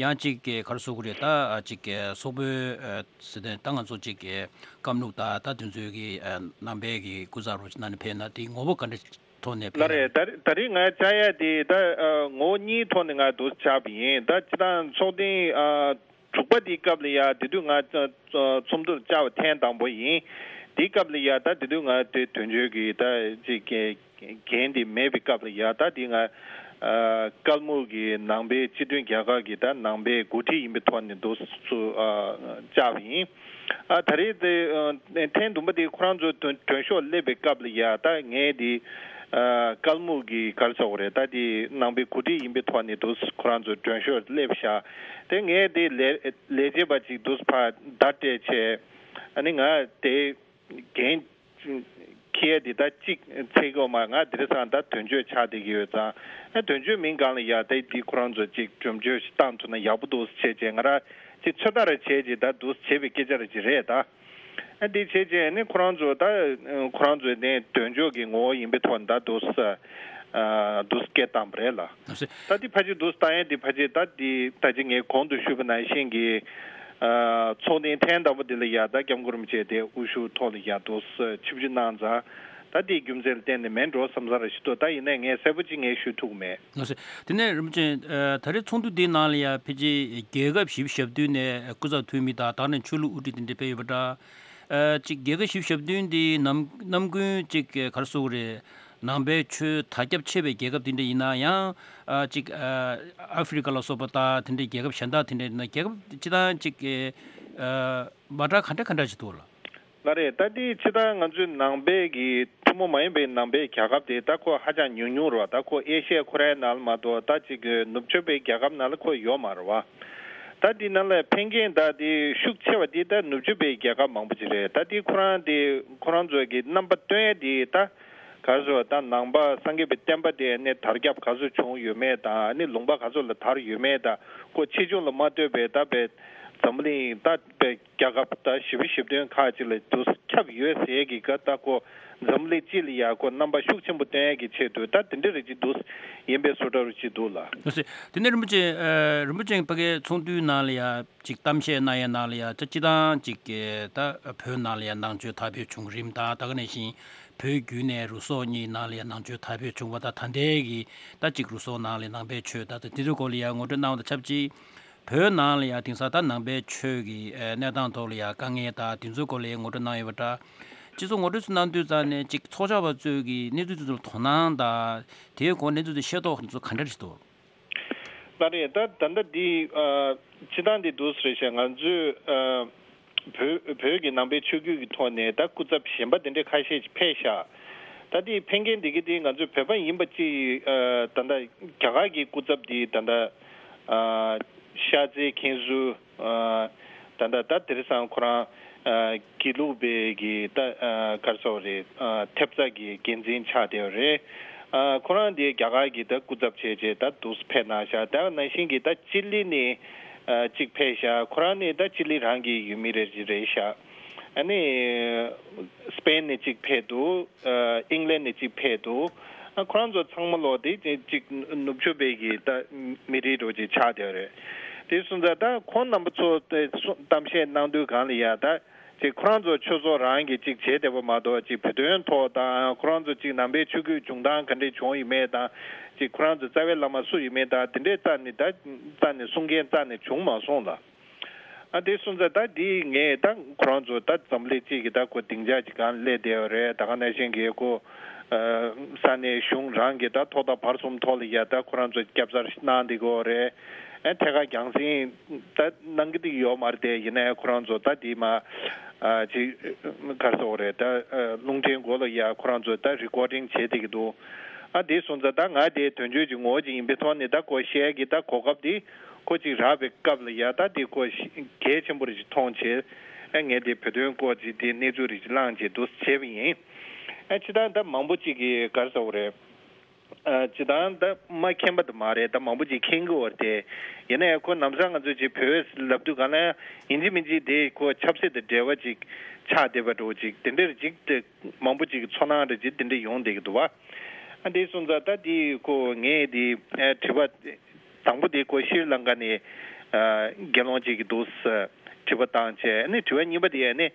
ཡང་ཅིག་ག་རེ་ཟེར་དགོས་རེད། ད་ཨ་ཅིག་ཨ་སོག་པོའི་ཨ་ཟེར་ཏེ་ད་ང་ཚོ་ཅིག་ཨ་ཀམ་ལུགས་དང་ད་དེ་ཚོའི་གི་ཨ་ནང་པའི་གི་སྐུ་ཚབ་རོགས་གནང་ནས་ཕེབས་ན་དེའི་ངོ་བོ་ག་འདྲ་ཐོག་ནས་ལགས་ཕེབས་རེད། ན། ད་ད་རེས་ང་བཅར་ཡ་དེ་ད་ཨ་ངོ་བོ་གཉིས་ཐོག་ནས་ང་འདུག་བཅར་བ་ཡིན། ད་སྤྱིར་བཏང་ཚོགས་ཐེངས་ཨ་དྲུག་པ་དེའི་སྐབས་ལ་ཡ་དེ་དུས་ང་ཚོགས་འདུར་བཅར་བ་ཐེངས་དང་པོ་ཡིན། དེའི་སྐབས་ལ་ཡ་ད་དེ་དུས་ང་དེ་དོན་གཅོད་ཀྱི་ད་ཅིག་འགན་དེ་མེད་པའི་སྐབས་ལ་ཡ་ད་དེ་ང་ཨ་ཀལ་མུག་གི་ནང་པའི་སྤྱི་མཐུན་རྒྱལ་ཁབ་ཀྱི་ད་ནང་པའི་འགོ་ཁྲིད་ཡིན་པའི་ཐོག་ནས་འདུག་སུ་ཨ་བཅར་བ་ཡིན། ཨ་ད་རེས་དེ་ཨ་ཐེངས་བདུན་པ་དེ་ཁོ་རང་ཚོ་མགྲོན་མགྲོན་ཤོག་སླེབས་པའི་སྐབས་ལ་ཡ་ད་ངས་དེ་ཨ་ཀལ་མུག་གི་ག་རེ་ཟེར་དགོས་རེད། ད་དེ་ནང་པའི་འགོ་ཁྲིད་ཡིན་པའི་ཐོག་ནས་འདུག་ཁོ་རང་ཚོ་མགྲོན་ཤོག་སླེབས་ཤག་དེ་ངས་དེ་ལས་ལས་བྱེད་པ་ཅིག་འདུག་ཕར་བརྡ་སྤྲད་བྱས། ཨ་ནི་ང་དེ་འགན་འཁྱེར་དེ་ད་གཅིག་ཚེ་གོ་མ་ང་དེ་རིང་སང་ད་དོན་གཅོད་ཆགས་བསྡད་ཀྱི་ཡོད་ཙང་། ཨ་དོན་གཅོད་མིན་གང་ལ་ཡ་ད་འདི་ཁོ་རང་ཚོ་གཅིག་འགྲེམས་བརྗོད་ཞིག་བཏང་ཐུབ་ན་ཡག་པོ་འདུག་བྱས་བྱས་ང་རང་གཅིག་ཚོད་ལྟ་རེ་བྱས་རྗེས་ད་འདུག་བྱས་པའི་སྐད་ཆ་རེ་ཅིག་རེད་ད། ཨ་འདི་བྱས་རྗེས་ནི་ཁོ་རང་ཚོ་ད་ཁོ་རང་ཚོའི་ནས་དོན་གཅོད་ཀྱི་ངོ་བོ་ཡིན་པའི་ཐོག་ནས་ད་འདུག་ཨ་འདུག་སྐད་བཏང་པ་རེད་ལ། ད་འདི་ཕལ་ཆེར་འདུག་བཏང་ཡས་འདི་ཕལ་ཆེར་ད་འདི་ད་ཅི་ངས་གོང་དུ་ཞུས་པ་ནང་བཞིན་གྱི་ཨ་ཚོགས་ཐེངས་ཐེངས་དང་པོ་འདི་ལ་ཡ་ད་སྐྱབས་མགོན་རིན་པོ་ཆེ་དེ་དབུ་བཞུགས་ཐོག་ལ་ཡ་འདུག་ཆིབས་བསྒྱུར་གནང་ཙང་། ད་འདིའི་རྒྱུ་མཚན་ལ་བརྟེན་ནས་མིན་འགྲོ་བསམ་བསམ་རེ་ཞིག་འདུག་ད་ཡིན་ནའི་ངས་གསལ་པོ་ཅིག་ངས་ཞུ་ཐུབ་ཀྱི་མེད། ལགས་སོ། དེ་ནས་རིན་པོ་ཆེ་ཨ་ད་རེས་ཚོགས་འདུ་འདིའི་ནང་ལ་ཡ་ཕལ་ཆེར་རྒྱལ་ཁབ་བཞི་བཅུ་ཞེ་བདུན་ནས་སྐུ་ཚབ་འཐུས་མི་དང་དེ་ནས་ཆོས་ལུགས་དབུ་ཁྲིད་དེ་འདྲ་ཕེབས་ཡོད་པ་འདྲ། ཨ་ཅིག་རྒྱལ་ཁབ་བཞི་བཅུ་ཞེ་བདུན་འདི་ནམ་ནམ་རྒྱུན་ཅིག་ག་རེ་ཟེར་དགོས་རེད། ནང་པའི་ཆོས་དར་ཁྱབ་ཆེ་བའི་རྒྱལ་ཁབ་དེ་འདྲ་ཡིན་ན་ཡང་ཨ་ཅིག་ཨ་ཨ་ཧྥི་རི་ཀ་ལ་སོགས་པ་དང་དེ་འདྲའི་རྒྱལ་ཁབ་གཞན་དག་དེ་འདྲ་ཡིན་ན་རྒྱལ་ཁབ་སྤྱིར་བཏང་ཅིག་ཨ་མ་འདྲ་ག་འདྲ་ག་འདྲ་ཅིག་འདུག་ལགས། ལགས་རེད། ད་འདི་སྤྱིར་བཏང་ང་ཚོའི་ནང་པའི་གི་ཐུན་མོང་མ་ཡིན་པའི་ནང་པའི་རྒྱལ་ཁབ་དེ་ད་ཁོ་ཧ་ཅང་ཉུང་ཉུང་རེད་བ། ད་ཁོ་ཨེ་ཤི་ཡ་ཁོ་རའི་ནང་ལ་མ་གཏོགས་ད་ཅིག་གི་ནུབ་ཕྱོགས་པའི་རྒྱལ་ཁབ་ནང་ལ་ཁོ་ཡོད་མ་རེད་བ། ད་ ད་འདི་ནང་ལ་ཕན་མཁན་ད་འདི་ཤུགས་ཆེ་བ་འདི་ད་ནུབ་ཕྱོགས་པའི་རྒྱལ་ཁབ་མང་པོ་ཅིག་རེད། ད་འདི་ཁོ་རང་འདི་ཁོ་རང་ཚོ་གི་རྣམ་པ་སྟོན་ཡ་འདི་ད་ག་རེ་ཟེར་བ། ད་ནང་པ་སངས་རྒྱས་པའི་བསྟན་པ་དེ་ནས་དར་ཁྱབ་ག་ཚོད་བྱུང་ཡོད་མེད་དང་། ཨ་ནི་ལུང་པ་ག་ཚོད་ལ་དར་ཡོད་མེད་དང་། ཁོ་ཆེ་ཆུང་ལ་མ་ལྟོས་པའི་ད་པའི་འཛམ་གླིང་ད་པའི་རྒྱལ་ཁབ་ད་བཞི་བཅུ་ཞེ་བདུན་ཁག་ཅིག་ལ་དུ་ཁྱབ་ཡོད་ཟེར་གི་ག་ད་ཁོ་འཛམ་གླིང་སྤྱི་ལ་ཡ་ཁོ་རྣམ་པ་ཤུགས་ཆེན་པོ་སྟོན་ཡ་གི་ཆེད་དུ་ད་དེ་འདྲ་རེ་ཅིག་འདུག་ཡིན་པའི་བཟོ་འདྲ་རུ་ཅིག་འདུག་ལ། ལགས་སོ། དེ་ནས་རིན་པོ་ཆེ། ཨ། རིན་པོ་ཆེ་ཕ་གིའི་ཚོགས་འདུའི་ནང་ལ་ཡ་ཅིག་གཏམ་བཤད་གནང་ཡའི་ནང་ལ་ཡ་ད་སྤྱི་བཏང་ཅིག་གི་ད་བོད་ནང་ལ་ཡ་ནང་ཆོས་དར་འཕེལ་བྱུང་རིམ་དང་། ད་ག་ནང་བཞིན་བོད་བརྒྱུད་ནས་རུ་སོག་གཉིས་ནང་ལ་ཡ་ནང་ཆོས་དར་འཕེལ་བྱུང་བ་དང་། ད་ལྟའི་གི་ད་ཅིག་རུ་སོག་ནང་ལ་ནང་པའི་ཆོས་ད་ད་དེ་ཚོའི་སྐོར་ལ་ཡ་ངོ་སྤྲོད་གནང་བ་དང་ཆབས་ཅིག་བོད་ནང་ལ་ཡ་དེང་སང་ད་ནང་པའི་ཆོས་ཀྱི་ཨ་གནས་སྟངས་ཐོག་ལ་ཡ་དཀའ་ངལ་དང་དེ་ཚོའི་སྐོར་ལ་ཡ་ངོ་སྤྲོད་གནང་ཡོད་པ་འདྲ། སྤྱི་ཚོགས་ངོ་སྤྲོད་ཚོ་གནང་དུས་ཙང་ནས་ཅིག་ཚོགས་བཅར་བ་ཚོས་ཀྱི་གནས་ཚུལ་དེ་ཚོ་ལ་དོ་སྣང་དང་། དེའི་སྐོར་གནས་ཚུལ་དེ་ཤེས་རྟོགས་དེ་ཚོ་ག་འདྲ་རེད་འདུག་ལགས་རེད། ད་ད་ལྟ་འདི་ཨ་སྤྱི་བཏང་འདི་འདུག་ཟེར་བཤད། ང་ཚོས་ཨ་བོད་བོད་ཀྱི་ནང་པའི་ཆོས་བརྒྱུད་ཀྱི་ཐོག་ནས་ད་སྐུ་ཚབ་གཞན་པ་དེ་འདྲ་ཁ་ཤས་ཤིག་ཕེབས་ཤག་ད་འདི་ཕེབས་མཁན་འདི་གི་འདི་ང་ཚོས་བོད་པ་ཡིན་པ་ཅིག་ཨ་ད་ལྟ་རྒྱ་གར་གྱི་སྐུ་ཚབ་འདི་ད་ལྟ་ཨ་ཤར་རྩེ་མཁན་ཟུར། ཨ་ད་ལྟ་ད་དེང་སང་ཁོ་རང་ཨ་དགེ་ལུགས་པའི་གི་ད་ཨ་ག་རེ་ཟེར་དགོས་རེད། ཨ་ཐེབས་རྩ་གི་འགན་འཛིན་ཆགས་བསྡད་པ་རེད། ཨ་ཁོ་རང་དེ་རྒྱ་གར་གྱི་ད་སྐུ་ཚབ་བྱས་བྱས་ད་འདུག་སེ་ཕེབས་གནང་ཤག་ད་ནང་བཞིན་གྱི་ད་ཅི་ལི་ནས་ཨ་གཅིག་ཕེབས་ཤག་ཁོ་རང་ནི་ད་ཅི་ལི་རང་གི་ཡུལ་མི་རེད་རེད་ཤག་ཨ་ནི་སི་པེན་ནས་གཅིག་ཕེབས་འདུག་ཨ་ཨིང་ལན་ནས་གཅིག་ཕེབས་འདུག་ཨ་ཁོ་རང་ཚོ་ཚང་མ་ལོ་དེ་གཅིག་ནུབ་ཕྱོགས་པའི་གི་ད་མི་རིགས་འདྲ་ཅིག་ཆགས་བསྡད་རེད། དེ་སོང་ཙང་ད་ཁོང་རྣམ་པ་ཚོ་དེ་གཏམ་བཤད་གནང་དུས་སྒང་ལ་ཡ་ད་ཅིག་ཁོ་རང་ཚོ་ཆོས་ཚོགས་རང་གིས་ཅིག་བྱས་བསྡད་པ་མ་གཏོགས། ཅིག་བོད་དོན་ཐོག་དང་། ཁོ་རང་ཚོ་ཅིག་ནང་པའི་ཆོས་བརྒྱུད་འབྱུང་སྟངས་ག་འདྲས་བྱུང་ཡོད་མེད་དང་། ཅིག་ཁོ་རང་ཚོ་རྩ་བའི་བླ་མ་སུ་ཡོད་མེད་དང་། དེ་འདྲས་རྩ་ནས་ད་རྩ་ནས་གསུང་མཁན་རྩ་ནས་བྱུང་མ་སོང་ལ། ཨ་དེ་སོང་ཙང་ད་འདི་ངས་ད་ཁོ་རང་ཚོ་ད་འཛམ་གླིང་སྤྱི་གི་ད་ཁོ་སྡིངས་ཆ་ཅིག་སྒང་སླེབས་བསྡད་ཡོད་རེད། ད་ག་ནང་བཞིན་གྱི་ཁོ་ཨ་ས་གནས་གཞུང་རང་གི་ད་ཐོག་མཐའ་བར་གསུམ་ཐོག་ལ་ཡ་ད་ཁོ་རང་ཚོ་སྐྱབས་གསར་གནང་བསྡད་ཀྱི་ཡོད་རེད། ཨ་ཐད་ཀར་རྒྱང་སྲིང་ད་གནང་གི་འདུག་ཡོད་མ་རེད་དེ། ཡིན་ནའི་ཁོ་རང་ཚོ་ད་འདི་མ་ཨ་ཅིག་ག་རེ་ཟེར་དགོས་རེད། ད་ཨ་རླུང་འཕྲིན་སྒོ་ལ་ཡ་ཁོ་རང་ཚོ་ད་རི་ཀོར་ཌིང་བྱེད་བསྡད་ཀྱི་འདུག་ཨ་དེ་སོང་ཙང་ད་ང་དེ་དོན་གཅོད་ཀྱི་ངོ་བོ་ཅིག་ཡིན་པའི་ཐོག་ནས་ད་ཁོ་བཤད་ཀྱི་ད་གོ་སྐབས་དེ་ཁོ་ཅིག་རག་པའི་སྐབས་ལ་ཡ་ད་དེ་ཁོ་གལ་ཆེན་པོ་རེ་ཞིག་མཐོང་བྱས། ཨ་ངས་དེ་བོད་དོན་སྐོར་ཅིག་དེ་གནས་ཚུལ་རེ་ཞིག་བླངས་བྱས་འདུག་བྱས་པ་ཡིན། ཨ་ཕྱི་ད་ད་མང་པོ་ཅིག་གིས་ག་རེ་ཟེར་དགོས་རེད། ཨ་སྤྱིར་བཏང་ད་མ་མཁྱེན་པ་དེ་མ་རེད། ད་མང་པོ་ཅིག་མཁྱེན་གྱི་ཡོད་རེད་དེ། ཡིན་ནའི་ཁོ་ལམ་སང་ང་ཚོས་ཅིག་བོད་ལབ་དུས་གང་ལ་ཡིན་གཅིག་མིན་གཅིག་དེ་ཁོ་ཆབ་སྲིད་དང་འབྲེལ་བ་ཅིག་ཆགས་བསྡད་པ་འདྲ་ཅིག་དེ་འདྲ་རེ་ཅིག་དེ་མང་པོ་ཅིག་གི་ཚོར་སྣང་རེ་ཅིག་དེ་འདྲ་ཡོང་བསྡད་ཀྱི་འདུག་བ། ཨ་དེ་སོང་ཙང་ད་དེ་ཁོ་ངས་དེ་ཨ་དྲི་བ་དང་པོ་དེ་ཁོ་ཤྲི་ལང་ཀ་ནས་ཨ་དགེ་སློང་ཅིག་གིས་འདུག་སེ་དྲི་བ་བཏང་བྱས། ཨ་ནི་དྲི་བ་གཉིས་པ་དེ་ཨ་ནི་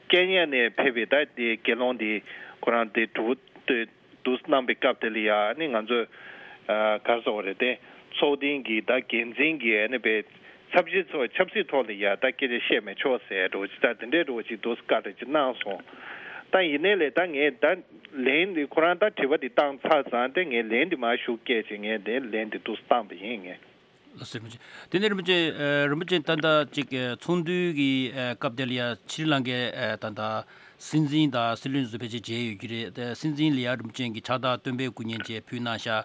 ཀེན་ཡ་ནས་ཕེབས་པའི་ད་དེ་དགེ་སློང་དེ་ཁོ་རང་དེ་དྲི་བ་དེ་འདུག་གནང་བའི་སྐབས་དེ་ལ་ཡ་ནི་ང་ཚོས་ཨ་ག་རེ་ཟེར་དགོས་རེད་དེ། ཚོགས་སྡིངས་ཀྱི་ད་འགན་འཛིན་གྱིས་ཨ་ནི་པའི་ཚབ་ཞུས་ཚོ་ཆབ་སྲིད་ཐོག་ལ་ཡ་ད་སྐད་ཆ་བཤད་མི་ཆོག་ཟེར་འདྲ་ཅིག་ད་དེ་འདྲའི་འདྲ་ཅིག་འདུག་བཀའ་འདྲ་ཅིག་གནང་སོང་། ད་ཡིན་ནའི་ལས་ད་ངས་ད་ལན་འདི་ཁོ་རང་ད་དྲི་བ་འདི་བཏང་ཚར་ཙང་དེ་ངས་ལན་འདི་མར་ཞུ་སྐད་ཅིག་ངས་དེ་ལན་འདི་འདུག་བཏང་པ་ཡིན་ངས། ལགས་སོ། རིན་པོ་ཆེ། དེ་ནས་རིན་པོ་ཆེ། ཨ་རིན་པོ་ཆེ་ད་ལྟ་ཅིག་ཨ་ཚོགས་འདུའི་གི་ཨ་སྐབས་དེ་ལ་ཡ་ཤྲི་ལང་ཀའི་ཨ་ད་ལྟ་སྲིད་འཛིན་དང་སྲིད་བློན་ཚོ་ཕལ་ཆེར་མཇལ་ཡོད་ཀྱི་རེད། དེ་སྲིད་འཛིན་ལ་ཡ་རིན་པོ་ཆེ་གིས་ཕྱག་རྟགས་སྟོན་པའི་སྐུ་བརྙན་ཅིག་ཕུལ་གནང་ཤག་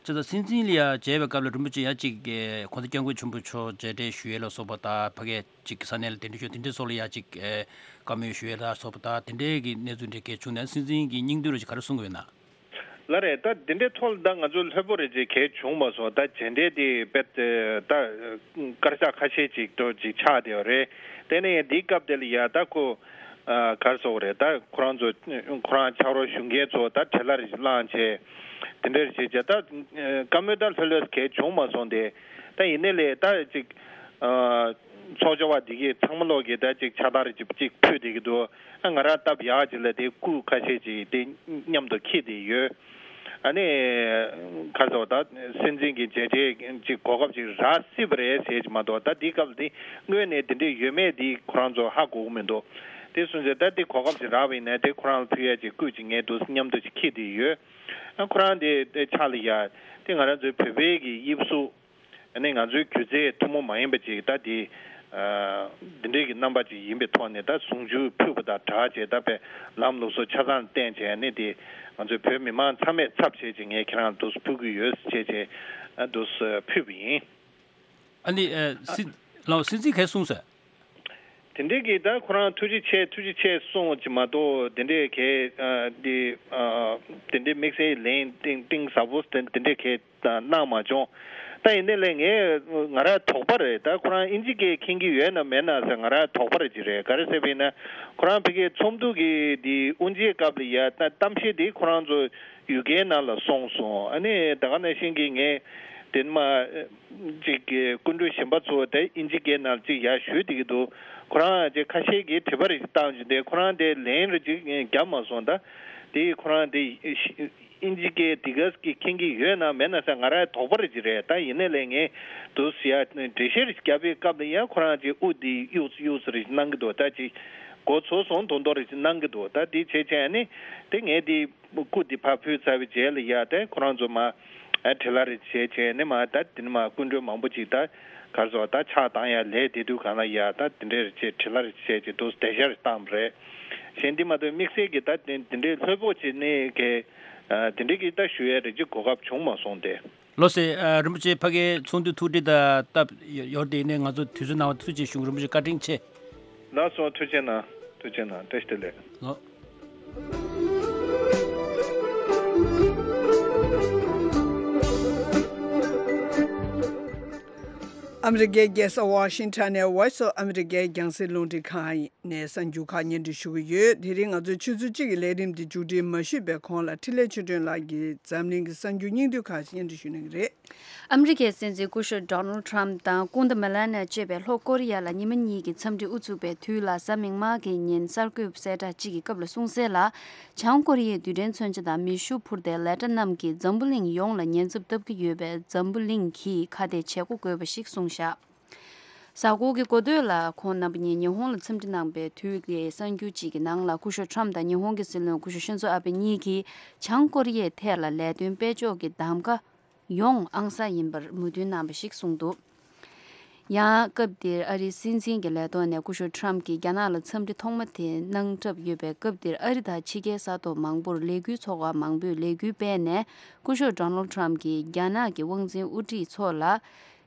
བྱས་ཙང་སྲིད་འཛིན་ལ་ཡ་མཇལ་བའི་སྐབས་ལ་རིན་པོ་ཆེ་ཡ་ཅིག་ཨ་༸གོང་ས་༸སྐྱབས་མགོན་ཆེན་པོ་མཆོག་མཇལ་འཕྲད་ཞུ་ཡས་ལ་སོགས་པ་དང་། ཕ་གིའི་ཅིག་ས་གནས་ལ་གདན་འདྲེན་ཞུ་དེ་འདྲའི་སོགས་ལ་ཡ་ཅིག་ཨ་བཀའ་མོལ་ཞུ་ཡས་ལ་སོགས་པ་དང་། དེ་འདྲའི་གི་གནས་ཚུལ་འདྲ་གལ་བྱུང་ན་སྲིད་འཛིན་གྱི་སྙིང་བསྡུས་རེ་ཅིག་ག་རེ་གསུང་གི་ཡོད་ན། ལགས་རེད། ད་དེ་འདྲའི་ཐོག་ལ་ད་ང་ཚོ་ལྷོད་པོ་རེ་ཅིག་གལ་བྱུང་མ་སོང་། ད་མཇལ་འཕྲད་དེ་དཔེ་ད་དཀར་ཆག་ཁ་ཤས་ཅིག་འགྲོ་ཅིག་ཆགས་བསྡད་པ་རེད། དེ་ནས་འདིའི་སྐབས་དེ་ལ་ཡ་ད་ཁོ་ཨ་ག་རེ་ཟེར་དགོས་རེད། ད་ཁོ་རང་ཚོ་ཁོ་རང་ཕྱག་རོགས་ཞུ་མཁན་ཚོ་ད་བྲེལ་བ་རེ་ཅིག་བསླངས་བྱས་དེ་འདྲ་རེ་བྱས་བྱས། ད་བཀའ་མོལ་ད་ལྷོད་ལྷོད་གལ་བྱུང་མ་སོང་སྟེ། ད་ཡིན་ནའི་ལས་ད་ཅིག་ཨ་ཚོགས་བཅར་བ་འདི་གས་ཚང་མ་ལོག་གིས་ད་ཅིག་ཕྱག་རྟགས་རེ་ཅིག་ཅིག་ཕུལ་བསྡད་ཀྱི་འདུག་ཨ་ང་རང་སྟབས་ཡག་ཅིག་ལ་དེ་སྐུ་ཁ་ཤས་ཅིག་དེ་མཉམ་དུ་འཁྱེར་བསྡད་ཡོད། ཨ་ནི་ག་རེ་ཟེར་དགོས། ད་སྲིད་འཛིན་གྱི་མཇལ་འཕྲད་ཅིག་གོ་སྐབས་ཅིག་རག་སྲིད་པ་རེད་ཟེར་གྱི་མ་གཏོགས། ད་འདིའི་སྐབས་ལ་དེ་སྔོན་ནས་དེ་འདྲས་ཡོད་མེད་དེ་ཁོ་རང་ཚོ་ཧ་གོ་གི་མི་འདུག་དེ་སོང་ཙང་ད་དེ་གོ་སྐབས་ཅིག་རག་པ་ཡིན་ན་དེ་ཁོ་རང་ལ་ཕུལ་ཡ་ཅིག་སྐུ་ཅིག་ངས་འདུག་མཉམ་དུ་ཅིག་འཁྱེར་བསྡད་ཡོད། ཨ་ཁོ་རང་དེ་དེ་ཕྱག་ལ་ཡ་དེ་ང་རང་ཚོའི་བོད་པའི་གི་དབྱིབས་གཟུགས། ཨ་ནི་ང་ཚོའི་སྒྱུ་རྩལ་ཐུན་མོང་མ་ཡིན་པ་ཅིག་ད་དེ་ཨ་འདི་འདྲའི་གི་རྣམ་པ་ཅིག་ཡིན་པའི་ཐོག་ནས། ད་གཟུངས་གཞུག་ཕུལ་བ་དང་སྦྲགས་བྱས་ད་དཔེ་ལམ་ལུགས་སྲོལ་ཆ་ཚང་བསྟན་བྱས། ཨ་ནི་དེ་ང་ཚོའི་བོད་མི་མང་ཚང་མས་ཚབ་བྱས་ཅིག་ངས་ཁྱེད་རང་འདུག་སེ་ཕུལ་གྱི་ཡོད་ཟེར་བྱས་བྱས་ཨ་འདུག་སེ་ཕུལ་བ་ཡིན། ཨ་ནི་ཨ་སྲིད་ ལགས། སྲིད་འཛིན་གས་གསུངས་ཟེར། དེ་འདྲའི་གི་ད་ཁོ་རང་ཐུགས་རྗེ་ཆེ་ཐུགས་རྗེ་ཆེ་གསུངས་ཅིག་མ་གཏོགས། དེ་འདྲའི་གས་ཨ་འདི་ཨ་དེ་འདྲའི་དམིགས་བསལ་ལན་གཏིང་གཏིང་ཟབ་པོ་དེ་དེ་འདྲའི་གས་གནང་མ་བྱུང་། ད་ཡིན་ནའི་ལས་ངས་ང་རང་དོགས་པ་རེད། ད་ཁོ་རང་ཨིན་ཇི་སྐད་མཁྱེན་གྱི་ཡོད་ན་མེད་ན་ཟེར་ང་རང་དོགས་པ་རེ་ཅིག་རེད། ག་རེ་ཟེར་བ་ཡིན་ན་ཁོ་རང་ཕ་གིའི་ཚོགས་འདུ་གི་དེ་དབུ་འབྱེད་སྐབས་ལ་ཡ་ད་གཏམ་བཤད་དེ་ཁོ་རང་ཚོ་ཡུ་ཀེ་ནང་ལ་སོང་སོང་། ཨ་ནི་ད་ག་ནང་བཞིན་གྱི་ངས་དེ་མ་ཅིག་གི་སྐུ་མགྲོན་གཞན་པ་ཚོ་དེ་ཨིན་ཇི་སྐད་ནང་ཅིག་ཡར་ཞུས་བསྡད་ཀྱི་འདུག་ཁོ་རང་ཅིག་ཁ་ཤས་ཀྱིས་དྲི་བ་རེ་ཅིག་བཏང་བྱུང་སྟེ་ཁོ་རང་དེ་ལན་རེ་ཅིག་བརྒྱབ་མ་སོང་། ད་དེ་ཁོ་རང་དེ་ཨིན་ཇི་སྐད་དེ་ག་གི་མཁྱེན་གྱི་ཡོད་ན་མེད་ན་ཟེར་ང་རང་དོགས་པ་རེ་ཅིག་རེད། ད་ཡིན་ནའི་ལས་ངས་འདུག་ཟེར་ཡ་འགྲེལ་བཤད་རེ་ཅིག་བརྒྱབ་པའི་སྐབས་ལ་ཡང་ཁོ་རང་ཅིག་དབུ་དེ་གཡུག་གཡུག་རེ་ཅིག་གནང་གི་འདུག་ད་ཅིག་མགོ་ཚོས་སོང་མདོག་མདོག་རེ་ཅིག་གནང་གི་འདུག་ད་དེ་བྱས་བྱས་ནི་དེ་ངས་དེ། སྐུ་འདི་ཕར་ཕུལ་ཚར་བའི་རྗེས་ལ་ཡ་དེ་ཁོ་རང་ཚོ་མ་ཨ་དྲི་ལ་རེ་བྱས་བྱས་ནས་མ་ད་དེ་ནས་མ་སྐུ་མགྲོན་མང་པོ་ཅིག་ད་གར་སོང་ད་ཕྱག་བཏང་ཡ་ལས་དེ་དུས་གང་ལ་ཡ་ད་དེ་འདྲས་རེ་བྱས་དྲི་ལ་རེ་བྱས་ཅིག་འདུག་དེ་ཤ་རེ་བཏང་བ་རེད། གཞན་འདི་མ་གཏོགས་དམིགས་བསལ་གྱི་ད་དེ་དེ་འདྲས་ལྷོད་པོ་བྱས་ནས་གི་ཨ་དེ་འདྲས་ཀྱི་ད་ཞུ་ཡ་རེ་ཅིག་གོ་སྐབས་བྱུང་མ་སོང་སྟེ། ལགས་སེ། ཨ་རིན་པོ་ཆེ་ཕ་གིའི་ཚོགས་འདུ་ཐུགས་འདྲི་དང་སྟབས་ཡོ་ཡོར་དེ་ནས་ང་ཚོ་དུས་ཚོད་གནང་བ་ཐུགས་རྗེ་ཆེ་ཞུ། རིན་པོ་ཆེ་བཀའ་དྲིན་ཆེ། ལགས་སོ། ཐུགས་རྗེ་གནང་། ཐུགས་རྗེ་གནང་། བཀྲ་ཤིས་བདེ་ལེགས། ལགས། ཨ་མི་རི་ཀའི་རྒྱལ་ས་ཝ་ཤིང་ཊོན་ནས་Voice of America་རྒྱང་སྲིང་རླུང་འཕྲིན་ཁང་ནས་གསར་འགྱུར་ཁག་སྙན་སྒྲོན་ཞུ་གི་ཡོད། དེ་རིང་ང་ཚོའི་ཆུ་ཚོད་གཅིག་གི་ལས་རིམ་འདི་མཇུག་སྒྲིལ་མ་ཞུས་པའི་གོང་ལ་འཕྲིན་ལས་ཆོས་སྒྲོན་ལགས་ཀྱིས་འཛམ་གླིང་གི་གསར་འགྱུར་སྙིང་བསྡུས་ཁག་ཅིག་སྙན་སྒྲོན་ཞུ་གནང་གི་རེད། ཨ་མི་རི་ཀའི་སྲིད་འཛིན་སྐུ་ཞབས་Donald Trump་དང་སྐུ་ཟླ་Melania་བཅས་པས་ལྷོ་ཀོ་རི་ཡ་ལ་ཉི་མ་གཉིས་ཀྱི་འཚམས་འདྲི་དབུ་ཚུགས་པའི་དུས་ལ་གཟའ་མིག་དམར་གྱི་ཉིན་གསར་འགོད་གསལ་བསྒྲགས་གཅིག་གི་སྐབས་ལ་གསུངས་གསལ་ལ། བྱང་ཀོ་རི་ཡའི་རྡུལ་ཕྲན་མཚོན་ཆ་དང་མེ་ཤུགས་འཕུར་མདེལ་ལེ་ཊ་རྣམས་ཀྱིས་འཛམ་བུ་གླིང་ཡོངས་ལ་ཉེན་ཚབས་བཏབ་ཀྱི་ཡོད་པས་འཛམ་བུ་གླིང་གིས་ཁ་གཏད་བྱེད་སྒོ་དགོས་པ་ཞིག་གསུངས་བཞག་གཟའ་འཁོར་གྱི་འགོ་སྟོད་ལ་ཁོང་རྣམ་པ་གཉིས་ཉི་ཧོང་ལ་འཚམས་འདྲི་གནང་པའི་དུས་ཀྱི་གསར་འགྱུར་གཅིག་གི་ནང་ལ་སྐུ་ཞབས་Trump་དང་ཉི་ཧོང་གི་སྲིད་བློན་སྐུ་ཞབས་Shinzo Abe་གཉིས་ཀྱིས་བྱང་ཀོ་རི་ཡའི་ཐད་ལ་ལས་དོན་སྤེལ་ཕྱོགས་ཀྱི་གདམ་ག་ཡོངས་ཨང་གསར་ཡིན་པར་མོས་མཐུན་གནང་བ་ཞིག་གསུངས་འདུག་ཡང་སྐབས་དེར་ཨ་རིའི་སྲིད་འཛིན་གྱི་ལས་ཐོག་ནས་སྐུ་ཞབས་Trump་གྱིས་རྒྱ་ནག་ལ་འཚམས་འདྲི་ཐོག་མ་དེ་གནང་གྲབས་ཡོད་པའི་སྐབས་དེར་ཨ་རི་དང་ཕྱི་རྒྱལ་ས་ཐོག་མང་པོར་ལས་འགུལ་ཚོགས་པ་མང་པོས་ལས་འགུལ་སྤེལ་ནས་སྐུ་ཞབས་Donald Trump་གྱིས་རྒྱ་ནག་གི་དབང་འཛིན་དབུ་ཁྲིད་ཚོ་ལ་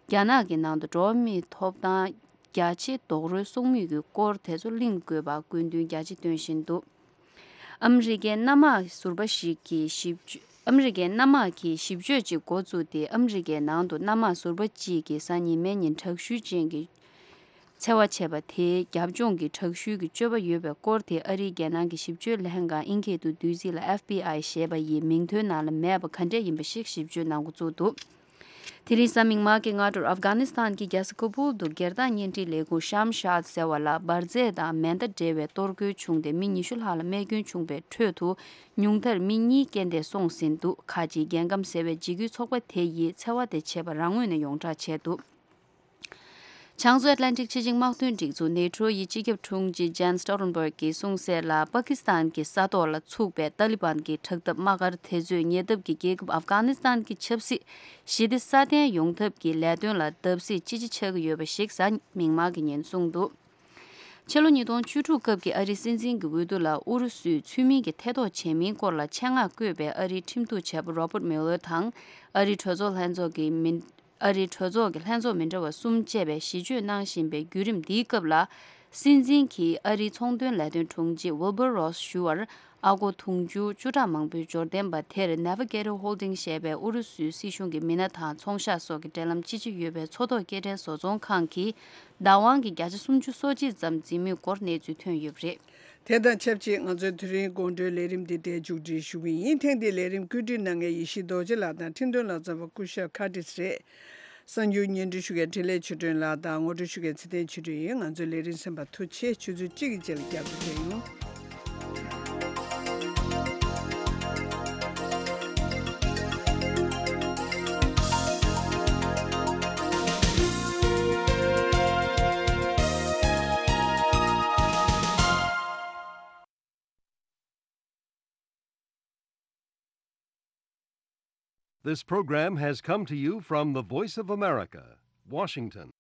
རྒྱ་ནག་གི་ནང་དུ་འགྲོ་བ་མིའི་ཐོབ་ཐང་རྒྱ་ཆེ་རྡོག་རོལ་སོང་མུས་ཀྱི་སྐོར་དེ་ཚོ་གླེང་དགོས་པ་སྐུལ་འདུན་རྒྱ་ཆེ་བཏོན་བཞིན་འདུག་ཨ་མི་རི་ཀའི་གནམ་དམག་ཟུར་པ་ཞིག་གིས་ཞིབ་དཔྱོད། ཨ་མི་རི་ཀའི་གནམ་དམག་གིས་ཞིབ་དཔྱོད་ཅིག་འགོ་བཙུགས་ཏེ་ཨ་མི་རི་ཀའི་ནང་དུ་གནམ་དམག་ཟུར་པ་གཅིག་གིས་གཟའ་ཉི་མའི་ཉིན་དྲག་ཤུལ་ཅན་གྱི་འཚེ་བ་བྱས་པ་དེའི་རྒྱབ་ལྗོངས་ཀྱི་དྲག་ཤུལ་གྱི་སྤྱོད་པ་ཡོད་པའི་སྐོར་དེ་ཨ་རིའི་རྒྱལ་ནང་གི་ཞིབ་དཔྱོད་ལྷན་ཁང་ཨིན་སྐད་དུ་བསྡུས་ཚིག་ལ་F B I་ཞེས་པ་ཡི་མིང་ཐོའི་ནང་ལ་མེད་པ་ག་འདྲས་ཡིན་པ་ཞིག་ཞིབ་དཔྱོད་གནང་འགོ་བཙུགས་འདུག་དེ་རིང་གཟའ་མིག་དམར་གྱི་སྔ་དྲོར་ཨབ་གྷ་ནི་སི་ཐན་གྱི་རྒྱལ་ས་ཀ་བུལ་དུ་སྒེར་བདག་བརྙན་འཕྲིན་ལས་ཁུངས་ཤམ་ཤཱད་ཟེར་བ་ལ་འབར་རྫས་དང་མེ་མདའ་འབྲེལ་བའི་གཏོར་རྒོལ་བྱུང་སྟེ་མི་ཉི་ཤུ་ལྷག་ལ་རྨས་སྐྱོན་བྱུང་བའི་ཁྲོད་དུ་ཉུང་མཐར་མི་གཉིས་རྐྱེན་འདས་སོང་ཟིན་འདུག་ཁ་ཅིག་རྒྱལ་ཁམས་ཟེར་བའི་འཇིགས་སྐུལ་ཚོགས་པ་དེ་ཡིས་འཚེ་བ་དེ་བྱས་པ་རང་ངོས་ནས་ཡོངས་བསྒྲགས་བྱས་འདུག་བྱང་མཚོ་ཨེཊ་ལན་ཊིག་ཕྱི་ཆིངས་དམག་དོན་སྒྲིག་འཛུགས་ནེ་ཊོ་ཡི་སྤྱི་ཁྱབ་དྲུང་ཆེ་ཇན་སི་ཊོལ་ཊེན་བྷརག་གིས་གསུངས་གསལ་ལ། པ་ཀི་སི་ཐན་གྱི་ས་ཐོག་ལ་ཚུགས་པའི་ཏཱ་ལི་བན་གྱི་དྲག་འཐབ་དམག་སྒར་དེ་ཚོས་ཉེ་འདབས་ཀྱི་རྒྱལ་ཁབ་ཨབ་གྷ་ནི་སི་ཐན་གྱི་ཆབ་སྲིད་ཞི་བདེ་སྲ་བརྟན་ཡོང་ཐབས་ཀྱི་ལས་དོན་ལ་བརྡབ་གསིག་ཅི་ཆེ་ཆགས་ཀྱི་ཡོད་པ་ཞིག་གཟའ་མིག་དམར་གྱི་ཉིན་གསུངས་འདུག་ཕྱི་ལོ་ཉིས་སྟོང་བཅུ་དྲུག་སྐབས་ཀྱི་ཨ་རིའི་སྲིད་འཛིན་གྱི་འོས་བསྡུ་ལ་ཨུ་རུ་སུས་ཚུལ་མིན་གྱི་ཐེ་གཏོགས་བྱས་མིན་སྐོར་ལ་ཆེད་མངགས་བསྐོས་པའི་ཨ་རིའི་ཁྲིམས་གཏུག་བྱ་བ་Robert Mueller་དང་ཨ་རིའི་གྲོས་ཚོགས་ལྷན་ཚོགས་ཀྱི་མི། ཨ་རིའི་གྲོས་ཚོགས་ཀྱི་ལྷན་ཚོགས་མི་འདྲ་བ་གསུམ་བཅས་པས་ཞི་བརྗོད་གནང་བཞིན་པའི་བརྒྱུད་རིམ་འདིའི་སྐབས་ལ། སྲིད་འཛིན་གྱིས་ཨ་རིའི་ཚོང་དོན་ལས་དོན་དྲུང་ཆེ་Wilbur Ross་ཞུ་བར། ཨ་སྒོར་དུང་ཕྱུར་བཅུ་ཕྲག་མང་པོའི་འབྱོར་ལྡན་པ་དེར་Navigator Holdings་ཞེས་པའི་ཨུ་རུ་སུའི་སྲིད་གཞུང་གི་མི་སྣ་དང་ཚོང་ཤག་སོགས་ཀྱི་འབྲེལ་ལམ་ཅི་ཆེ་ཡོད་པའི་མཚོ་ཐོག་སྐྱེལ་འདྲེན་བཟོ་ཚོང་ཁང་གིས་བདག་དབང་གི་བརྒྱ་ཆ་སུམ་ཅུ་སོ་གཅིག་ཙམ་འཛིན་མུས་སྐོར་གནས་ཚུལ་ཐོན་ཡོད་པ་རེད། དེ་དང་ཆབས་ཅིག་ང་ཚོའི་དེ་རིང་དགོང་དྲོའི་ལས་རིམ་འདི་འདིར་མཇུག་སྒྲིལ་ཞུ་གི་ཡིན། ཐེངས་འདིའི་ལས་རིམ་བཀོད་སྒྲིག་གནང་མཁན་ཡེ་ཤེས་རྡོ་རྗེ་ལགས་དང་འཕྲིན་གཏོང་ལག་རྩལ་བ་སྐུ་ཞབས་ཁ་ཏིས་རེད། གསར་འགྱུར་སྙན་སྒྲོན་ཞུ་མཁན་འཕྲིན་ལས་ཆོས་སྒྲོན་ལགས་དང་ངོ་སྤྲོད་ཞུ་མཁན་ཚེ་བརྟན་ཆོས་སྒྲོན་ཡིན། ང་ཚོའི་ལས་རིམ་གསན་པར་ཐུགས་རྗེ་ཆེ། ཆུ་ཚོད་གཅིག་གི་རྗེས་ལ་བསྐྱར་དུ་མཇལ་ཡོང་། This program has come to you from the Voice of America, Washington.